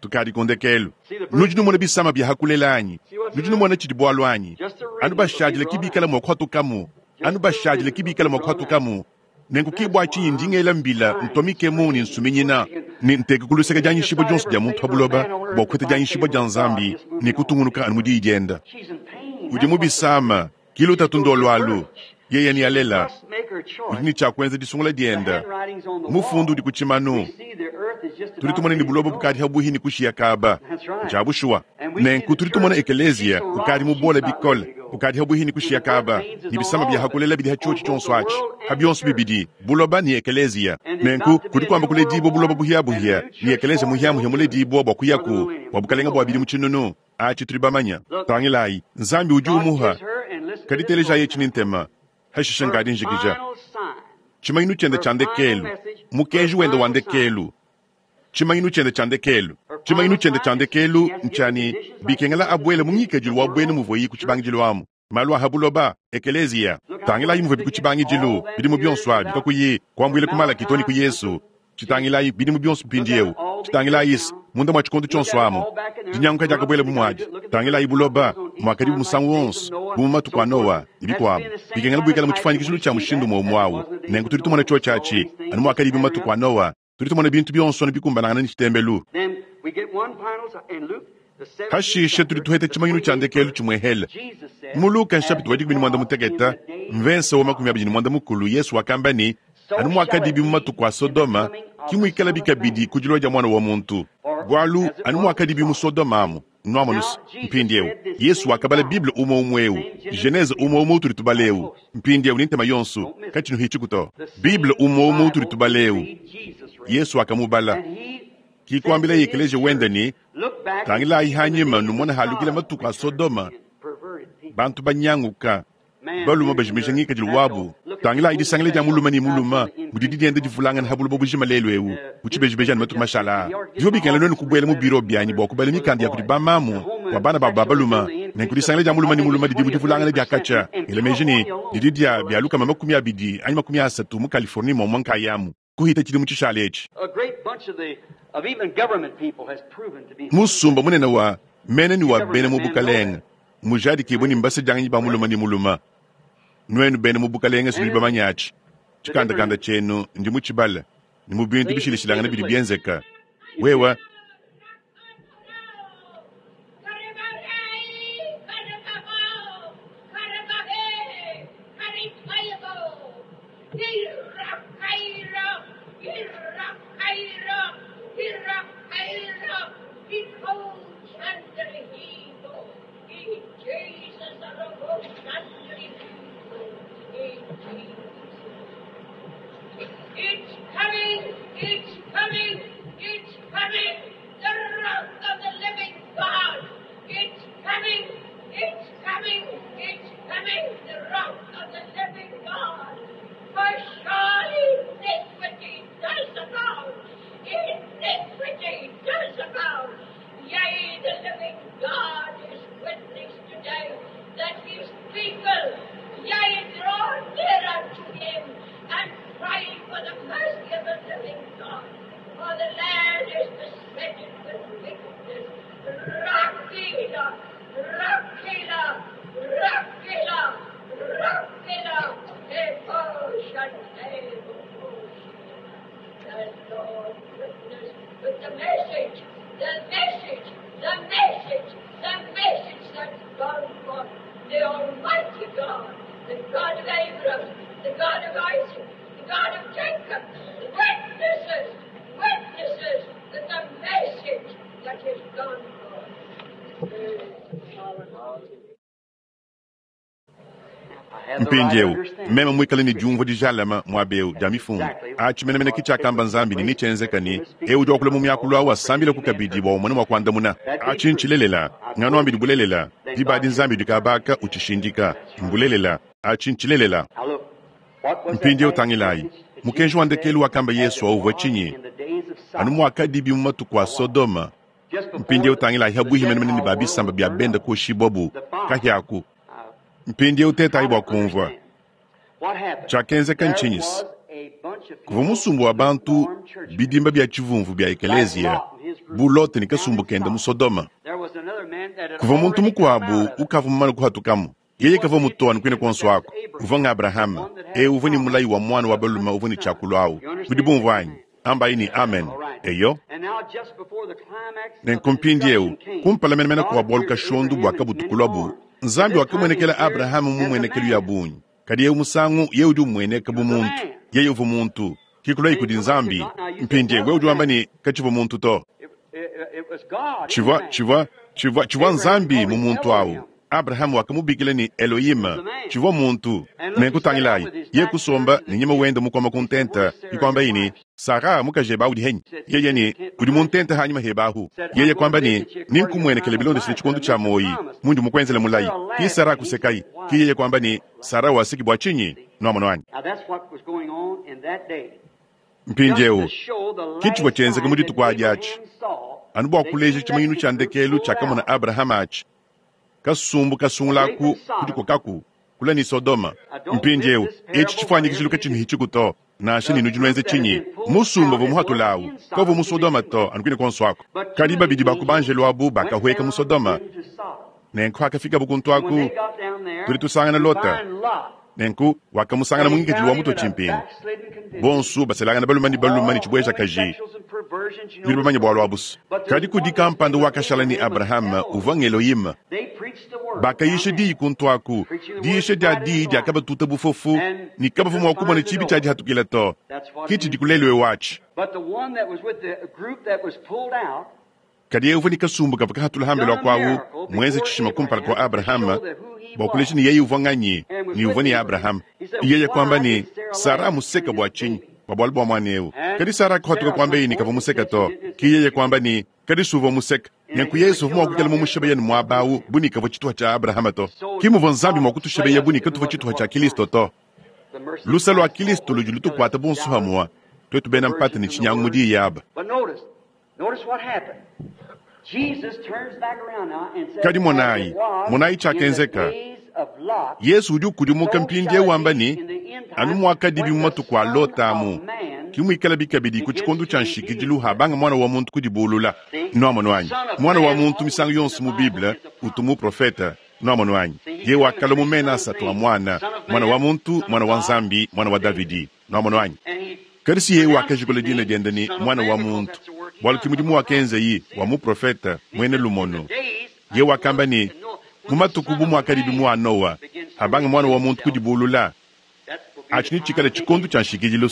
Tukadi ku ndekelu. Nudi numona bisama bia hakulela anyi? Nudi numona tshidi bualu anyi? Anu bashadile ki bikala mua kuhatukamu. Anu bashadile ki bikala mua kuhatukamu. Nenku ki bua tshinyi ndi ngela mbila, ntua mikemu ne nsuminyina, ne nteka ku luseke dianyishibua dionso dia muntu pa buloba bua kupeta dianyishibua dia Nzambi ne kutungunuka anu mu Diyi diende. Udi mu bisama, ki lutatu nduolu alu. Yeye nealela. Udi ne tshia kuenza disungula dienda. Mufundu udi ku tshimanu. Tudi tumona ne buloba bukadi pabuihi ne kushiya kaba. Ntshia bushuwa. Nenku tudi tumona ekeleziya ukadi mubole bikole, ukadi pabuihi ne kushiya kaba, ne bisama bia hakulela bidi ha tshiotshi tshionso atshi, ha bionso bibidi, buloba ne ekeleziya. Nenku kudi kuamba kuledibua buloba buhiabuhia ne ekeleziya muhiamuhia muledibua bua kuyaku bua bukalenge bua bidimu tshinunu. Atshi tudi bamanya. Tangilayi, Nzambi udi umuha. Kadi telejayi etshi ne ntema, hashishe nkadi njikija. Tshimanyinu tshiende tshia ndekelu, mukenji wende wa ndekelu, tshimanyinu tshiende tshia ndekelu, tshimanyinu tshiende tshia ndekelu ntshia ne, bikengela abuele mu ngikadilu wa buena muvuaye ku tshibangidilu amu. Malu a ha buloba, ekeleziya. Tangilayi muvuabi ku tshibangidilu, bidimu bionso abi, kakuyi kuambuila ku Malaki too ne ku Yesu. Tshitangilayi bidimu bionso mpindieu. Tshitangilayi's, munda mua tshikondo tshionso amu, dinyanguka diakabuela bu muadi. Tangilayi buloba, muakadibu musangu wonso, bu mu matuku a Noa, ne bikuabu. Bikengela buikale mu tshifuanyikijilu tshia mushindu umue umue au. Nenku tudi tumona tshiotshi atshi, anu muakadibi mu matuku a Noa. Tudi tumona bintu bionso anu bikumbanangana ne tshitembelu. Hashishe tudi tuheta tshimanyinu tshia ndekelu tshimuehele. Mu Luka nshapita wa dikumi ne muanda mutekete, mvensa wa 25, Yesu wakamba ne, Anu muakadibi mu matuku a Sodoma, ke muikalabi kabidi ku dilua dia Muana wa muntu. Bualu anu muakadibi mu Sodoma amu, nuamonu's. Mpindieu, Yesu wakabala Bible umue umue eu, Genese umue umue utudi tubala eu. Mpindieu ne ntema yonso, katshinuhitshiku to. Bible umue umue utudi tubala eu, Yesu wakamubala. Ki kuambilaye ekeleziya wende ne, Tangilayi hanyima numone halukila matuku a Sodoma, bantu banyanguka, balume bajimija ngikadilu wabu. Tangilayi disangila dia mulume ne mulume mudidi dienda divulangana ha buloba bujima lelu eu. Mu tshibejibeji anu matuku mashala aa, bivua bikengela nuenu kubuela mu biro bianyi bua kubala mikanda ya kudi bamamu bua bana babu ba balume. Nenku disangila dia mulume ne mulume didi mu divulangana dia katshia, ngela meji ne, didi dia bia 20 anyi 30 mu Californie muomumue nkayamu kuhita tshidimu tshishale etshi. Musumba munene wa mene ne wa bena mu bukalenge mujadikibue ne mbasedianganyi ba mulume ne mulume. Nuenu bena mu bukalenge si nudi bamanye atshi. Tshikandakanda tshienu ndi mutshibale ne mu bintu bishilashilangane bidi bienzeka. Wewe It's coming, it's coming, it's coming, the wrath of the living God. It's coming, it's coming, it's coming, the wrath of the living God. For surely iniquity does abound. Iniquity does abound. Yea, the living God is witness today that his people, yea, draw near unto him and cry for the mercy of the living God. For the land is besetted with wickedness. Rakila, Rakila, Rakila, Rakila, The Lord witness with the message, the message, the message, the message that's gone forth. The Almighty God, the God of Abraham, the God of Isaac, the God of Jacob, witnesses, witnesses that the message that is gone forth. Mpindieu, meme muikale ne diumvua dijalame muaba eu dia Mifundu, atshi menemene ke tshiakamba Nzambi ne netshienzeka ne, eu udi wakula mu miakulu au asambileku kabidi bua umone mua kuandamuna. Atshi ntshilelela. Nganuambidi bulelela, diba adi Nzambi udi kabaka utshishindika. Mbulelela. Atshi ntshilelela. Mpindieu tangilayi, mukenji wa ndekelu wakamba Yesu au uvua tshinyi? Anu muakadibi mu matuku a Sodoma. Mpindieu tangilayi pabuihi menemene ne ba bisamba bia bende kuoshibuabu kahia aku. Mpindieu tetayi bua kumvua. Tshiakenzeka ntshinyi? Kuvua musumba wa bantu, bidimba bia tshivumvu bia ekeleziya, bu Lote ne kasumbu kende mu Sodoma. Kuvua muntu mukuabu ukavua mumane kuhatukamu. Yeye kavua mutoane kuine kuonso aku. Uvua ng'Abrahama, eu uvua ne mulayi wa muana wa balume uvua ne tshiakulu au. Nudi bumvua anyi? Ambayi ne, Amen. Eyo. Nenku mpindieu, kumpala menemene kua bualu kashondu bua kabutu kuluabu, Nzambi wakamuenekela Abrahama mu mmuenekelu ya bungi. Kadi ewu musangu Yeye udi umueneka bu muntu. Yeye uvua muntu, ki kuluaye kudi Nzambi. Mpindiewu wewe udi wamba ne, Katshivua muntu to. Tshivua, tshivua, tshivua, tshivua Nzambi mu muntu awu. Abrahame wakamubikila ne, Elohim. Tshivua muntu. Nenku tangilayi, yeye kusomba ne nyima wende mukuama ku ntenta, ke kuambaye ne, Sara, mukajebe awu udi henyi? Yeye ne, Udi mu ntenta hanyima hebe ahu. Yeye kuamba ne, Nenkumuenekele bilondeshile tshikondo tshia muoyi, mundi mukuenzele mulayi. Ke Sara kusekaye. Ke yeye kuamba ne, Sara waseki bua tshinyi? Nuamonu anyi? Mpindiewu, ke tshivua tshienzeka mu dituku adi atshi. Anu bua kuleja tshimanyinu tshia ndekelu tshiakamona Abrahama atshi, kasumbu kasungula aku kudikokaku kule ne Sodoma. Mpindiewu, etshi tshifuanyikijilu katshinuhitshiku to, nansha ne nudi nuenza tshinyi. Musumba uvua muhatula awu kawuvua mu Sodoma to, anu kuine kuonso aku. Kadi babidi ba ku banjelu abu bakahueka mu Sodoma, nenku hakafikabu kuntu aku, tudi tusangana Lota. Nenku wakamusangana mu ngikadilu wa mutue tshimpingu, bonsu baselangana balume ne balume ne tshibuejakaji. Nudi bamanye bualu abu's. Kadi kudi kampanda wakashala ne Abrahame, uvua ng'Elohim. Bakayisha diyi kuntu aku. Diyisha dia diyi diakabatuta bufofu, ne kabavua mua kumona tshibi tshia dihatukila to. Ke tshidiku lelu eu atshi. Kadi yeye uvua ne kasumbu kavua kahatula hambelu aku awu, muenze tshishima kumpala kua Abrahama bua kuleja ne yeye uvua nganyi ne uvua ne Abrahama. Yeye kuamba ne, Sara museka bua tshinyi? Bua bualu bua muana eu. Kadi Sara kuhatuka kuambeye ne kavua museka to. Ke yeye kuamba ne, Kadi si uvua museka. Nenku Yezu uvua mua kuikala mumushebeya ne muaba awu bu ne kavua tshituha tshia Abrahama to. Ke muvua Nzambi mua kutushebeya bu ne katuvua tshituha tshia Kilisto to. Lusa lua Kilisto ludi lutukuata bonso hamua, tuetu bena mpata ne tshinyangu mu diyi aba. Kadi monayi, monayi tshiakenzeka. Yezu udi ukudimuka mpindieu wamba ne, Anu muakadibi mu matuku a Lota amu, ke muikalabi kabidi ku tshikondo tshia nshikidilu habanga Muana wa muntu kudibulula. Nuamonu anyi? Muana wa muntu misangu yonso mu Bible utu muprofete. Nuamonu anyi? Yeye wakalua mu mena asatu a muana, Muana wa muntu, Muana wa Nzambi, Muana wa Davidi. Nuamonu anyi? Kadi si yeye wakajikula dina diende ne, Muana wa muntu, bualu ke mudimu wakenzaye wa muprofete muena lumonu. Yeye wakamba ne, Mu matuku bu muakadibi mu a Noa, abanga Muana wa muntu kudibulula, atshi netshikale tshikondo tshia nshikidilu.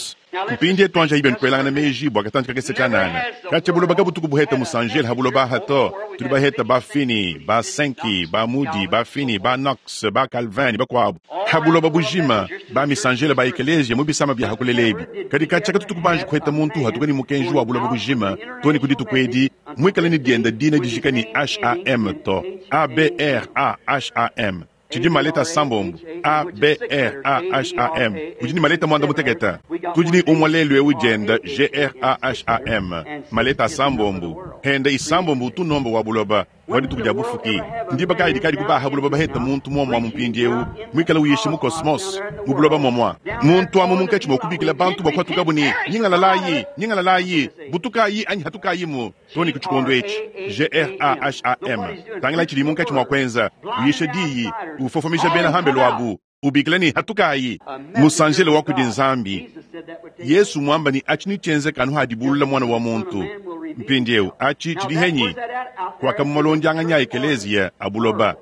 Mpindie tuanjayi bienu kuelangana meji bua katantshi kakese tshianana. Katshia buloba kabutuku buheta musanjele ha buloba aha to. Tudi baheta ba Finney, ba Sankey, ba Moody, ba Finney, ba Knox, ba Calvin ne bakuabu ha buloba bujima, ba misanjele ba ekeleziya mu bisama bia ha kulela ebi. Kadi katshia katutuku banji kuheta muntu uhatuka ne mukenji wa buloba bujima to ne ku dituku edi, muikale ne dienda dina dijika ne HAM to, A-B-R-A-H-A-M. Tshidi maleta asambombo, A, B, R, A, H, A, M. Udi ne maleta muanda mutekete. Tudi ne umue lelu eu dienda G, R, A, H, A, M, maleta asambombo. Henda isambombo utu nomba wa buloba wa dituku dia bufuki. Ndiba kayi dikadi kubaha buloba baheta muntu muomua mu mpindieu muikale uyisha mu kosmos mu buloba muomua? Muntu amu munkatshi mua kubikila bantu bua kuhatukabu ne, Nyingalalayi, nyingalalayi, butukayi anyi hatukayimu. Too ne ku tshikondo etshi, G-r-a-h-a-m, tangila tshidi munkatshi mua kuenza, uyisha diyi, ufofomija bena hambelu abu, ubikila ne, Hatukayi! Musanjele wa kudi Nzambi. Yesu muamba ne atshi netshienzeka anu hadibulula Muana wa muntu. Mpindieu atshi tshidi henyi? Kuaka mu malondianganyi a ekeleziya a buloba.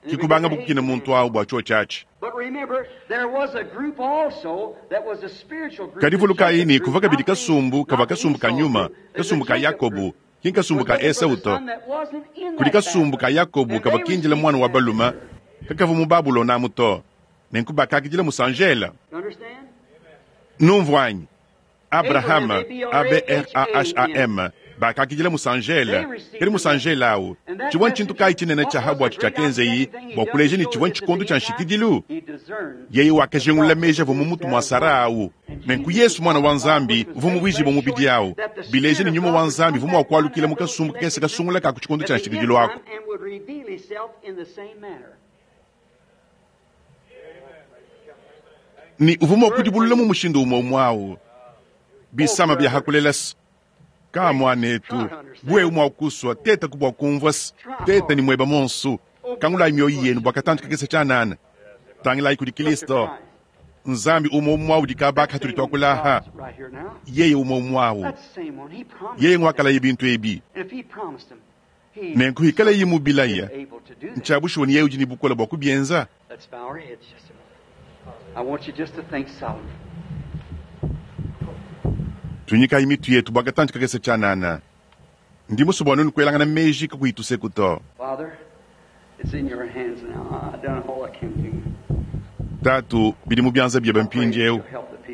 Ke kubangabu kukina muntu au bua tshiotshi atshi. Kadi vulukayi ne, kuvua kabidi kasumbu kavua kasumbu ka nyuma, kasumbu ka Yakobo, ki nkasumbu ka Esau to. Kudi kasumbu ka Yakobo kavua kindila muana wa balume kakavua mu Babulona amu to, nenku bakakidila musanjela. Numvua anyi? Abrahama, A-B-R-A-H-A-M, bakakidila musanjele. Kadi musanjele au, tshivua ntshintu kayi tshinene tshia ha buatshi tshiakenzeyi bua kuleja ne tshivua ntshikondo tshia nshikidilu? Yeye wakajingulula meji avua mu mutu mua Sara au. Nenku Yesu, Muana wa Nzambi, uvua muvuijibue mubidi au, bileja ne nyuma wa Nzambi uvua mua kualukila mu kasumbu kakese kasungula ka ku tshikondo tshia nshikidilu aku. Ne uvua mua kudibulula mu mushindu umue umue au. Bisama bia hakulela se ka muanetu, bu wewe mua kusua, tetaku bua kumvua se teta ne mueba monsu. Kangulayi mioyo yenu bua katantu kakese tshianana. Tangilayi kudi Kristo, Nzambi umue umue udi kaba katudi tuakula aha. Yeye umue umue au. Yeye nguakalaye bintu ebi. Nenku hikalaye mubilaya, ntshia bushuwa ne yeye udi ne bukole bua kubienza. I want you just to think solemn. Tuinyikayi mitu yetu bua katantshi kakese tshianana. Ndi musue bua nuenu kuelangana meji kakuyi tuseku to. Father, it's in your hands now. I've done all I can do. Tatu, bidi mu bianza biebe mpindieu.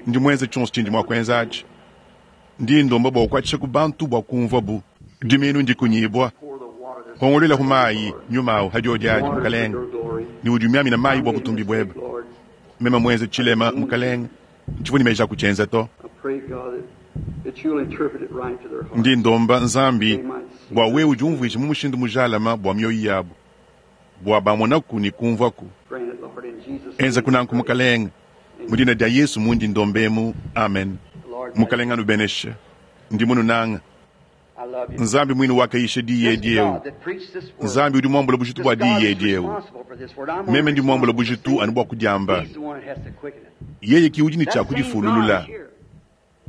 Ndi muenze tshionso tshindi mua kuenza atshi. Ndi ndomba bua ukuatshishaku bantu bua kumvuabu. Dimiinu ndikunyibua. Pour the water this Pongoluelaku mayi, nyuma au hadiodi adi, water for Mukalenge, your glory. ne udi umiamina mayi bua I made a butumbi mistake, buebe. Lord. Meme muenze tshilema, Mukalenge, ntshivua ne meji a kutshienza to. I pray, God, that, that you'll interpret it right to their heart. Ndi ndomba Nzambi bua wewe udiumvuije mu mushindu mujalama bua mioyo yabu, bua bamonaku ne kumvuaku. Grant it, Lord, in Jesus' Enza name. kunanku Mukalenge, mu dina dia Yesu mundi ndombemu, amen. Lord, Mukalenge anubeneshe. Ndi mununanga. I love you. Nzambi muine wakayisha diyi This edi eu. God that preached this word, Nzambi udi muambula bujitu this bua God diyi is edi eu. responsible for this word. I'm only Meme ndi muambula responsible for bujitu saying anu bua kudiamba. it. He's the one that has to quicken it. Yeye ki udi ne That tshia same God kudifululula. is here.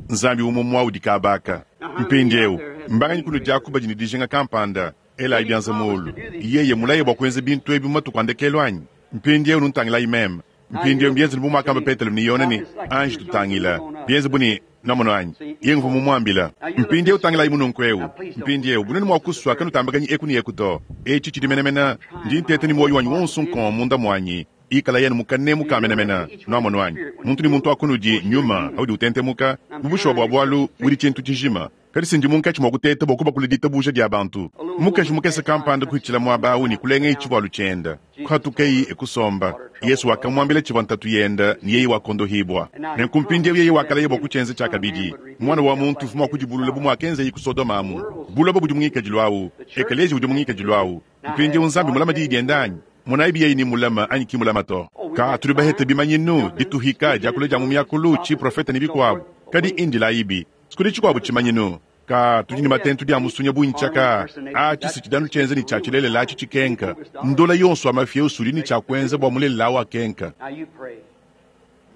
Nzambi umue muawu dikabaka. Mpindieu, mbanganyi kunu diaku badi ne dijinga kampanda, elayi bianza muulu. Yeye mulaye bua kuenza bintu ebi mu matuku a ndekelu anyi? Mpindieu nuntangilayi meme. Mpindieu mbienze bu muakamba Petelo ne Yone ne anji tutangila. Bienze bu ne namono anyi. Yeye nguvua mumuambila. Mpindieu tangilayi mununku eu. Mpindieu bunene mua kusua kanutambakanyi eku ne eku to. Etshi tshidi menemene ndi nteta ne muoyo wanyi wonso nkon munda muanyi. Ikala yenu mukanemu ka menemene nuamono anyi. Muntu ne muntu akunudi nyuma audi utentemuka mu bushuwa bua bualu udi tshintu tshijima. Kadi sindi munkatshi mua kuteta bua kubakula ditabuja dia bantu. Mukaji mukese kampanda kuhitshila muaba awu ne kulenga tshivualu tshienda. Kuhatukeyi ekusomba. Yesu wakamuambila tshivua ntatu yenda ne yeye wakondohibwa. Nenku mpindieu yeye wakalaya bua kutshienza tshiakabidi. Mwana wa muntu uvua mua kudibulula bu muakenzaye ku Sodoma amu. Buloba budi mu ngikadilu awu. Ekeleziya udi mu ngikadilu awu. Mpindieu Nzambi mulama diyi dienda anyi? Monayi biyeyi ni mulama anyi ki mulama to. Ka tudi bahete bimanyinu, dituhika, diakula dia mu miakulu, tshiprofeta ne bikuabu. Kadi indilayibi. Sikudi tshikuabu tshimanyinu. Ka tudi ne matentu dia musunya bunyi tshiaka. A tshisi tshidanu tshienza ne tshia tshilelela atshi tshikenka. Ndola yonso wa mafia usudi ne tshia kuenza bua mulelela awu akenka. Now you pray.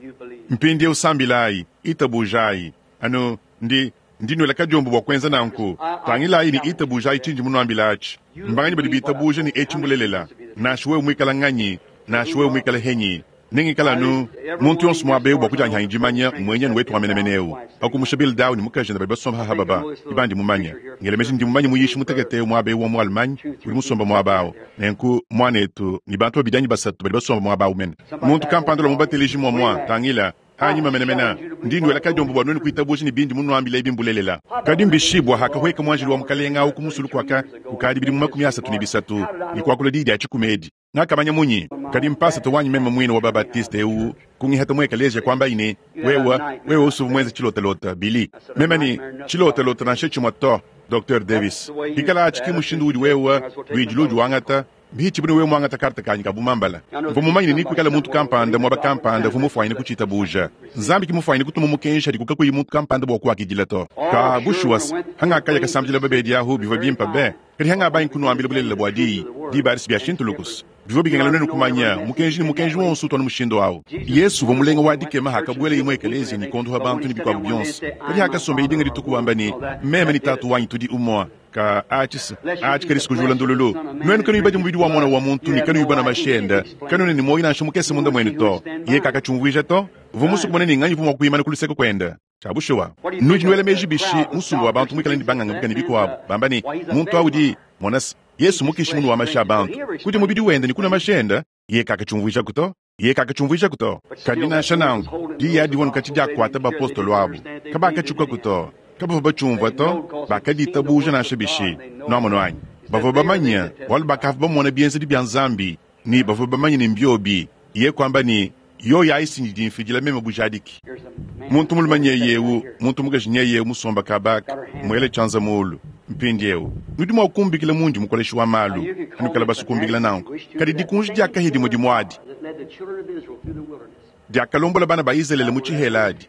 You believe. Mpindieu sambilayi, itabujayi. Anu ndi ndi nwela kadiombo bua kuenza nanku. Tangilayi ne itabujayi tshindi munuambila atshi. Mbanganyi badi bitabuja ne etshi mbulelela. Nansha wewe muikala nganyi, nansha wewe muikala henyi. Nengikala anu muntu yonso muaba eu bua kudianyihanyi dimanya mmuenyanu wetu wa menemene eu. Pakumusha Bildau ne mukajende badi basomba haha baba, ibandi mumanya. Ngela meji ndi mumanye muyishi mutekete eu muaba eu wa mu Allemagne, udi musomba muaba awu. Nenku muanetu ne bantu babidi anyi basatu badi basomba muaba awu mene. Muntu kampanda lua mubateleji muamua, tangila, anyima menemene ndi ndwela kadiombo bua nuenu kuitabuja ne bindi munuambila ebi mbulelela. Kadi mbishibua hakahweka muanjelu wa mukalenga awu ku musulu kuaka kukadi bidimu 33 ne kuakula diyi dia tshikumedi. Ngakamanya munyi? Kadi mpasata wanyi meme muine wa babatiste eu kungihata mu ekeleziya kuamba ine wewe wewe usuvu muenze tshilotalota Billy. Meme ni tshilotalota nansha tshimue to. Dr. Davis. Ikala atshi ki mushindu udi wewe luidi ludi wangata mbihitshi bune wewe muangata karta kanyi ka bumambala. Mvua mumanye ne nikuikala muntu kampanda muaba kampanda uvua mufuanyine kutshitabuja. Nzambi ki mufuanyine kutuma mukenji adi kukakuyi muntu kampanda bua kuakidila to. Ka bushuwa se, hangakaya kasambidila babedi ahu bivua bimpe be. Kadi hangabangi kunuambila bulelela bua diyi, diba adi si bia shintulukusa. Bivua bikengela nuenu kumanya mukenji ne mukenji wonso utu anu mushindu awu. Yesu uvua mulenga wa dikema hakabuela imue ekeleziya ne kondoha bantu ne bikuabu bionso. Kadi hakasomba idinga dituku wamba ne, meme ne tatu wanyi tudi umue. Ka atshi atshi kadi sikujula ndululu. Nuenu kanuyi badi mubidi wa mwana wa muntu ne kanuyi bana mashenda, kanuena ne muoyo nansha mukese munda muenu to. Yeye kakatshiumvuija to. Uvua musue kumona ne nganyi uvua mua kuimana ku luseke kuenda. Tshia bushuwa. Nudi nuela meji bishi musumba wa bantu muikale ne banganga ne bikuabu. Bamba ne, muntu awu udi, mona se, Yesu mukishi munu wa mashi a bantu. Kudi mubidi wenda ne kuna mashenda, yeye kakatshiumvuijaku to. Yeye kakatshiumvuijaku to. Kadi nansha nanku, diyi adi divua nukatshi diakuata bapostolo abu. Kabakatshiukaku to. Kabavua batshiumvua to, bakaditabuja nansha bishi. Nuamono anyi? Bavua bamanye, bualu bakavua bamona bienzedi bia Nzambi, ne bavua bamanye ne mbiobi. Yeye kuamba ne, yoyo ayi sindi mfidila meme bujadiki. Here's a man. Muntu mulume nyeye eu, muntu mukaji nyeye eu musomba kabaka, muele tshianza muulu. Mpindieu, nudi mua kumbikila mundi mukoleshi wa malu, anukala basukumbikila nanku. Kadi dikunji diakahi dimue dimue adi, That led the children of Israel through the wilderness. diakalombola bana ba Izalele mu tshihela adi.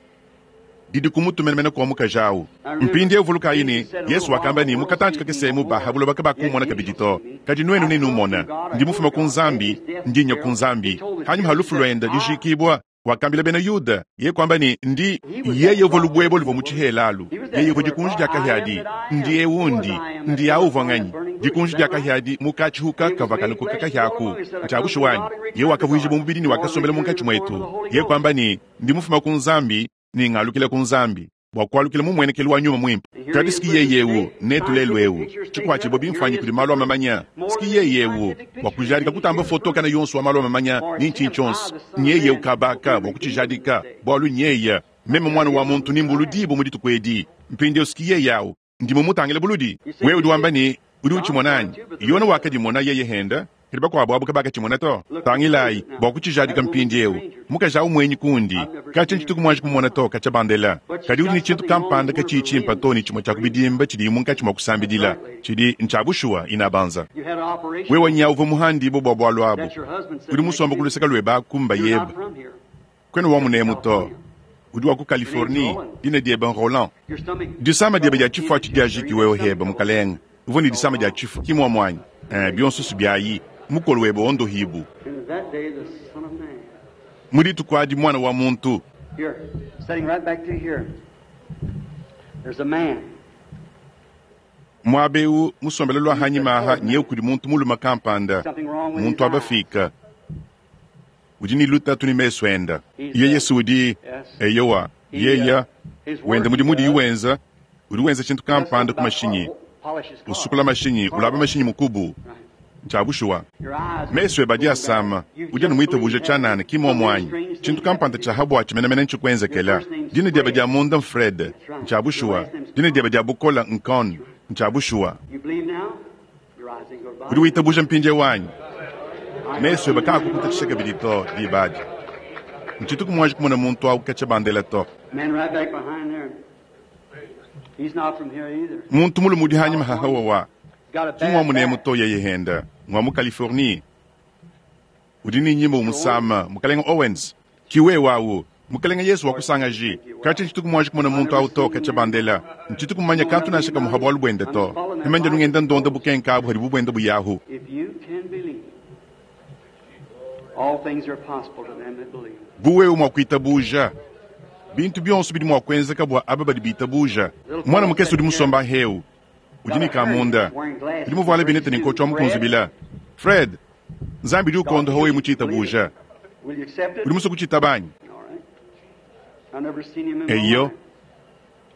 Didi kumutu menemene kua mukaji awu. Mpindieu vulukayi ne, Yesu wakamba ne, mukatantshi kakese mu baha buloba kabakumona kabidi to. Kadi nuenu nenumona, ndi mufuma ku Nzambi, ndi nya ku Nzambi. Hanyuma ha lufu luenda dijikibua, wakambila bena Yuda, yeye kuamba ne, ndi yeye uvua lubuebo luvua mu tshihela alu. Yeye uvwa Dikunji dya Kahya adi. Ndi ewu ndi. Ndi awu uvwa nganyi? Dikunji dya Kahya adi mu kacihuka kavwa kalukuka kahya aku. Ncya bushuwa anyi? Yeye wakavwijibwa mubidi ne wakasombela munkaci mwetu. Yeye kwamba ne, Ndi mufuma ku Nzambi, ne ngalukila ku Nzambi, bwa kwalukila mu mmwenekelu wa Nyuma Mwimpe. Kadi s'ki Yeye ewu netu lelu ewu, cikwacibwa bimfwanyi kudi maalu a mamanya. S'ki Yeye ewu bwa kujaadika kutamba foto kana yonso wa maalu a mamanya ni ncinyi cyonso. Nyeye ewu kabaaka bwa kucijaadika, bwalu nyeye, Meme Mwana wa muntu nimbuludiibwe mu dituku edi. Mpindyewu s'ki Yeye awu. Ndi mumutangile buludi. Wewe udi wamba ne, Udi ucimona anyi? Yone wakadimona yeye henda, kadi bakwabo abu kabakacimona to. Tangilayi, bwa kucijaadika mpindyewu, mukaji awu mwenyi kundi. Kacya ncituku mwanji kumumona to, kacya bandela. Kadi udi ne cintu kampanda kaciyi cimpa to ne cimwe cya ku bidimba cidiyi munkaci mwa kusambidila. Cidi ncya bushuwa, inabanza. Wewe nyawu uvwa muhandiibwe bwa bwalu abu. Udi musomba ku luseke lwebe aku mbayebe. Kwena wa munemu to. Udi wa ku Californie. Dina diebe n'Roland. Disama diebe dia tshifu atshi diajiki wewe hebe, mukalenge. Uvua ne disama dia tshifu, ki muomu anyi? Ee, bionso biayi. Mukolo webe wondohibu. Mu dituku adi Muana wa muntu. Muaba eu musombele lua hanyima aha nyeu kudi muntu mulume kampanda, muntu wa bafiika. Udi ne lutatu ne mesu enda. Yeye si udi, eyowa, yeye, wenda mudimu udiyi wenza, udi wenza tshintu kampanda ku mashinyi, usukula mashinyi, ulaba mashinyi mukubu. Ntshia bushuwa. Mesu ebe adi asama. Udi anu muitabuja tshianana, ki mmuomu anyi? Tshintu kampanda tshia ha buatshi menemene ntshikuenzekela. Dina diebe dia munda m'Fred. Ntshia bushuwa. Dina diebe dia bukola n'Cohn. Ntshia bushuwa. Udi witabuja mpindieu anyi? Mesu ebe kaakukutatshisha kabidi to, diba adi. Ntshituku muanji kumona muntu awu katshia bandela to. Muntu mulume udi hanyima ha hawawa, ki ng'wa munemu to, yeye henda ng'wa mu Californie. Udi ne nyima umusama, Mukalenga Owens. Ki wewe awu. Mukalenga Yesu wakusangaji. Katshia ntshituku muanji kumona muntu awu to, katshia bandela. Ntshituku mumanya kantu nansha kamue ha bualu buende to. Meme ndi anu ngenda ndonda bukenka abu hadibu buenda buyahu. Bu wewe mua kuitabuja, bintu bionso bidi mua kuenzeka bua aba badi bitabuja. Muana mukese udi musomba heu, udi ne kamunda, udi muvuale binete ne nkotshi wa mukunzubila. Fred, Nzambi udi ukondoha wewe mu tshitabuja. Udi musue kutshitaba anyi? Eyo.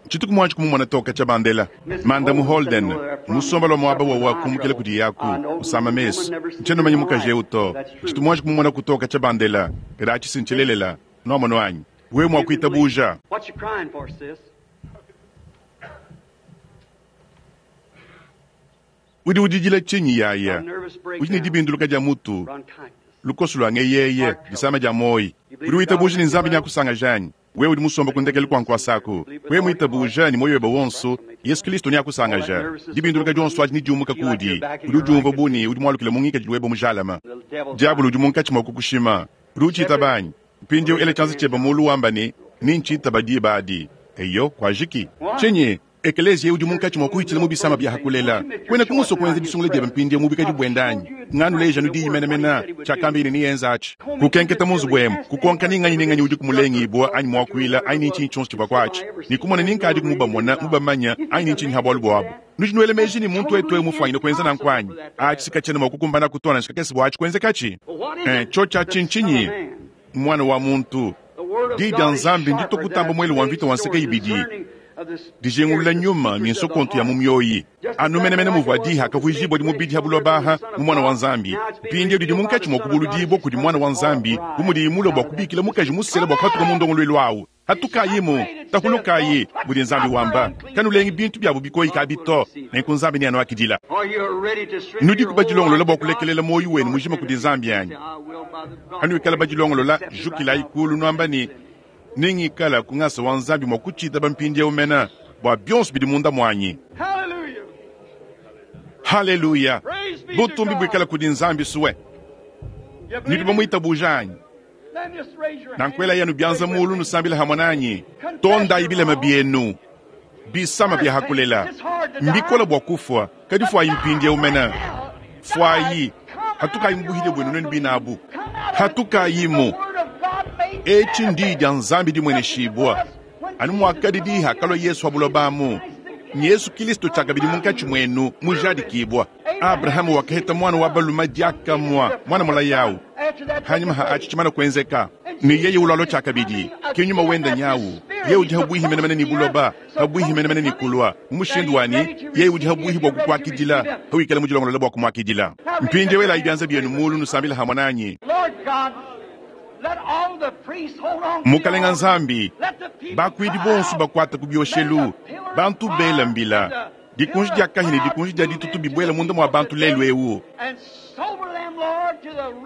Tshituku muanji kumumona to katshia bandela. Mandamu Holden, musomba lua muaba wawa kumukila kudiye aku, usama mesu. Ntshiena mumanye mukaji eu to. Tshitu muanji kumumona ku to katshia bandela. Kadi atshi si ntshilelela. Nuamonu anyi? Wewe mua kuitabuja. Udi udidila tshinyi, yaya? Udi ne dibinduluka dia mutu, lukoso lua ngeyeye, disama dia muoyi. Udi witabuja ne Nzambi neakusangaje anyi? Wewe udi musomba ku ndekelu kua nkuasa aku. Wewe muitabuja ne muoyo webe wonso, Yesu Kilisto neakusangaja. Dibinduluka dionso adi nediumuka kuudi. Udi udiumvua bu ne udi mualukile mu ngikadilu webe mujalame. Diabolo udi munkatshi mua kukushima. Udi utshitaba anyi? Mpindieu ela tshianza tshiebe mulu wamba ne, Nintshitaba diba adi. Eyo, kuajiki. Tshinyi? Ekeleziya udi munkatshi mua kuhitshila mu bisama bia ha kulela. Kuenaku musue kuenza disungula diebe mpindieu mu buikadi buende anyi? Nganuleja anu diyi menemene, tshiakamba ne nienza atshi. Kukenketa mu nzubu emu, kukonka ni nganyi ne nganyi udiku mulengibua anyi muakuila anyi ni ntshinyi tshionso tshivua kuatshi, ne kumona ni nkadiku mubamona, mubamanya anyi ni ntshinyi ha bualu buabu. Nudi nuela meji ne muntu wetu eu mufuanyine kuenza nanku anyi? Atshi si katshiena mua kukumbanaku to nansha kakese bua atshi kuenzekatshi. Eh, tshiotshi atshi ntshinyi? Muana wa muntu. Diyi dia Nzambi nditue kutamba muele wa mvita wa nseke ibidi, dijingulula nyuma ne nsokontu ya mu mioyi. Anu menemene muvua Diyi hakavuijibuadi mubidi ha buloba aha mu Muana wa Nzambi, mpindieu didi munkatshi mua kubuludibua kudi Muana wa Nzambi bu mudiyi mulue bua kubikila mukaji musela bua kuhatuka mu ndongoluelu au. Hatukayimu, tahulukayi, mudi Nzambi wamba, kanulengi bintu biabu bikoyi kabi to, nenku Nzambi neanuakidila. Nudiku badilongolola bua kulekelela muoyo wenu mujima kudi Nzambi anyi? Hanuikala badilongolola, jukilayi kulu nuamba ne, Nengikala ku ngasa wa Nzambi mua kutshitaba mpindieu mene bua bionso bidi munda muanyi. Haleluya! Butumbi buikale kudi Nzambi sue. Nudi bamuitabuja anyi? Nanku elayi anu bianza mulu nusambile hamue nanyi. Tondayi bilema bienu, bisama bia ha kulela. Mbikole bua kufua, kadi fuayi mpindieu mene. Fuayi, hatukayi mu buhidia buenu nuenu bine abu. Hatukayimu. Etshi ndiyi dia Nzambi dimueneshibua. Anu muakadi diyi hakalua Yesu ha buloba amu, Yesu Kilisto tshiakabidi munkatshi muenu mujadikibua. Abrahama wakaheta muana wa balume diakamue, muana mulaya au. Hanyima ha atshi tshimana kuenzeka, ne yeye ulualua tshiakabidi, ke nyuma wenda nyawu. Yeye udi habuihi menemene ne buloba, habuihi menemene ne kulua, mu mushindu wa ne, yeye udi habuihi bua kukuakidila, hawikala mudilongolole bua kumuakidila. Mpindieu elayi bianza bienu mulu nusambile hamue nanyi. Mukalenga Nzambi, bakuidi bonso bakuata ku bioshelu, bantu bela mbila, dikunji dia kahia ne dikunji dia ditutu bibuela munda mua bantu lelu eu,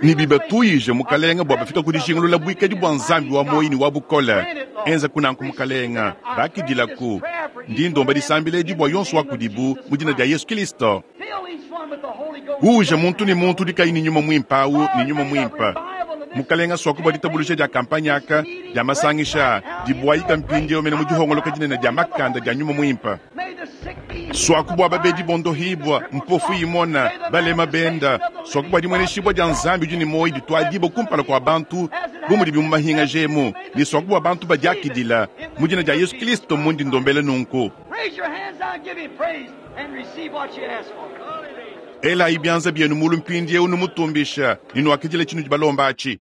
ne bibatuyije, Mukalenga, bua bafika ku dijingulula buikadi bua Nzambi wa muoyo ne wa bukole. Enza kunanku, Mukalenga, bakidilaku. Ndi ndomba disambila edi bua yonso wa kudibu mu dina dia Yesu Kilisto. Uuja muntu ne muntu udi kayi ne Nyuma Muimpe awu ne Nyuma Muimpe. Mukalenga, suaku bua ditabuluja dia kampanye aka dia masangisha dibuayika mpindieu mene mu dihongoloka dinene dia makanda dia Nyuma Muimpe. Suaku bua babedi bondohibua, mpofu imona, balema benda. Suaku bua dimueneshibua dia Nzambi udi ne muoyo dituadibua kumpala kua bantu bu mudibi mu mahingaja emu, ne suaku bua bantu badiakidila mu dina dia Yesu Kilisto mundi ndombela nunku. Elayi bianza bienu mulu mpindieu numutumbisha ne nuakidila tshinudi balomba atshi.